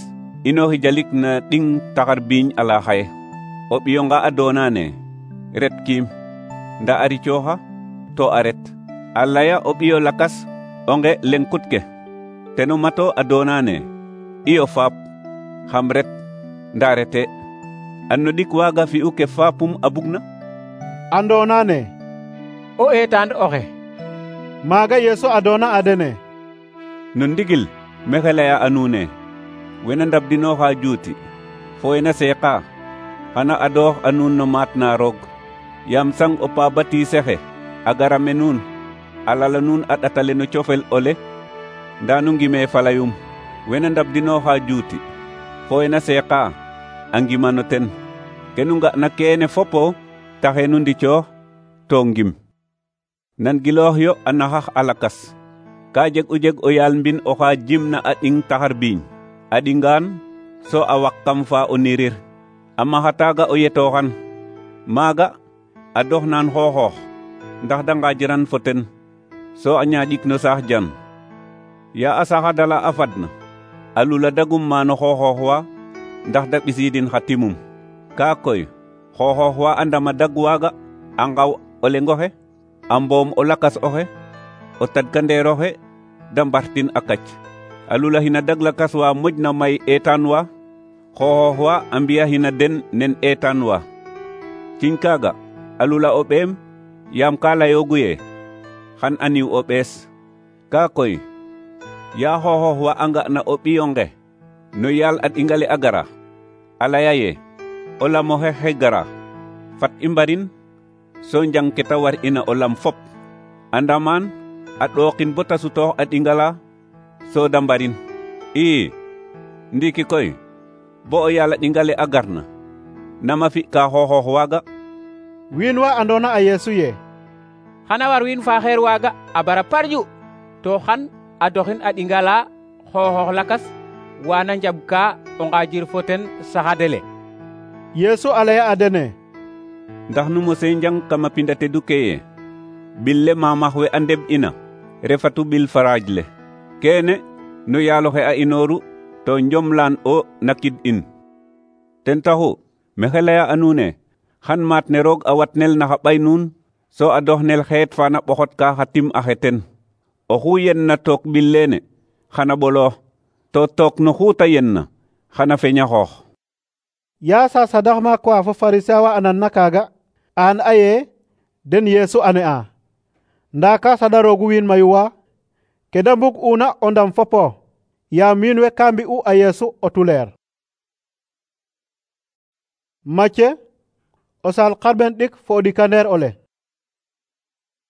inooxi jalik na ɗing taxar biiñ ala xaye o ɓiyonga a doonaane ret kiim nda a ricooxa to a ret a laya o ɓiyo lakas o nge leŋkut ke teno mato a doonaane iyo faap xam ret nda rete an no ɗik waaga fi'u ke faapum a bugna a ndoonaane o eetaand oxe maaga Yeesu a doona a dene no ndigil mexe laya a nuune wena ndabdinooxa juuti fo wena seeqa xana adoox a nuun no maat na roog yaam sang o pa batisexe a gara me nuun a lala nuun a ɗatale no cofel ole nda nu ngime falayum wena ndabdinooxa juuti fo wena seeqa a ngima no ten ke nu nga'na keene fopo taxe nu ndicoox to ngim nan giloox yo a naxax a lakas ka jeg u jeg o yaal mbin oxa jimna a ɗing taxar biiñ a ɗingaan so a waq kam fa o nirir a maxa taaga o yetooxan maaga a doxnaan xooxoox ndax da ngaajiran fo ten so a ñaaƴik no saax jan ya a saxadala a fadna a lula dagum maano xooxoox wa ndax da ɓisiidin xa timum. Kaa koy xooxoox wa a ndama dag waaga a ngaw o leng oxe, a mboom o lakas oxe, o tadkandeer oxe da mbartin a kac. A lulaxina dag lakas wa moƴna may eetaan wa, xooxoox wa a mbi'axina den nen eetaan wa. Ciñ kaaga a lula o ɓeem yaam ka layoogu yee xan a niw o ɓees. Kaa koy yaa xooxoox wa a nga'na o ɓiy onqe no yaal a ɗingale a gara, a laya yee o lam oxe xe gara fat i mbarin so njang ke ta war ina o lam fop, a ndamaan a ɗookin bo ta sutoox a ɗingala so da mbarin. Ndiiki koy bo o yaal a ɗingale a garna nama fi'ka xooxoox waaga? Wiin wa andoona a Yeesu ye xana war wiin faaxeer waaga a bara parju to xan a doxin a ɗingala xooxoox lakas wana njabka o ngaajir fo ten saxadele. Yeesu a laya a dene: ndax nu mose njang kama pinda tedu ke ye bil le maamax we a ndeɓ'ina refatu bil faraaj le, keene no yaal oxe a inooru to njomlaan o nakid in. Ten taxu maxey laya a nuun e xan maat ne roog a watnel na xa ɓay nuun so a doxnel xeet fa na ɓoxotka xa tim axe ten. Oxu yenna took bil leene xana ɓoloox, to took no xu ta yenna xana feña xoox. yaa sa sadax maak wa fo Farisien wa a nanna kaaga a an aye den Yeesu a ne'a, ndaa ka saɗaroogu wiin mayu wa ke da mbug'una o ndam fopo yaam wiin we ka mbi'u a Yeesu o tuleer. Macye o saal xarɓen ɗik fo o ɗikandeer ole.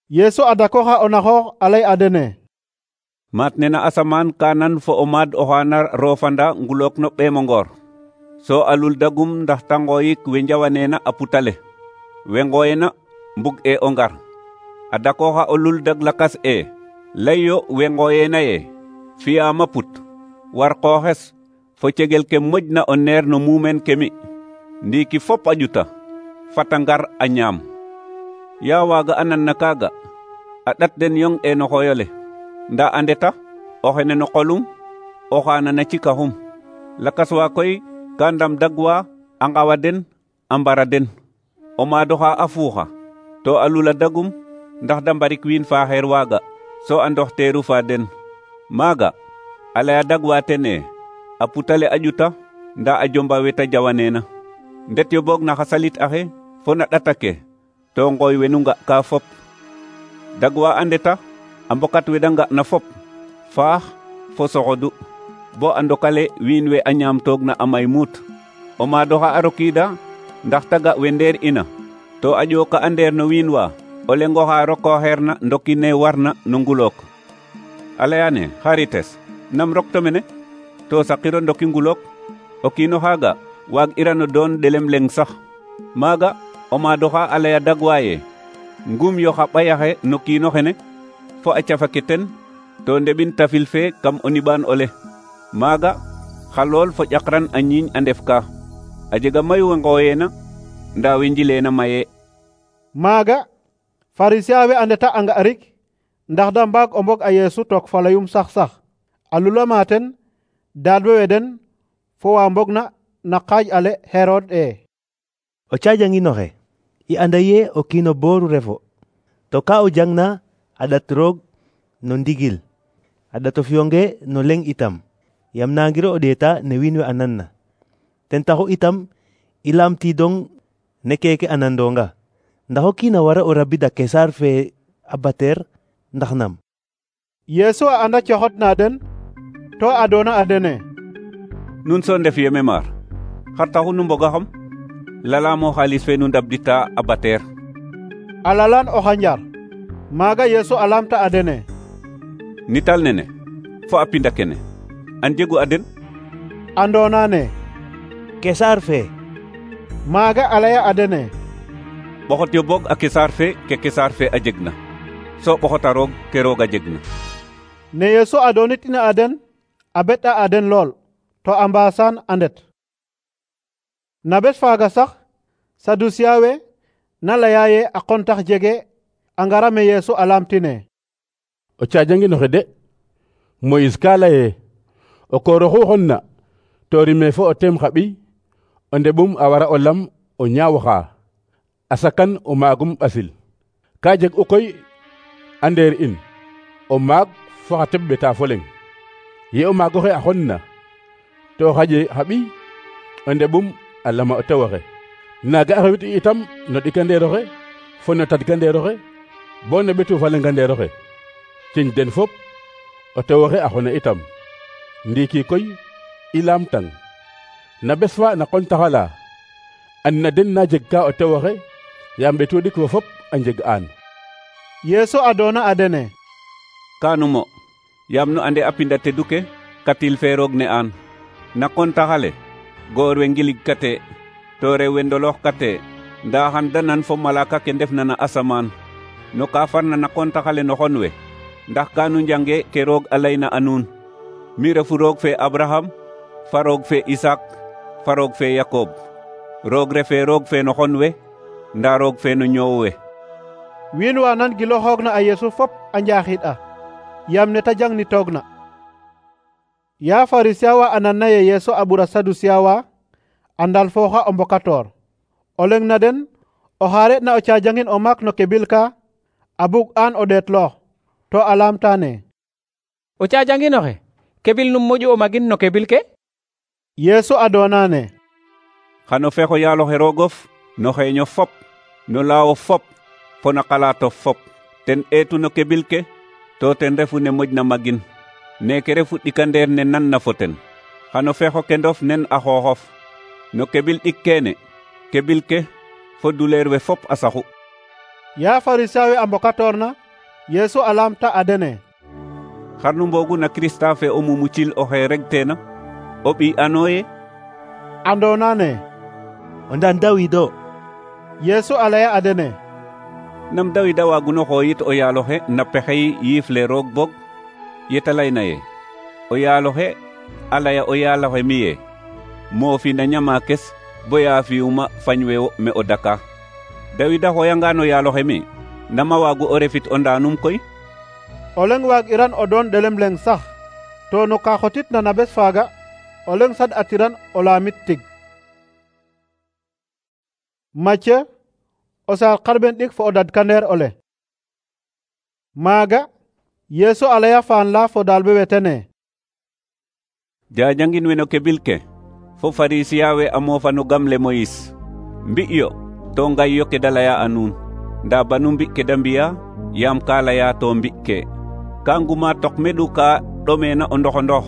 Yeesu a dakooxa o naxoox a lay a dene: maat nena asamaan ka nan fo o maad oxa na roofanda ngulook no ɓeemo ngoor, so a lul dagum ndax ta ngooyik we njawaneena a putale, we ngooyena mbug e o ngar. A dakooxa o lul dag lakas e lay yo we ngooyeena ye fi'aama put, war qooxes fo cegel ke moƴna o neer no muumeen ke mi, ndiiki fop a ƴuta fata ngar a ñaam. Yaa waaga a nanna kaaga a ɗat den yong e no xooyole, ndaa a ndeta o xene no qolum, o xaana na cikaxum. Lakas wa koy ka ndam dag wa a ngawa den a mbara den. O maad oxa a fuuxa to a lula dagum ndax da mbarik wiin faaxeer waaga so a ndoxteeru fa den. Maaga a laya dag wa ten e a putale a ƴuta ndaa a jomba we ta jawaneena. Ndet yo boog na xa salit axe fo na ɗata ke to ngooy we nu nga'ka fop. Dag wa a ndeta a mbokat we da nga'na fop faax fo soxodu bo a ndokale wiin we a ñaamtoogna a may muut. O maad oxa a rokiida ndax ta ga we ndeer ina to a ƴooka a ndeer no wiin wa, o leng oxa rokooxeerna ndoki ne warna no ngulook. A layane xarites nam rokto mene to saqiro ndoki ngulook? O kiin oxaaga waag'irano doon ɗelem leng sax. Maaga o maad oxa a laya dag wa ye ngum yo xa ɓay axe no kiin oxene fo a cafa ke ten to ndeɓin tafil fe kam o niɓaan ole. Maaga xa lool fo ƴakran a ñiiñ a ndef ka. A jega mayu we ngooyeena ndaa we njileena maye. Maaga Farisien we a ndeta a nga'rik ndax da mbaag o mbog a Yeesu took fa layum sax a lulama ten daadwe we den fo wa mbogna na qaaj ale Herod e. O caajangin oxe i anda ye o kiin o booru refo, to ka o jangna a ɗat roog no ndigil, a ɗat o fiyonge no leng itam, yam nangiro o ɗeeta ne wiin we a nanna. Ten taxu itam i lamtiidong ne keke a nandonga, ndax o kiin a wara o rabida Kesaar fe a bateer ndax nam? Yeesu a anda coxotna den to a doona a dene: nun so ndef yeme maar, xar taxu nu mbogaxam? Lalamo xaalis fe nu ndabdita a bateer. A lalan o xanjar. Maaga Yeesu a lamta a dene: nital nene fo a pinda kene an jegu a den? Andoona ne Kesaar fe. Maaga a laya a dene: ɓoxot yo boog a Kesaar fe ke Kesaar fe a jegna, so ɓoxota roog ke roog a jegna. Ne Yeesu a doonitina a den a beɗ'a a den lool to a mbaasan a ndet. Na bes faaga sax Sadusiya we na laya ye a qontax jege a ngara me Yeesu a lamtine. O caajangin oxe de Moïse ka laye o koor oxu xonna to rime fo o teem xa ɓiy o ndeɓum a wara o lam o ñaaw xa a sakan o maagum ɓasil. Ka jeg u koy a ndeer in o maag fo xa teɓ ɓeta fo leŋ. Ye o maag oxe a xonna to xaƴe xa ɓiy o ndeɓum a lama o tew oxe. Naaga a xewit itam no ɗikandeer oxe fo no tadkandeer oxe bo no ɓetu fa lengandeer oxe. Ciñ den fop o tew oxe a xona itam. Ndiiki koy i laamtang na bes fa na qontaxala an na den na jeg ka o tew oxe yaam ɓetu ɗik fo fop a njeg aan. Yeesu adoona a dene: Kaanumo yaam nu ande a pinda tedu ke katil fe roog ne aan. Na qontaxale goor we ngilig kate to rew we ndoloox kate ndaa xan da nan fo malaaka ke ndefna na asamaan no ka farna na qontaxale no xon we ndax kaanu njange ke roog a layna a nuun. Mi refu roog fe Abraham fa roog fe Isak fa roog fe Yakob. Roog refe roog fe no xon we ndaa roog fe no ñoow we. Wiin wa nan giloxoogna a Yeesu fop a njaaxiɗ'a yaam ne ta jangnitoogna. Ya Farisiya wa a nanna ye Yeesu a ɓura Sadusiya wa a ndalfooxa o mbokatoor. O leŋ na den oxa re'na o caajangin o maak no kebil ka a bug aan o ɗeetloox to a laamtaane: O caajangin oxe kebil num moƴu o magin no kebil ke? Yeesu adoonane: Xano fexo yaaloxe roogof no xeeño fop no laawo fop fo na xalaato fop. Ten eetu no kebil ke to ten refu ne moƴna magin. Neeke refu ɗikandeer ne nanna fo ten. Xano fexo kendof nen a xooxof no kebil ɗik keene kebil ke fo duleer we fop a saxu. Ya Farisiya we a mbokatoorna Yeesu a laamta a dene: Xar nu mboogu na Kirista fe o mumucil oxe regteena o ɓiy anooye? Andoonane: O ndaan Dawid o. Yeesu a laya a dene: Nam Dawid a waaguno xooyit o yaaloxe na pexey yiif le roog bog yeta layna ye o yaaloxe a laya o yaaloxe mi ye moofi na ñamaakes boya fi'uma fañ we wo me o daka. Dawid a xooyangaan o yaaloxe mi nama waagu o refit o ndaanum koy? O leŋ waag'iran o doon ɗelem leŋ sax to no ka xotitna na bes faaga o leŋ sad'atiran o laamit tig. Macye o saar xarɓen ɗik fo o dadkandeer ole. Maaga Yeesu a laya faan la fo daalɓe we tene: Jaajangin we no kebil ke fo Farisiya we a moofa no gam le Moyis. Mbi'yo to ngayyo ke da laya a nuun ndaa banu mbi' ke da mbi'a yaam ka laya to mbi' ke. Ka nguma tok meɗu ka ɗomeena o ndoxondox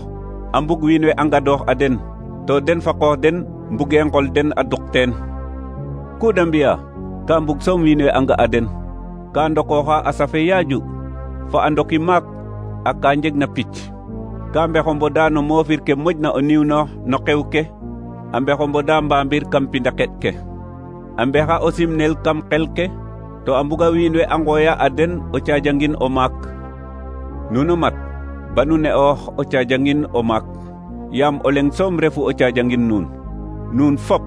a mbug wiin we a ngadoox a den to den fa qoox den mbugee ngol den a duq teen. Ku da mbi'a ka mbug soom wiin we a nga a den. Ka ndokooxa a safe yaaju fa a ndoki maak a ka njegna picc. Ka mbexo mboda no moofir ke moƴna o niwnoox no xew ke a mbexo mboda mbaambir kam pindaket ke. A mbexa o simnel kam xel ke to a mbuga wiin we a ngooya a den o caajangin o maak. Nuno mat banu ne'oox o caajangin o maak yaam o leŋ soom refu o caajangin nuun. Nuun fop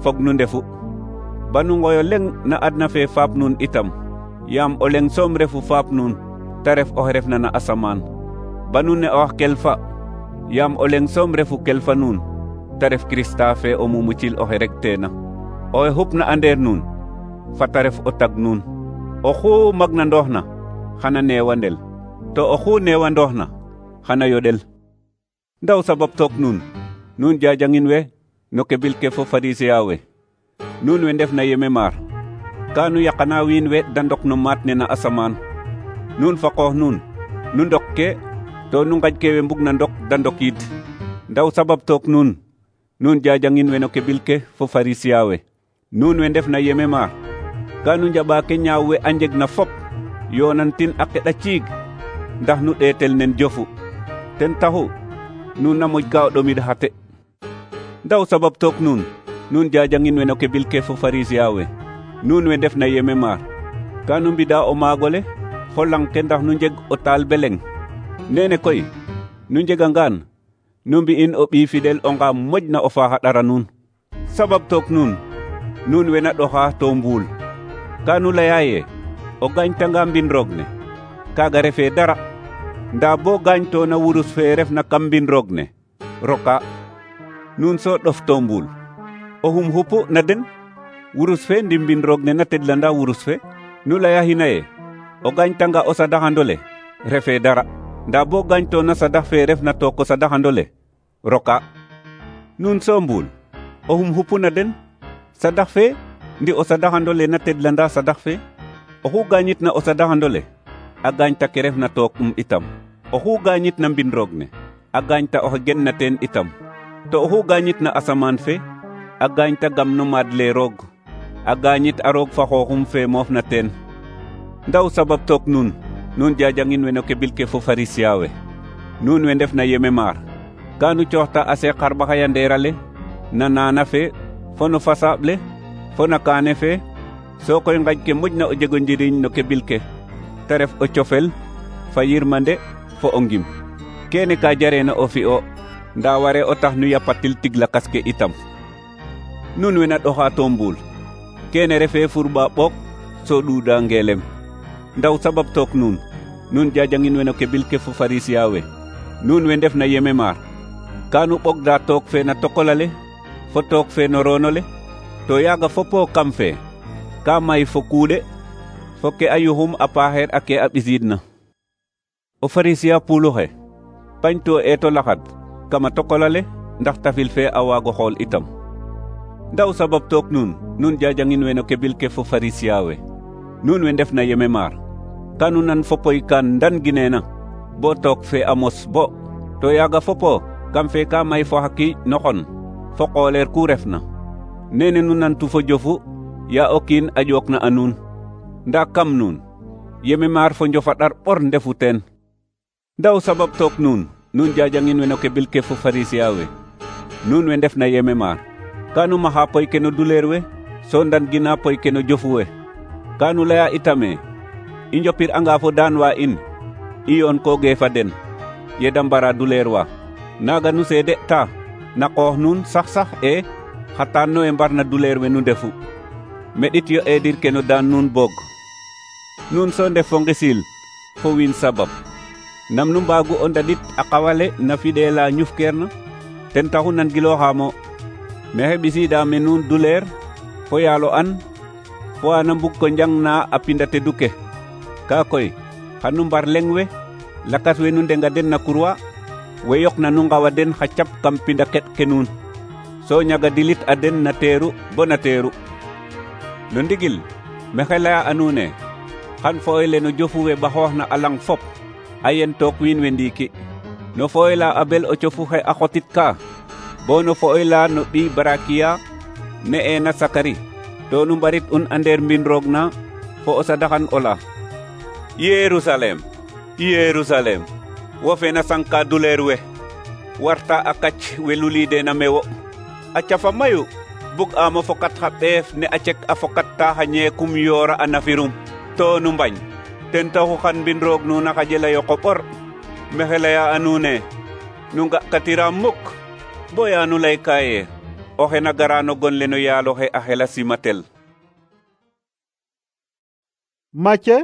fog nu ndefu. Banu ngoyo leŋ na adna fe faap nuun itam yaam o leŋ soom refu faap nuun ta ref oxe refna na asamaan. Banu ne'oox kelfa yaam o leŋ soom refu kelfa nuun ta ref Kirista fe o mumucil oxe regteena. Oxe xupna a ndeer nuun fata ref o tag nuun. Oxu magnandooxna xana neewandel to oxu neewandooxna xana yoɗel. Ndaw sabab took nuun jaajangin we no kebil ke fo Farisiya we. Nuun we ndef na yeme maar ka nu yaqana wiin we da ndok no maat ne na asamaan. Nuun fa qoox nuun nu ndok ke to nu ngaj ke we mbug na ndok da ndokiid. Ndaw sabab took nuun jaajangin we no kebil ke fo Farisiya we. Nuun we ndef na yeme maar ka nu njaɓa ke ñaaw we a njeg na fop yoonantin a qeɗa ciig ndax nu ɗeetel nen jofu. Ten taxu nuun na moƴ ka o ɗomid xate. Ndaw sabab took nuun jaajangin we no kebil ke fo Farisiya we. Nuun we ndef na yeme maar ka nu mbida o maagole fo lang ke ndax nu njeg o taal beleng. Nene koy nu njegangaan nu mbi'in o ɓiy fidel o nga moƴna o faax a ɗara nuun. Sabab took nuun we na ɗoxa to mbuul ka nu laya ye o gañtanga mbin roog ne kaaga refee dara nda bo gañtona wurus fe refna kam mbin roog ne roka nuun so ɗofto mbuul o xum xupu na den wurus fe ndi mbin roog ne na tedlanda wurus fe nu leya xina ye o gañtanga o sadaxandole refe dara nda bo gañtona sadax fe refna took o sadaxandole roka nuun so mbuul o xum xupu na den sadax fe ndi o sadaxandole na tedlanda sadax fe oxu gañitna o sadaxandole a gañta ke refna took itam oxu gañitna mbin roog ne a gañta oxe genna teen itam to oxu gañitna asamaan fe a gañta gam no maad le roog a gañit a roog fa xooxum fe moofna teen ndaw sabab took nuun jajangin we no kebil ke fo farisiya we nuun we ndefna yeme maar ka nu cooxta a seeq xarɓaxa yandeerale na naana fe fo no fasaaɓ le fo na kaane fe sokoy ngañ ke moƴna o jego njiriñ no kebil ke te ref o cofel fa yirmande fo o ngim kene ka jareena o fi'o nda ware o tax nu yapatil tig lakas ke itam nun we na ɗoxa to mbuul kene refe furɓa ɓook so ɗuuɗa ngelem ndaw sabab took nuun jajangin we no kebil ke fo farisiya we nuun we ndef na yeme maar ka nu ɓogda took fe na tokolale fo took fe no roonole to yaaga fopo kam fe ka may fo kuuɗe fo ke a yuxum a paaxeer a ke a ɓisiidna o farisiya puuluxe pañto eeto laxad kama tokolale ndax tafil fe a waago xool itam ndaw sabab took nuun jajangin we no kebil ke fo farisiya we nuun we ndef na yeme maar ka nu nan fopoy kan ndan gineena bo took fe a mos bo to yaaga fopo kam fe ka may fo xa kiiƴ no xon fo qooleer ku refna nene nu nantu fo jofu ya o kiin a ƴookna a nuun nda kam nuun yeme maar fo njofa ɗar ɓor ndefu teen ndaw sabab took nuun jajangin we no kebil ke fo farisiya we nuun we ndef na yeme maar ka nu maxa poy ke no duleer we so ndan gina poy ke no jofu we ka nu leya itame i njopir anga fo daan wa in i yoon koge fa den ye da mbara duleer wa naga nu seede ta na qoox nuun sax e xatan no e mbarna duleer we nu ndefu meɗit yo eedir ke no daan nuun boog nuun so ndef fo ngisil fo wiin sabab nam nu mbaagu o ndadit a qawale na fiɗeela ñufkeerna ten taxu nangilooxaamo mexe ɓisiida me nuun duleer fo yaalo an fo ana mbug ko njangna a pinda tedu ke ka koy xan nu mbar leŋ we lakas we nu ndenga den na kurwa we yoqna nu ngawa den xa cap kam pinda keɗ ke nuun so ñaga dilit a den na teeru bo na teeru no ndigil mexe laya a nuune xan fo'oy le no jofu we ɓaxooxna a lang fop a yen took wiin we ndiiki no fo'oy la a bel o cofu xe a xotit ka bo no fo'oy la no ɓiy barakiya ne'eena sakari to nu mbarit un a ndeer mbin roog na fo o sadaxan o la Yerusalem Yerusalem wo fe na sanka duleer we warta a kac we luliideena mewo a cafa mayu bug aamo fokat xa ɓeef ne a cek a fokatta xa ñeekum yoora a nafirum to nu mbañ ten taxu xan mbin roog nuun a xajela yoqo ɓor mexe leya a nuune nu nga'katira muk boya nu layka ye oxe na gara no gon le no yaalo xe a xela simatel Macce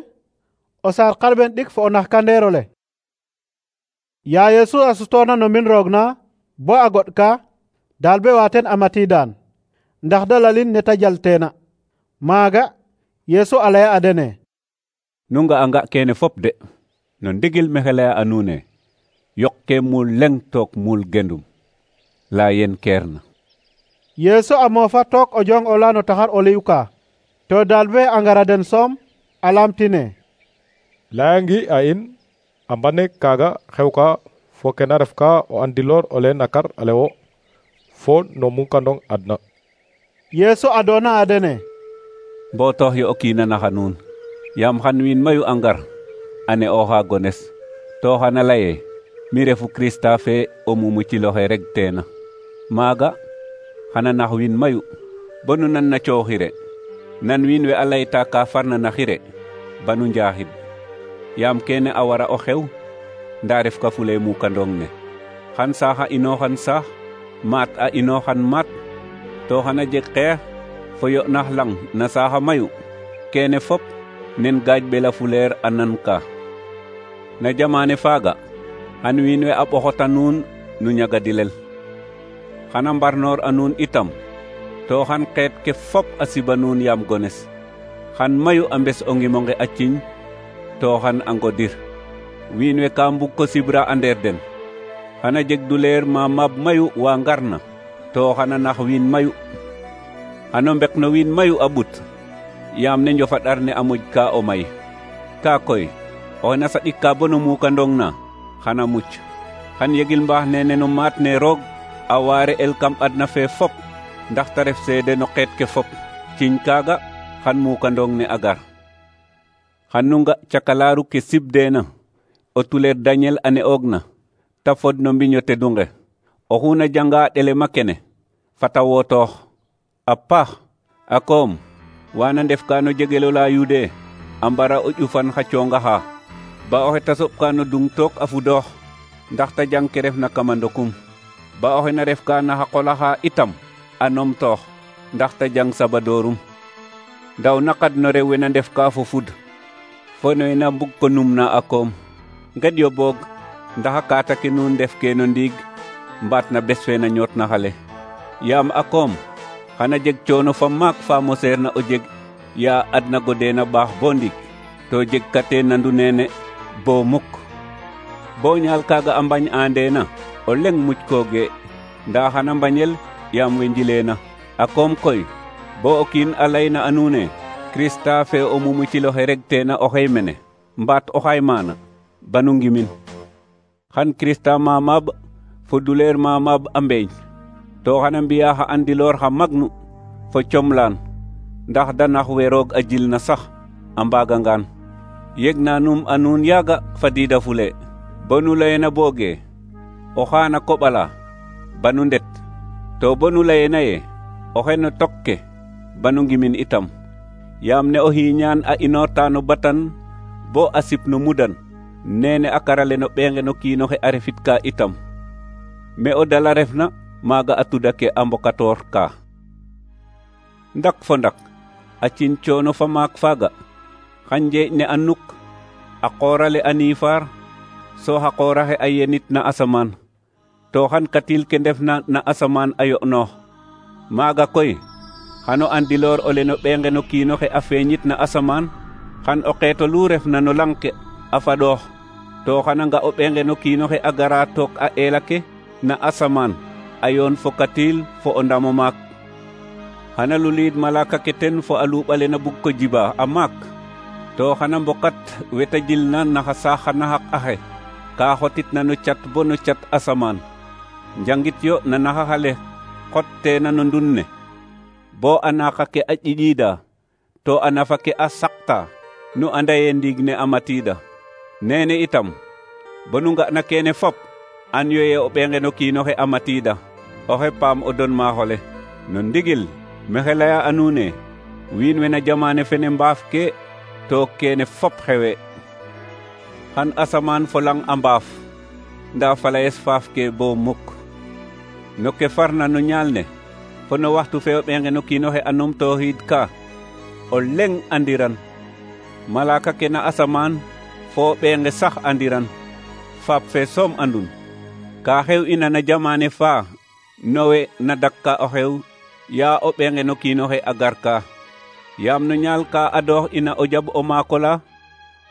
o saar xarɓen ɗik fo o naxkandeer ole ya Yesu a sutoona no mbin roog na bo a goɗ ka dalbe wa ten a matiidaan ndax da lalin ne ta jalteena maaga Yesu a laya a dene nu nga'anga kene fop de no ndigil mexe laya a nuune yoq ke muul leŋ took muul gendum la yen keerna Yesu a moofa took o jong ola no taxar o liw ka to dalbe a ngara den soom a lamtine layangi a in a mbane kaaga xew ka fo kena ref ka o andiloor o leen nakar ale wo fo no munkandong adna Yesu a doona a dene mbootox yo o kiina naxa nuun yaam xan wiin mayu a ngar a ne'ooxa gones to xana laye mi refu Krista fe o mumuciloxe reg teena maaga xana nax wiin mayu bo nu nan na cooxire nan wiin we a layta ka farna na xire banu njaaxid yaam kene a wara o xew nda ref ka fule mukandong ne xan saax a inooxan saax maat a inooxan maat to xana jeg xeex fo yo'nax lang na saaxa mayu kene fop nen gaaj bela fuleer a nan ka na jamane faaga xan wiin we a ɓoxota nuun nu ñagadilel xana mbarnoor a nuun itam to xan xeet ke fop a siba nuun yaam gones xan mayu a mbes o ngimonge a ciñ to xan a ngodir wiin we ka mbug ko sibra a ndeer den xana jeg duleer ma mab mayu wa ngarna to xana nax wiin mayu xano mbek no wiin mayu a ɓut yaam ne njofa ɗar ne a moƴ ka o may ka koy oxe na saɗik ka bono mukandong na xana muc xan yegil mbaax nene no maat ne roog a waare el kam adna fe fop ndax ta ref seede no xeet ke fop ciñ kaaga xan mukandong ne a gar xan nu nga cakalaaru ke sibdeena o tuleer Daniel a ne'oogna ta fod no mbiño tedunge oxu na janga ɗelema kene fata wootoox a paax a koom wana ndef ka no jegelo la Yude a mbara o ƴufan xa coongaxa ba oxe ta soɓka no dung took a fudoox ndax ta jang ke ref na kama ndokum ba oxe na ref ka na xa qolaxa itam a nomtoox ndax ta jang sabadoorum ndaw naqad no rew we na ndef ka fo fud fo no we na mbug ko numna a koom ngeɗyo boog ndax a kaata ke nuun ndef ke no ndiig mbaat na bes fe na ñoot na xale yaam a koom xana jeg coono fa maak fa moseer na o jeg ya adna godeena baax bo ndik to jeg kate nandu nene bo muk bo ñaal kaaga a mbañ aandeena o leng muc kooge nda xana mbañel yaam we njileena a koom koy bo o kiin a layna a nuune Krista fe o mumuciloxe reg teena oxey mene mbaat oxay maana banu ngimin xan Krista mamab fo duleer mamab a mbeeñ to xana mbiya xa andiloor xa magnu fo comlaan ndax da nax we roog a jil na sax a mbaagangaan yeg na num a nuun yaaga fadiida fule bo nu layena booge o xaana koɓala banu ndet to bo nu layena ye oxe no tok ke banu ngimin itam yaam ne o xiiñaan a inoorta no batan bo a sip no mudan nene a karale no ɓeenge no kiinoxe a refit ka itam me o dala refna maaga a tuda ke a mbokatoor ka ndak fo ndak a ciñ coono fa maak faaga xan njeeƴ ne a nuk a qoorale a niifaar so xa qooraxe a yenit na asamaan to xan katil ke ndefna na asamaan a yo'noox maaga koy xano andiloor ole no ɓeenge no kiinoxe a feeñit na asamaan xan o qeeto lu refna no lang ke a faɗoox to xana nga o ɓeenge no kiinoxe a gara took a eela ke na asamaan a yoon fo katil fo o ndamo maak xana luliid malaka ke ten fo a luuɓale na bug ko jiba a maak to xana mbokat weta jilna naxa saax na xaq axe ka xotitna no cat bo no cat asamaan njangit yo na naxaxale xotteena no ndun ne bo a naqa ke a ƴiƴiida to a nafa ke a saqta nu anda ye ndiig ne a matiida nene itam bo nu nga'na kene fop an yo ye o ɓeenge no kiinoxe a matiida oxe paam o don maaxole no ndigil mexe laya a nuune wiin we na jamane fene mbaaf ke to kene fop xewe xan asamaan fo lang a mbaaf nda falayes faaf ke bo muk no ke farna no ñaal ne fo no waxtu fe o ɓeenge no kiinoxe a numtooxiid ka o leng andiran malaka ke na asamaan fo ɓeenge sax andiran faap fe soom andun ka xew ina na jamane fa nowe na dakka o xew ya o ɓeenge no kiinoxe a gar ka yaam no ñaal ka adoox ina o jaɓ o maakola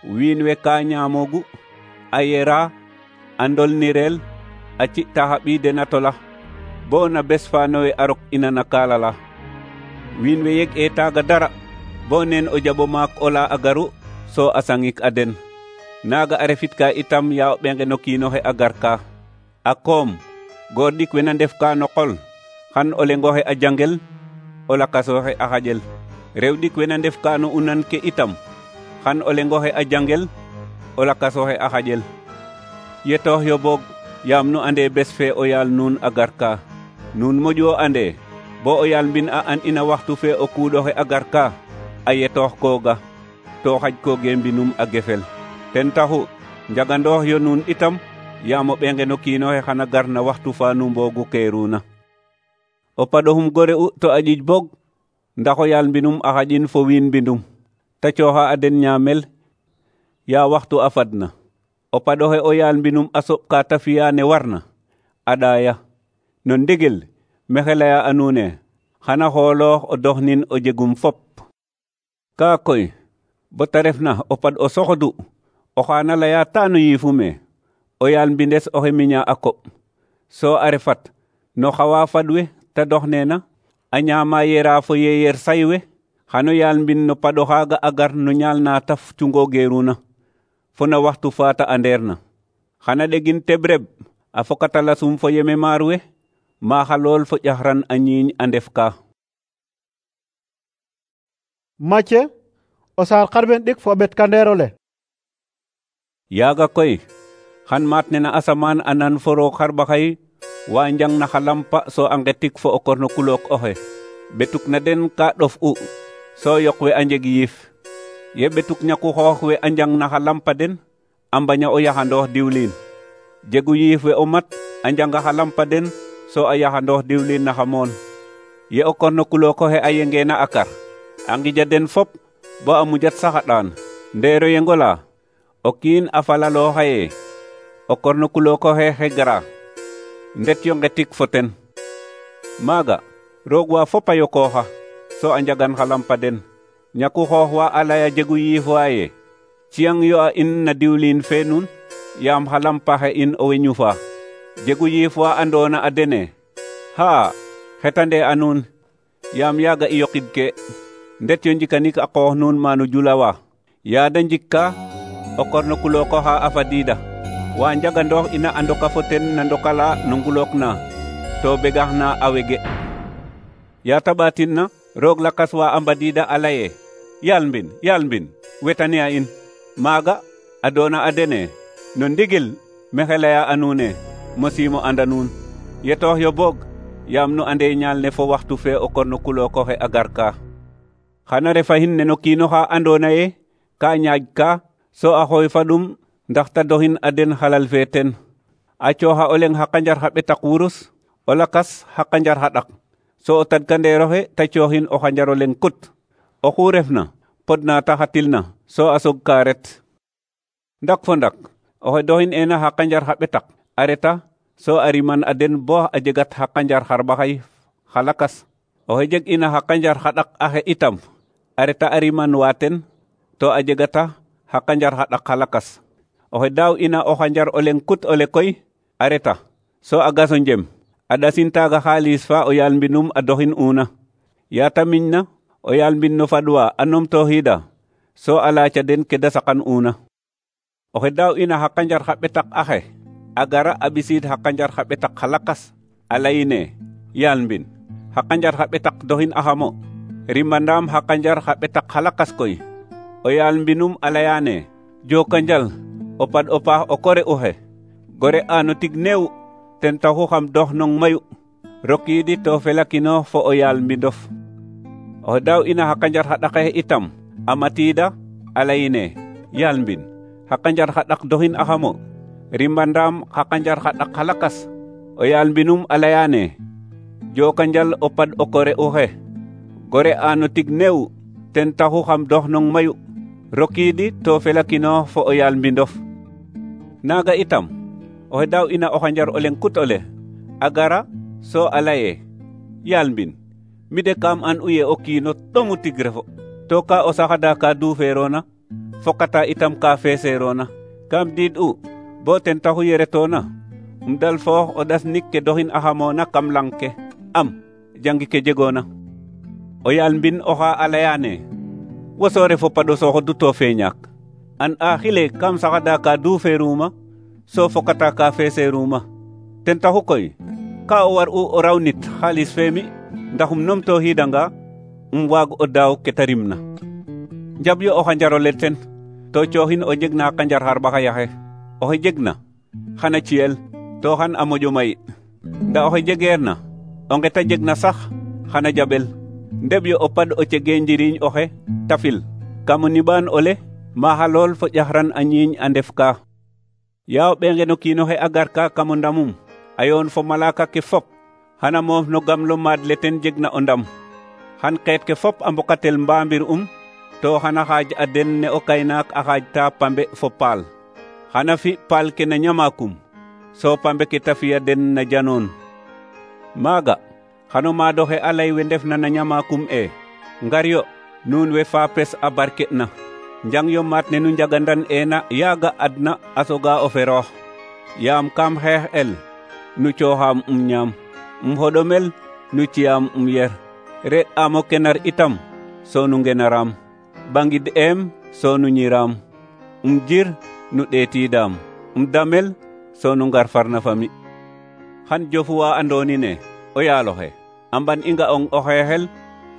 wiin we ka ñaamoogu a yera a ndolnireel a ci'ta xa ɓii den a tola bo na bes fa nowe a rok ina na kaala la wiin we yeg e taaga dara bo neen o jaɓo maak ola a garu so a sangik a den naaga a refit ka itam ya o ɓeenge no kiinoxe a gar ka a koom goor ɗik we na ndef ka no qol xan o lengoxe a jangel o lakasoxe a xaƴel rew ɗik we na ndef ka no unan ke itam xan o lengoxe a jangel o lakasoxe a xaƴel yetoox yo boog yaam nu ande bes fe o yaal nuun a gar ka nuun moƴu o ande bo o yaal mbin a an ina waxtu fe o kuuɗoxe a gar ka a yetoox kooga to xaƴ kooge mbinum a gefel ten taxu njagandoox yo nuun itam yaam o ɓeenge no kiinoxe xana gar na waxtu fa nu mboogu keeruna o paɗoxum gore u to a ƴiƴ boog ndax o yaal mbinum a xaƴin fo wiin mbindum ta cooxa a den ñaamel ya waxtu a fadna o paɗoxe o yaal mbinum a soɓ ka ta fi'a ne warna a ɗaaya. No ndigil maxey laya a nuun ne xana xooloox o doxnin o jegum fop. Kaa koy bo ta refna o paɗ o soxodu oxa na laya ta no yiifume o yaal mbindes oxe miña a koɓ, so a refat no xawa faɗ we ta doxneena a ñaama yera fo yeyer say we, xano yaal mbin no paɗo xaaga a gar no ñaal na ta cungo geeruna fo na waxtu fa ta anderna. Xana ɗegin teɓreb a fokata lasum fo yeme maar we, maaxa lool fo ƴaxran a ñiiñ a ndef ka. Macye o saar xarɓen ɗik fo o ɓet kandeerole. Yaaga koy xan maat ne na asamaan a nan fo roog xarɓaxay wa njang na xa lampa so a ngetik fo o korno kulook oxe. Ɓetuk na den ka ɗof u so yoq we a njeg yiif. Ye ɓetuk ñaku xoox we a njang na xa lampa den a mbaña o yaxandoox diwliin. Jegu yiif we o mat a njanga xa lampa den so a yaxandoox diwliin na xa moon. Ye o korno kulook oxe a yengeena a kar a ngija den fop bo a mujat sax a ɗaan. Ndeero yengola o kiin a falaloo xaye o korno kulook oxe xe gara ndet yo ngetik fo ten. Maaga roog wa fop a yokooxa so a njagan xa lampa den. Ñaku xoox wa a laya jegu yiif waaye ciyang yo a in na diwliin fe nun yaam xa lampa xe in o we ñufa. Jegu yiif wa andoona a dene haa xetande a nuun yaam yaaga i yoqid ke. Ndet yo njikanik a qoox nuun maanu julawa yaada njikka o korno kulook oxa a fadiida wa njagandoox ina a ndoka fo ten na ndokala no ngulook na to begax na a wege. Ya ta ɓaatin na roog lakas wa a mbadiida a laye yaal mbin wetane a in. Maaga a doona a dene no ndigil maxey laya a nuune mosiimo anda nuun. Yetoox yo boog yaam nu ande ñaal ne fo waxtu fe o korno kulook oxe a garka. Xana refa hin ne no kiino xa andoona ye ka ñaaj ka so a xooy fa ɗum ndax ta doxin a den xalal fe ten. A cooxa o leŋ xa qanjar xa ɓetak wurus, o lakas xa qanjar xa ɗak, so o tadkandeeroxe ta cooxin o xanjar o leŋ kut. Oxu refna pod na ta xatilna so a sog ka ret. Ndak fo ndak oxe doxin ena xa qanjar xa ɓetak a reta so a riman a den bo a jegat xa qanjar xarɓaxay xa lakas. Oxe jeg ina xa qanjar xa ɗak axe itam a reta a riman wa ten to a jegata xa qanjar xa ɗak xa lakas. Oxe daaw ina o xanjar o leŋ kut ole koy a reta so a gaso njem a ɗasin taaga xaalis fa o yaal mbinum a doxin una. Ya ta miñna o yaal mbin no fadwa a numtooxiida so a laaca den ke da saqan una. Oxe daaw ina xa qanjar xa ɓetak axe a gara a ɓisiid xa qanjar xa ɓetak xa lakas a layine yaal mbin xa qanjar xa ɓetak doxin axamo rimandaam xa qanjar xa ɓetak xa lakas koy. O yaal mbinum a layane jokonjal o paɗ o paax o kore uxe gore ano tig neew ten taxu xam dox nong mayu rokiidi to felakino fo o yaal mbindof. Oxe daaw ina xa qanjar xa ɗaxe itam a matiida a layine yaal mbin xa qanjar xa ɗak doxin axamo rimandaam xa qanjar xa ɗak xa lakas. O yaal mbinum a layane jokonjal o paɗ o kore uxe gore ano tig neew ten taxu xam dox nong mayu rokiidi to felakino fo o yaal mbindof. Naaga itam oxe daaw ina o xanjar o leŋ kut ole a gara so a laye yaal mbin mi de kam an u ye o kiino ɗomu tig refo to ka o saxada ka duuferoona fokata itam ka feeseroona. Kam diid u bo ten taxu ye retoona dal foox o ɗas nik ke doxin axamoona kam lang ke am jangi ke jegoona. O yaal mbin oxa a layane wo so refo paɗo soxodu to feeñaak an a xile kam saxada ka duuferuma so fokata ka feeseruma. Ten taxu koy ka o war u o raw nit xaalis fe mi ndax numtooxiidanga waag o daaw ke ta rimna. Njab yo o xanjar ole ten to cooxin o jeg na qanjar xarɓaxayaxe. Oxe jegna xana ciyel to xan a moƴo may, nda oxe jegeerna o nge ta jegna sax xana jaɓel. Ndeɓ yo o paɗ o cege njiriñ oxe tafil kam o niɓaan ole maaxa lool fo ƴaxran a ñiiñ a ndef ka. Ya o ɓenge no kiinoxe a garka kam o ndamum a yoon fo malaka ke fop xana moof no gamlo maad le ten jegna o ndam. Xan xeet ke fop a mbokatel mbaambir to xana xaaj a den ne o kaynaak a xaajta pambe fo paal. xana fi paal ke na ñamakum so pambe ke ta fiya den na janoon maaga xano maadoxe a lay we ndef na ñamakum e ngar yo nuun we faapes a barke na njang yo maat ne nu njagandan ena yaaga adna a soga o feroox yaam kam xeex el nu cooxaam ñaam xoɗomel nu ciyaam yer reɗ aam o kenar itam so nu ngenaram bangid em so nu ñiram jir nu ɗeetidaam damel so nu ngar farna fami xan jofuwa andoni ne o yaaloxe amban i nga'ong o xeexel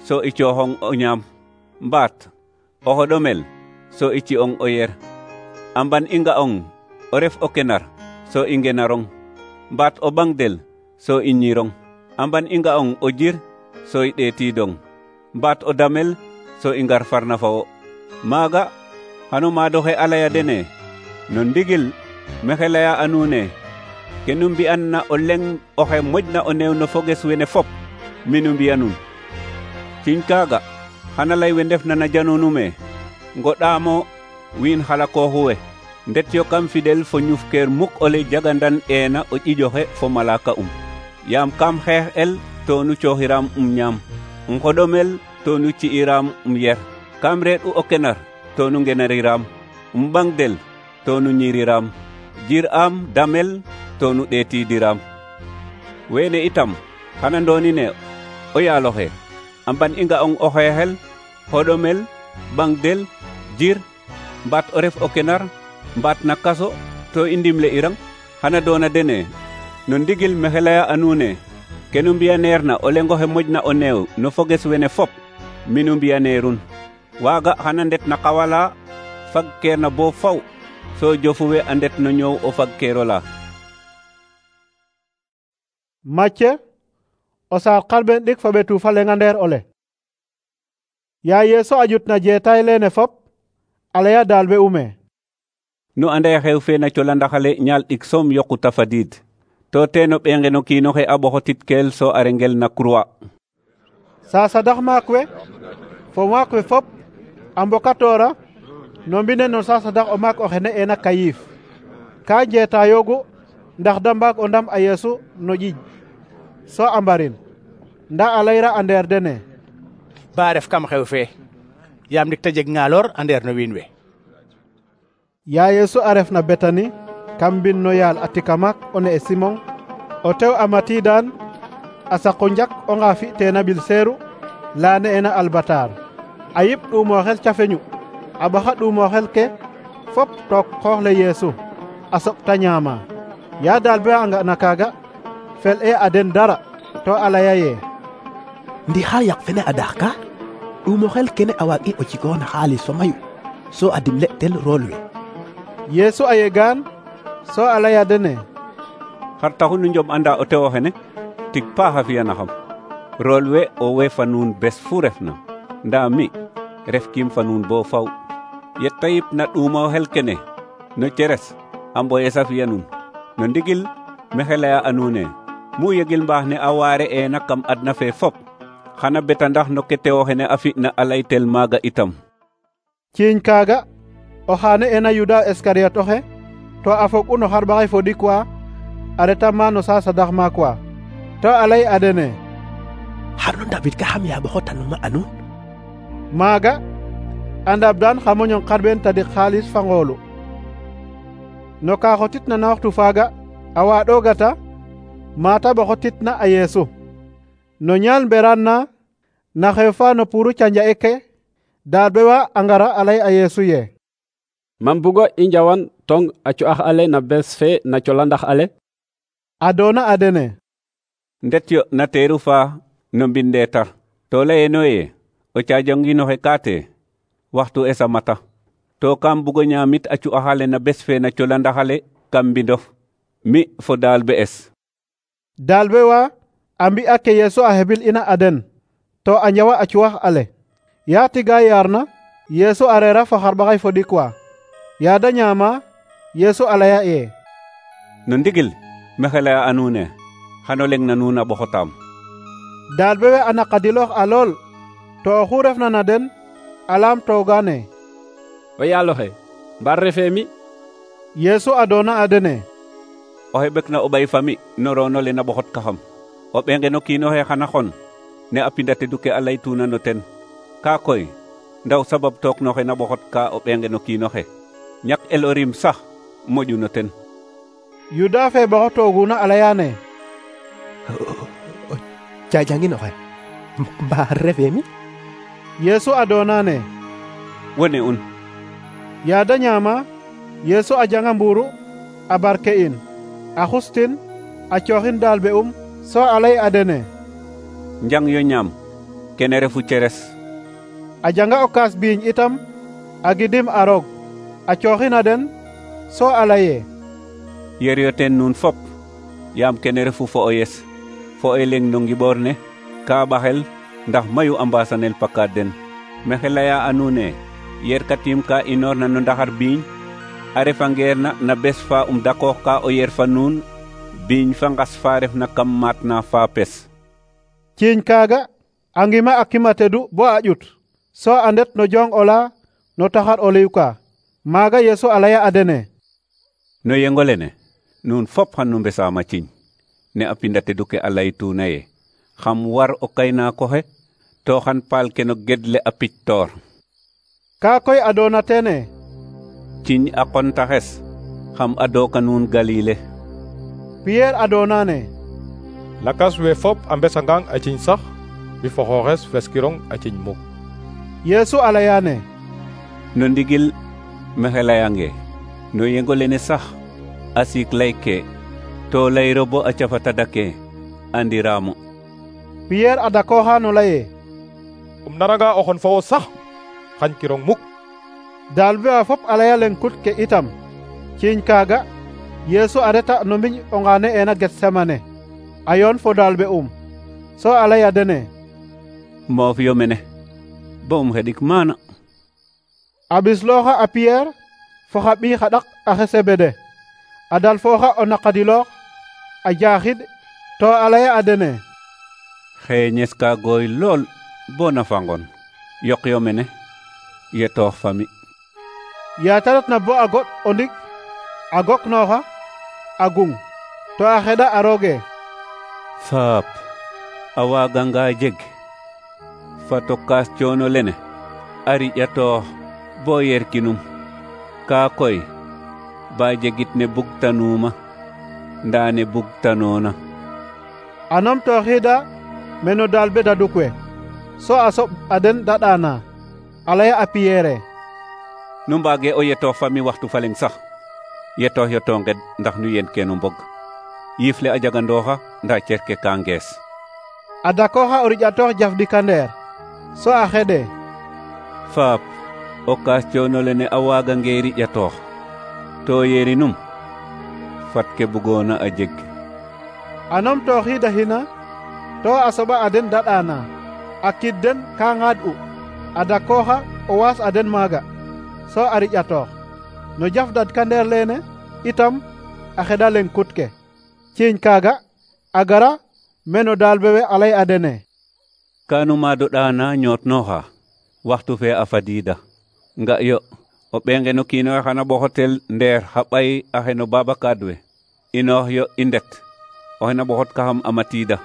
so i cooxong o ñaam mbaat o xoɗomel so i ci'ong o yer amban i nga'ong o ref o kenar so i ngenarong mbaat o ɓangdel so i ñirong amban i nga'ong o jir so i ɗeetidong mbaat o damel so i ngar farna fa wo maaga xano maadoxe a laya dene no ndigil mexe laya a nuune ke nu mbi'an na o leŋ oxe moƴna o neew no foges wene fop mi nu mbi'a nun ciñ kaaga xana lay we ndef na na janonume ngoɗaamo wiin xalakooxu we ndet yo kam fidel fo ñufkeer muk ole jagandan eena o ƴiƴoxe fo malaka yaam kam xeex el to nu cooxiram ñaam xoɗomel to nu ci'iram yer kam reɗ'u o kenar to nu ngenariram ɓangdel to nu ñiriram jir am damel to nu ɗeetidiram wene itam xana ndoni ne o yaaloxe amban i nga'ong o xeexel xoɗomel ɓangdel jir mbaat o ref o kenar mbaat na kaso to i ndimle irang xana doona dene no ndigil mexe laya a nuune ke nu mbi'aneer na o leŋoxe moƴna o neew no foges wene fop mi nu mbi'aneerun waaga xana ndet na qawala fagkeer na bo faw so jofu we a ndet no ñoow o fagkeerola Macce o saar xarɓen ɗik fo ɓetu fa leŋa ndeer ole ya Yeesu a jutna jeetaay leene fop a laya daal be ume nu anda xew fe na colandaxale ñaal ɗik soom yoqu ta fadiid to teeno ɓeenge no kiinoxe a ɓoxotitkeel so a rengel na croix sasadax maak we fo maak we fop a mbokatoora no mbine no sasadax o maak oxe ne'eena Kayif ka jeetayoogu ndax da mbaag o ndam a Yeesu no ƴiƴ so a mbarin nda a layra a ndeer dene ba ref kam xew fe yaam ndik ta jeg ngaloor a ndeer no wiin we ya Yeesu a ref na Betani kam mbin no yaal a tika maak o ne'e Simon o tew a matiidaan a saqo njak o nga fi'teena ɓil seeru la ne'eena Albatar a yip ɗuumooxel cafeñu a ɓaxa ɗuumooxel ke fop took xoox le Yeesu a soɓ ta ñaama ya daal be a nga'na kaaga fel'e a den dara to a laya ye ndi xa yaq fene a dax ka ɗuumooxel kene a waag i o jikoona xaalis fa mayu so a dimle tel rool we Yeesu a yegaan so a laya dene xar taxu nu njoɓ anda o tew oxene tig paax a fiyanaxam rool we o we fa nuun bes fu refna ndaa mi ref kiim fa nuun bo faw yetta yip na ɗuumooxel kene no ceres a mboyes a fiya nuun no ndigil mexe laya a nuune mu yegil mbaax ne a waare eena kam adna fe fop xana beta ndax no ke tewoxene a fi'na a laytel maaga itam ciiñ kaaga o xaane ena Yuda Iskariyot oxe to a fog'u no xarɓaxay fo ɗik wa a reta ma no sasadax maak wa to a lay a dene xar no ndabid ka xam yaa ɓoxotanuma a nuun maaga a ndabdaan xa moñong xarɓeen tadik xaalis fa ngoolu no ka xotitna na waxtu faaga a waaɗoogata maata ɓoxotitna a Yeesu no ñaal mberaan na xew fa no puru canja'e ke daal be wa a ngara a lay a Yeesu ye mam bugo i njawan tong a cu'ax ale na bes fe na colandax ale a doona a dene ndet yo na teeru fa no mbindeetar to layeno ye o caajonginoxe kaate waxtu esa mata to kam bugo ñaamit a cu'axale na bes fe na colandaxale kam mbindof mi fo daal be es daal be wa a mbi'a ke Yeesu a hebil ina a den to a njawa a cu'ax ale ya tiga yaarna Yeesu a reera fo xarɓaxay fo ɗik wa ya da ñaama Yeesu a laya ye no ndigil mexe laya a nuune xano leŋ na nuun a ɓoxotaam daal be we a naqadiloox a lool to oxu refna na den a laam toogaane o yaaloxe mbar refe mi Yesu adona a dene: oxe ɓekna o ɓay fami no roono le na ɓoxot kaxam o ɓenge no kiino xe xana xon ne a pinda tedu ke a laytuna no ten ka koy ndaw sabab took no xe na ɓoxot ka o ɓenge no kiino xe ñak el o rim sax moƴu no ten. Yuda fe ɓoxotooguna a layane: o jajangin oxe mba refe mi? Yesu adonane: wone un. Yaada ñaama Yesu a janga mburu a barke in a xustin a cooxin daalbe so a lay a dene: njang yo ñaam kene refu ceres. A janga o kaas biiñ itam a gidim a roog a cooxin a den so a laye: yer yo teen nuun fop yaam kene refu fo o yes fo o leng no ngiɓoor ne ka ɓaxel ndax mayu a mbasanel pakaad den. Mexe laya a nuun e yer katim ka inoorna no ndaxar biiñ a refangeer na bes fa dakoox ka o yer fa nuun biiñ fa ngas fa refna kam maat na fa pes. Ciiñ kaaga a ngima a kima tedu bo a ƴut so a ndet no jong ola no taxar o liw ka. Maaga Yesu a laya a dene: no yengo lene nuun fop xan nu mbesaama ciiñ ne a pinda tedu ke a laytuna ye xam war o kaynaako xe to xan paal ke no gedle a pictoor. Ka koy adona tene: ciiñ a qontaxes xam adooka nuun Galile. Pierre adonane: lakas we fop a mbesangang a ciiñ sax mi fo xooxes feskirong a ciiñ muk. Yesu a layane: no ndigil mexe layange no yengo lene sax a siik lay ke to layro bo a cafa tadake andiramo. Pierre a dakooxa no laye: naranga o xon fo wo sax xañ kirong muk. Daalbe wa fop a laya leng kut ke itam. Ciiñ kaaga Yesu a reta no mbiñ onga ne'eena Getsemane a yoon fo daalbe so a laya dene: moof yo mene bo xeɗik maana. A ɓislooxa a Pierre fo xa ɓii xa ɗak axe Sebede a dalfooxa o naqadiloox a jaaxid to a laya a dene: xeeñes ka gooy lool bo na fangon yoq yo mene yetoox fami. yaa ta retna bo a goɗ o ndik a goknooxa a gung to a xeɗa a rooge: faap a waaganga jeg fato kaas coono lene a riƴatoox bo yerkinum kaa koy ba jegit ne bugtanuuma ndaa ne bugtanoona. A numtooxiida meno daalbe daduk we so a soɓ a den daɗaana a laya a Pierre: nu mbaage o yetoox fami waxtu fa leng sax yetoox yo to nged ndax nu yen kenu mbog yiif le a jagandooxa ndaa cerke ka ngees. A dakooxa o riƴatoox jaf ɗikandeer so a xeɗe: faap o kaas coono lene a waagange riƴatoox to yerinum fat ke bugoona a jeg. A numtooxiidahina to a soɓa a den daɗaana a kid den ka ŋaad'u a dakooxa o waas a den maaga so a riƴatoox no jaf dadkandeer leene itam a xeɗa leng kut ke. Ciiñ kaaga a gara meno daalbe we a lay a dene: kaanu maado ɗaana ñootnooxa waxtu fe a fadiida nga yo o ɓeenge no kiino xe xana ɓoxotel ndeer xa ɓay axe no babakaad we inoox yo i ndet oxe na ɓoxot kaxam a matiida.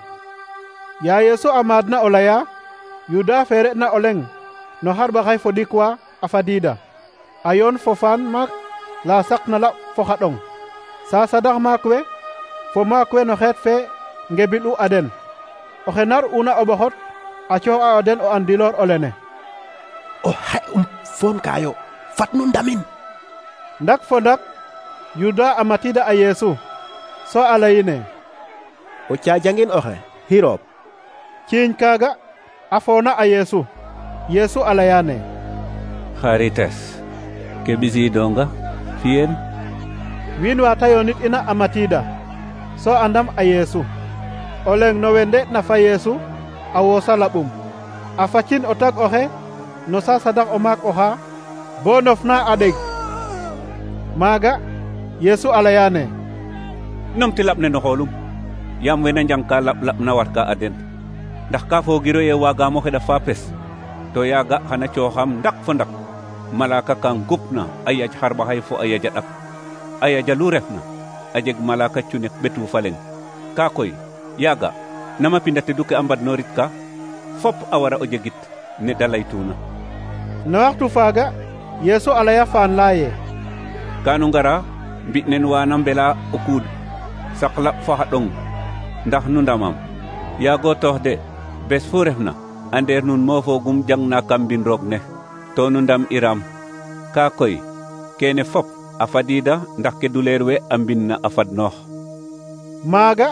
Yaa Yesu a maadna o laya, Yuda fe re'na o leng no xarɓaxay fo ɗik wa a fadiida a yoon fo faan maak la saqna laɓ fo xa ɗong sa sadax maak we fo maak we no xeet fe ngebil'u a den. Oxe nar una o ɓoxot a coox a den o andiloor o lene: o xe foon kayo fat nu ndamin. Ndak fo ndak Yuda a matiida a Yesu so a layine: o caajangin oxe xiroob. Ciiñ kaaga a foona a Yesu. Yesu a layane: xarites ke ɓisiidonga fiyen. Wiin wa ta yoonit ina a matiida so a ndam a Yesu. O leng no we nde'na fa Yesu a woosa laɓum a facin o tag oxe no sa sadax o maak oxa bo nofna a ɗeg. Maaga Yesu a layane: numti laɓ ne no xoolum yaam wena njang ka laɓ na warka a den ndax ka foogiro ye waagaamo xeɗa fa pes to yaaga xana cooxam ndak fo ndak malaka ka ngupna a yaaj xarɓaxay fo a yaja ɗak aya jalu refna a jeg malaka cunek ɓetu fa leŋ ka koy yaaga nama pinda tedu ke a mbadnorit ka fop a wara o jegit ne da laytuna. No waxtu faaga Yesu a laya faan laye kanu ngara mbi nen wana mbela o kuud saqla fa xa ɗong ndax nu ndamam yaago toox de bes fu refna andeer nun mofoogum jangna kam mbin roog ne to nu ndam iram ka koy kene fop a fadida ndax ke duleer we a mbin na a fadnoox. maaga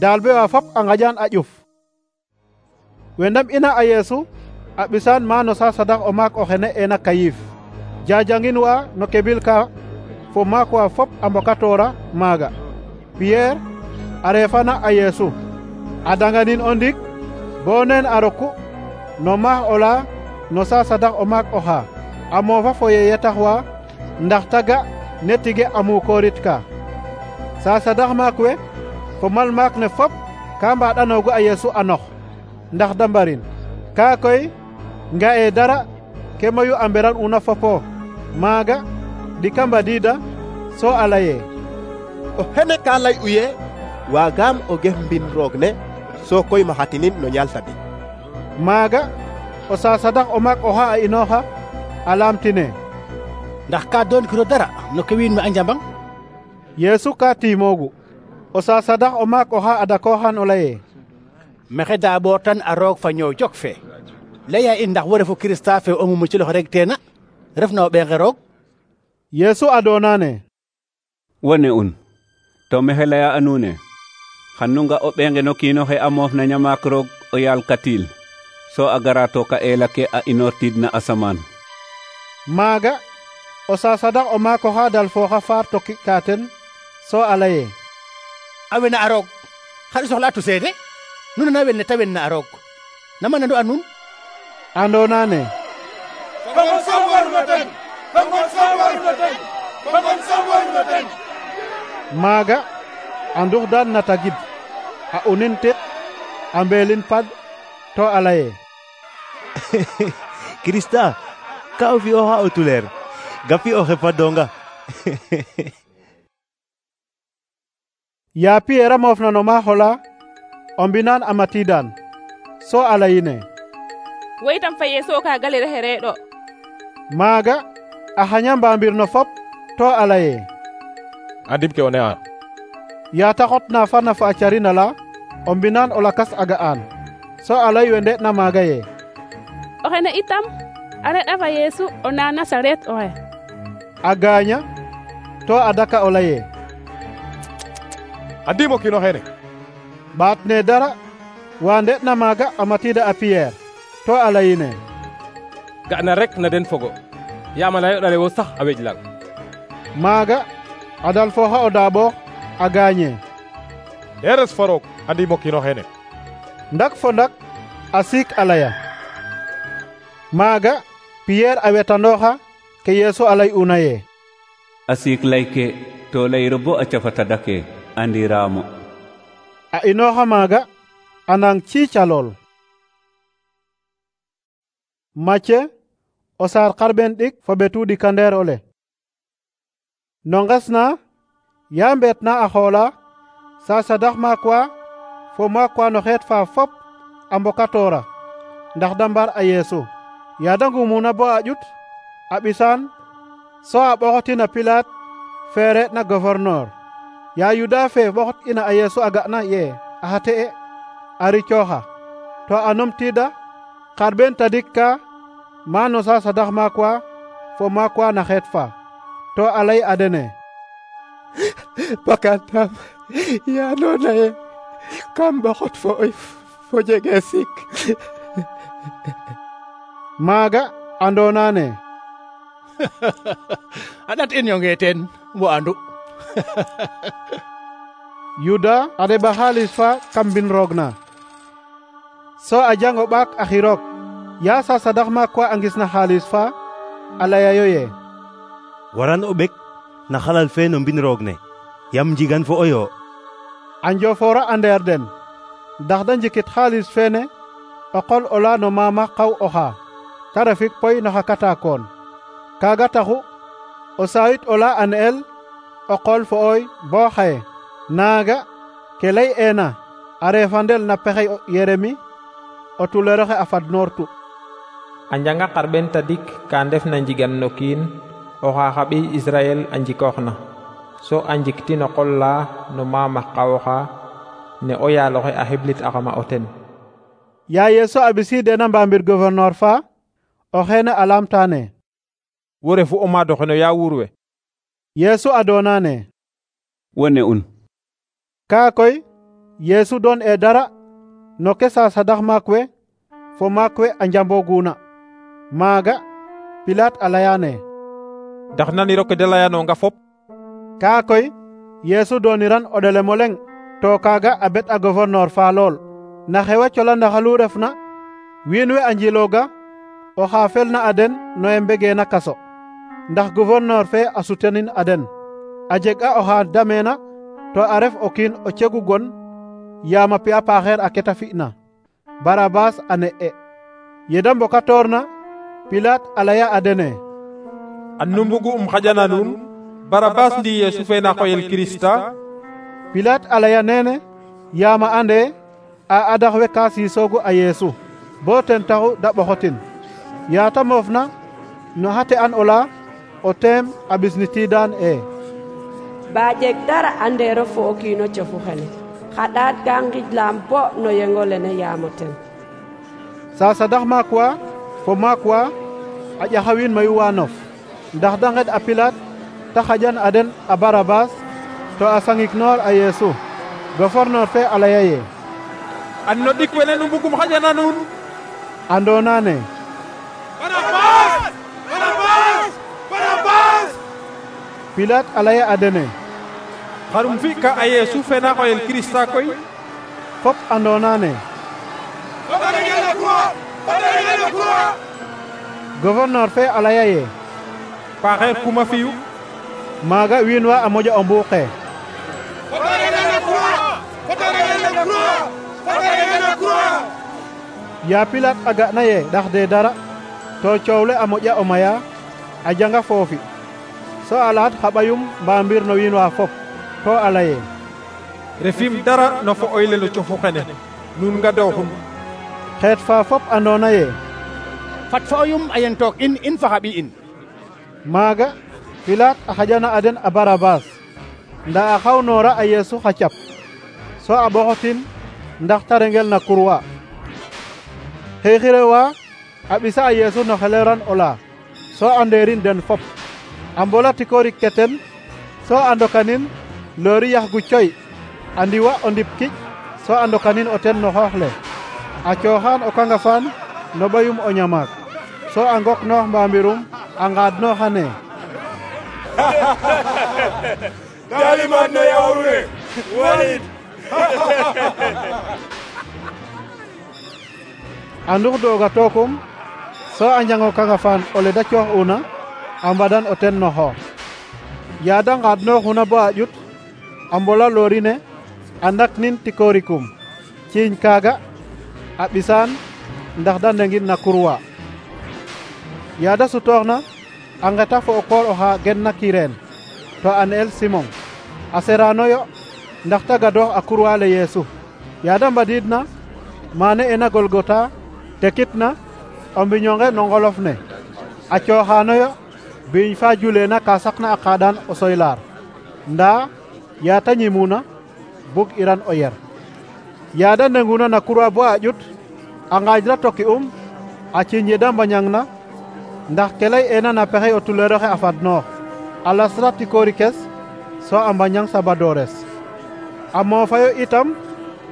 daalbe wa fop a ngaƴan a ƴuf we ndam ina a Yesu a ɓisaan ma no sasadax o maak oxene ena Kayif jajangin wa no kebil ka fo maak wa fop a mbokatoora maaga. Pierre a reefana a Yesu a danganin o ndik bo neen a roku no maax ola no sasadax o maak oxa a moofa fo yeye tax wa ndax taga ne tige a muukoorit ka. Sasadax maak we fo mal maak ne fop ka mbaɗanoogu a Yesu a nox ndax da mbarin ka koy nga'e dara ke mayu a mberan una fopo maaga ɗika mbadiida so a laye o xene ka lay'u ye waagaam o gef mbin roog ne so koy maxatinin no ñaal tadik. maaga o sasadax o maak oxa a inooxa a laamtine ndax ka doonkiro dara no ke wiin we a njambang. Yesu ka tiimoogu o sasadax o maak oxa a dakooxan o laye mexe daaɓoor tan a roog fa ñoow jok fe laya in ndax wo refu Kirista fe o mumuciloxe rek teena refna o ɓeenge roog. Yesu a doonane wone un to mexe laya a nuune xan nu nga o ɓeenge no kiinoxe a moof na ñamaak roog o yaal katil so a gara to ka eela ke a inoortiid na asamaan. maaga o sasadax o maak oxa dal fooxa faar toki ka ten so a laye a wena a roog xar i soxla atu seede nu nana wel ne ta wen na a roog nama nandu a nuun andoonane maaga a ndux daan na tagid a unin tet a mbeelin pad to a laye Krista ka o fi'ooxa o tuleer gapi o xepadonga. yaa Pierre a moofna no maax ola o mbinaan a matiidaan so a layine wo itam fa Yesu ka galile xe reeɗo. maaga a xaña mbaambir no fop to a laye andim ke o ne'a yaa ta xotna fana fa a carin ala o mbinaan o lakas a ga'aan so a lay we nde'na maaga ye oxene itam a reɗ'a fa Yesu o na Nasaret oxe. a gaaña to a daka o laye andim o kiin oxene ɓaat ne dara wa nde'na maaga a matiida a Pierre to a layine ga'na rek na den fogo yaam a layoɗale wo sax a weƴlang. maaga a dal fooxa o daaɓoox a gaañe eres fa roog andim o kiin oxene ndak fo ndak a siik a laya maaga Pierre a wetanooxa ke Yesu a lay'una ye a siik layke to layiro bo a cafa tadake andiraamo. a inooxa maaga a nang ciicalool. Macye o saar xarɓen ɗik fo ɓetu ɗikandeer ole no nges na yaa mbeet na a xoola sasadax maak wa fo maak wa no xeet fa fop a mbokatoora ndax da mbar a Yesu yaa da ngumuna bo a ƴut a ɓisaan so a ɓoxotin a Pilaat feere na gouverneur yaa Yuda fe ɓoxot ina a Yesu a ga'na ye a xate e a ricooxa to a numtiida xarɓen tadik ka ma no sasadax maak wa fo maak wa na xeet fa to a lay a dene bakatam ya andoona ye kam ɓoxot fo jege sik. maaga andoonane a ɗat in yonge teen wo andu. Yuda a ɗeɓa xaalis fa kam mbin roog na so a jango ɓaak a xiroog yaa sasadax maak wa a ngisna xaalis fa a layayo ye waran o ɓek na xalal fe no mbin roog ne yam njigan fo oyo a njofoora a ndeer den ndax da njikit xaalis feene o qol ola no mama xaw oxa ta refik poy no xa katakoon kaaga taxu o saayit ola a ne'el o qol fo oy bo xaye naaga ke ley ena a refandel na pexey Yeremi o tuleroxe a fad noortu. a njanga xarɓen tadik ka ndef na njigan no kiin oxa xa ɓiy Israel a njikooxna so a njiktin o qol la no maamax qawoxa ne o yaaloxe a xiblit axama o ten. Ya Yesu a ɓisiidena mbamir gouverneur fa o xeene a lamtane: wo refu o maadoxe no ya wuur we? Yesu a doonane: wo ne un. Kaa koy Yesu doon e dara no ke sasadax maak we fo maak we a njamboguna. Maaga Pilaat a layane: ndax naniro ke de layanonga fop? Kaa koy Yesu dooniran o ɗelemo leŋ to kaaga a bet a gouverneur fa lool. Na xewa colandaxalu refna wiin we a njilooga oxa felna a den no e mbegeena kaso, ndax gouverneur fe a sutenin a den. A jeg a oxa dameena to a ref o kiin o cegu gon yaam a pi'a paaxeer a keta fi'na. Barabas a ne'e. Yeda mbokatoorna Pilaat a laya a dene: an nu mbugu xaƴana nuun Barabas ndi Yesu fe na xoyel Kirista? Pilaat a laya nene yaam a ande a adax we ka siisoogu a Yesu bo ten taxu da ɓoxotin. Yaata moofna no xate an ola o teem a ɓisnitiidaan ba jeg dara andero fo o kiino cofu xene xaɗaat ka ngijlaam bo no yengo lene yaamo ten. Sasadax maak wa fo maak wa a ƴaxa wiin mayu wa nof ndax da ngeɗ a Pilaat ta xaƴan a den a Barabas to a sangiknoor a Yesu. Gouverneur fe a laya ye: an no ɗik wene nu mbugum xaƴana nuun? Andoonane: Barabas! Barabas! Barabas! Pilaat a laya a dene: xarum fi'ka a Yesu fe na xoyel Kirista koy? Fop andoonane: gouverneur fe a laya ye: paaxeer kuma fi'u? Maaga wiin wa a moƴa o mbuuqe. Ya Pilaat a ga'na ye ɗaxde dara to coow le a moƴa o maya a janga foofi so a laat xa ɓayum mbamir no wiin wa fop to a laye: refim dara no fo oyle no cofu xene nuun nga dooxum. Xeet fa fop andoona ye fat fo oyum a yen took in fa xa ɓiy in. Maaga Pilaat a xaƴana a den a Barabas nda a xawnoora a Yesu xa cap so a ɓoxotin ndax ta rengel na kurwa. Xeexire wa a ɓisa a Yesu no xeleran ola so a ndeerin den fop a mbola tikoorik ke ten so a ndokanin loori yaxgu coy a ndiwa o ndip kiƴ so a ndokanin o ten no xoox le a cooxaan o kangafaan no ɓayum o ñamaak so a ngoknoox mbambirum a ngaadnooxane: Daliman no yawre Walid. a ndux dooga tookum so a njango kangafaan ole da coox'una a mbadan o ten no xoox. Ya da ngaadnooxuna bo a ƴut a mbola loori ne a ndaknin tikoorikum ciiñ kaaga a ɓisaan ndax da ndengin na kurwa. Ya da sutooxna a ngeta fo o koor oxa genna Kireen to a ne'el Simon a seranoyo ndax ta gadoox a kurwa le Yesu. Ya da mbadiidna maane ena Golgota tekitna o mbiñonge no ngolof ne a cooxaanoyo biiñ fa juleena ka saqna a qaadaan o soylaar ndaa yaa ta ñimuna bug iran o yer. Ya da ndenguna na kurwa bo a ƴut a ngaajra toki a ciiñ ye da mbañangna ndax ke lay'eena na pexey o tuleeroxe a fadnoox a lasra tikoorikes so a mbañang sabadoores. A moofayo itam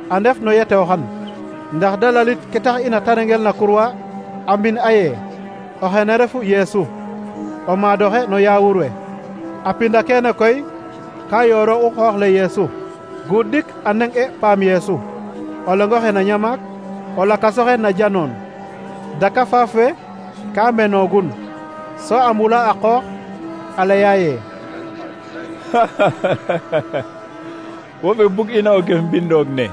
a ndef no yetewxan ndax da lalit ke tax ina ta rengel na kurwa a mbin aye o xene refu Yesu o maadoxe no yaawur we. A pinda keene koy ka yooro u xoox le Yesu guuɗik a neng'e paam Yesu o lengo xe na ñamaak o lakasoxe na janoon. Daka faaf we ka menoogun so a mbula a qoox a laya ye: wo ɓe bug ina o gem mbindoog ne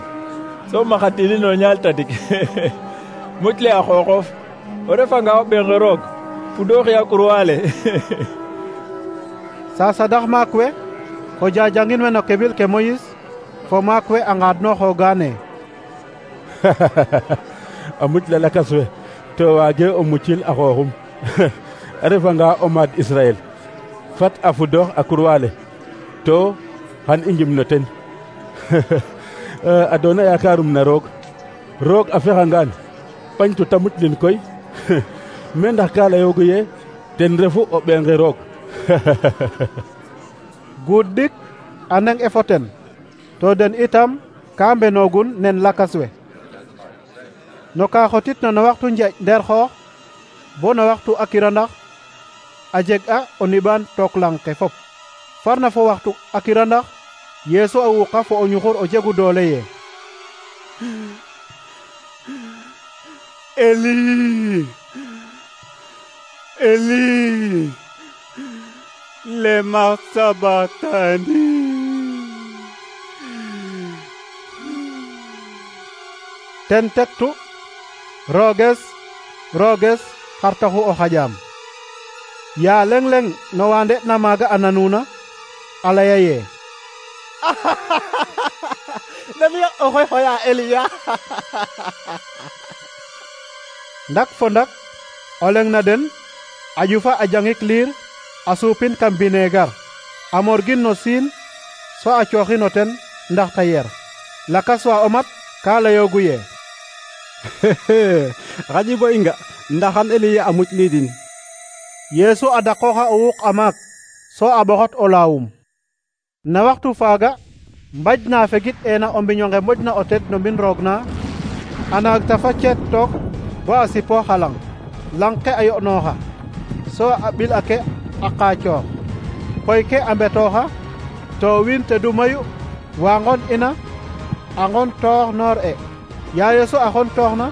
so maxatinin o ñaal tadik muc le a xooxof o refanga o ɓeenge roog fudooxi a kurwa le. Sasadax maak we fo jajangin we no kebil ke Moyis fo maak we a ngaadnooxoogaane. a muc la lakas we to waage o mucil a xooxum a refanga o maad Israel fat a fudoox a kurwaale to xan i njim no ten a doona yaakarum na roog a fexangaan pañtu ta muclin koy me ndax ka layoogu ye ten refu o ɓeengi roog. guud dik a neng e fo ten to den itam ka mbenoogun nen lakas we no ka xotitna no waxtu njeeƴ ndeer xoox bo no waxtu a kirandax a jeg a o niɓaan took lang ke fop farna fo waxtu a kirandax Yeesu a wuuqa fo o ñuxur o jegu doole ye Eli, Eli, lema sabachthani. ten tektu rooges xar taxu o xaƴaam yaa leŋ-leŋ no wa nde'na maaga a nanuna a laya ye namiyo oxoy xoya Eliya. ndak fo ndak o leŋ na den a ƴufa a jangik liir a suupin kam bineegar a morgin no siin so a cooxin o ten ndax ta yer lakas wa o mat ka layoogu ye xaƴi bo i nga ndaxan Eliya a muc liidin. Yeesu a daqooxa o wuuq a maak so a ɓoxot o laawum na waxtu faaga mbaj na fegit eena o mbiño nge moƴna o ted no mbin roog na a naag ta fa ceet took bo a sipoox a lang ke a yo'nooxa so a ɓil ake a qaacoor koy ke a mbetooxa to wiin tedu mayu wa ngon ina a ngon toox noor e yaa Yeesu a xon tooxna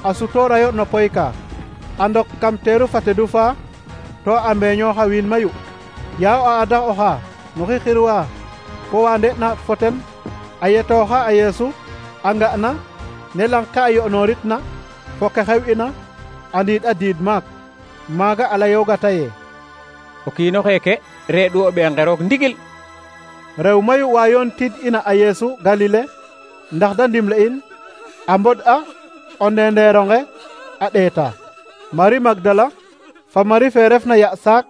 a sutoorayo no poy ka a ndok kam teeru fa tedu faa to a mbeeñooxa wiin mayu yaa o ada oxa no xixirwa fo wa nde'na fo ten a yetooxa a Yeesu a nga'na ne lang ke a yo'nooritna fo ke xew'ina a ndiid a diid maak maaga a layoogata ye o kiin oxeeke reeɗu o ɓeenqe roog ndigil. rew mayu wa yoon tid ina a Yeesu Galile ndax da ndimle in a mbod a o ndendeeronge a ɗeeta Mari Magdala fa Mari fe refna ya saak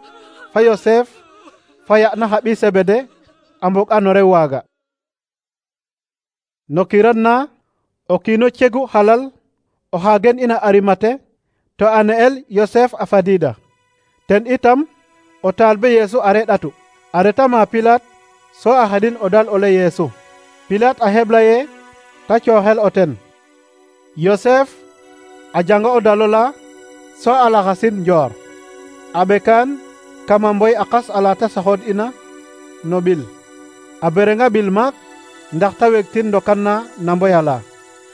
fa Yosef fa ya na xa ɓi Sebede a mbog a no rew waaga. no kiran na o kiino cegu xalal o xa gen ina Arimate to a ne'el Yosef a fadiida ten itam o taalibe Yeesu a reɗatu a reta ma Pilaat so a xedin o dal ole Yeesu. Pilaat a heɓla ye ta cooxel o ten. Yosef a janga o dalola so a laxasin njoor a ɓekaan kama mboy a qas ala ta saxood ina no ɓil a berenga ɓil maak ndax ta wegtin ndokan na mboy ala.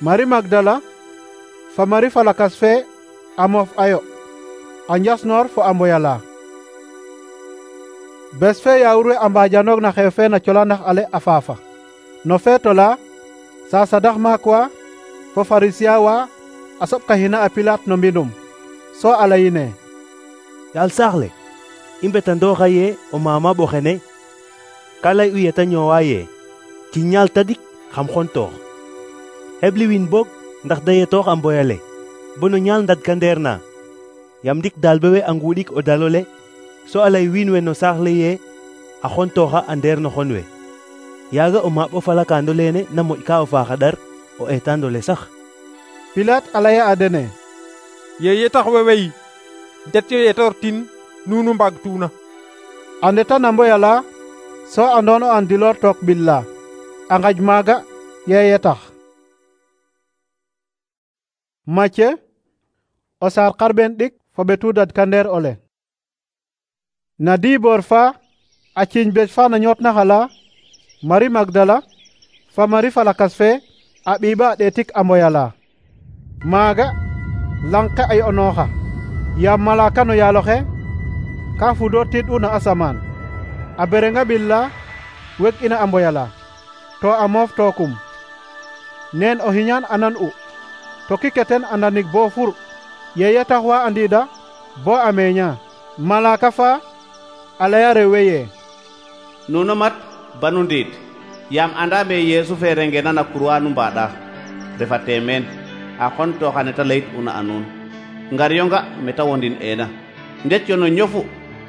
Mari Magdala fa Mari fa lakas fe a moof ayo a njas-noor fo a mboy ala. bes fe yaawur we a mbaajanoog na xew fe na colandax ale a faafa no feeto la sa sadax maak wa fo farisiya wa a soɓkahina a Pilaat no mbinum so a layine yaal saax le i mbetandooxa ye o maama ɓoxene ka lay u yeta ñoowa ye ci ñaal tadik xam xontoox hebli win boog ndax da yetoox a mboyale bo no ñaal ndadka ndeer na yam ndik daal bewe a nguuɗik o dalole so a lay wiin we no saax le ye a xontooxa a ndeer no xon we yaaga o maaɓ o falakaando leene na moƴ ka o faaxa ɗar o eetaandole sax. Pilaat a laya a dene ye yetax we wey det yo yetoor tin nuunu mbaag tuuna a ndeta na mboy ala so andoon o an diloor took ɓil la a ngaj maaga ye yetax. Macye o saar xarɓeen ɗik fo ɓetu dadka ndeer ole na diiboor fa a ciiñ bej fa na ñootna xala Mari Magdala fa Mari fa lakas fe a ɓiiɓa a ɗeetik a mboyala maaga lang ke a yo'nooxa yaam malaaka no yaaloxe ka fudoor tiɗ'u na asamaan a berenga ɓil la weg ina a mboyala to a moof tookum neen o xiñaan a nan'u to kike ten a ndanig bo fur ye yetax wa a ndiida bo a meeña malaaka fa a laya rew we ye nuno mat banu ndiit yaam anda me Yesu fe rengena na croix nu mbaɗa refate meen a xontoxa ne ta leyit una a nuun ngar yonga meta wondin ena ndet yo no ñofu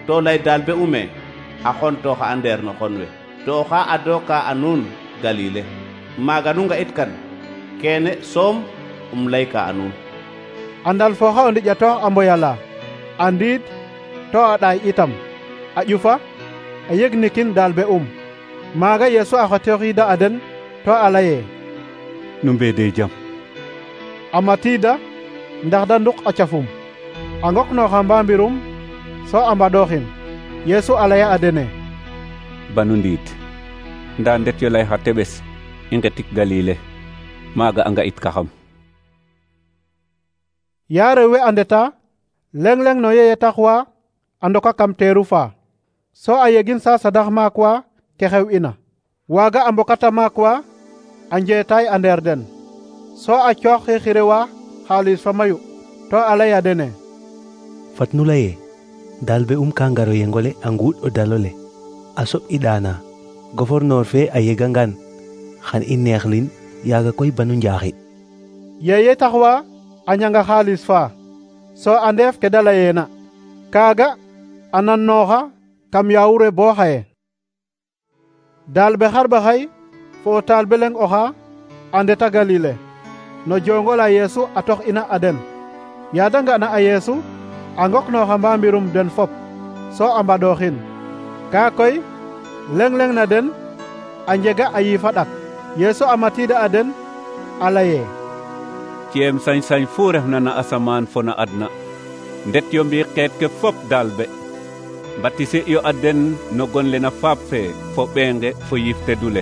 to lay dal be ume a xontoxa a ndeer no xon we to oxa adoka a nuun Galile maaga nu nga'it kan kene soom layka a nuun andal foxa o ndiƴatoox a mboyala a ndiid to a ɗaay itam a ƴufa a yegnikin dal be maaga Yesu a xotooxiida a den to a laye nu mbede jam a matiida ndax da nduk a cafum a ngoknooxa mbambirum so a mbaɗooxin Yesu a laya a dene banu ndiit nda ndet yo lay xa teɓes i ngetik Galile maaga a nga'it kaxam ya rew we a ndeta leng-leng no yeye taxwa a ndoka kam teeru fa so a yegin sa sadax maak wa ke xew ina waaga a mbokata maak wa a njeetaay a ndeer den so a coox xixire wa xaalis fa mayu to a laya dene fat nu laye dal be ka ngaro yengole a nguuɗ o dalole a soɓ i ɗaana gouverneur fe a yegangan xan i neexlin yaaga koy banu njaaxi yeye taxwa a ñanga xaalis fa so a ndeef ke da layeena kaaga a nannooxa kam yaawure bo xaye daal be xarɓaxay fo o taal be leng oxa a ndeta Galile no jongola Yesu a tox ina a den yaa da nga'na a Yesu a ngoknooxa mbambirum den fop so a mbaɗooxin kaa koy leng-leng na den a njega a yiifa ɗak Yesu a matiida a den a laye ceem sañ-sañ fu refna na asamaan fo na adna ndet yo mbi xeet ke fop daal be batise yo a den no gon le na faap fe fo ɓeenge fo yifte dule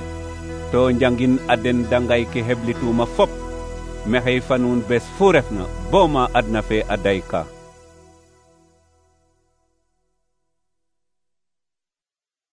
to njangin a den dangay ke heblituma fop mexey fa nuun bes fu refna bo ma adna fe a dayka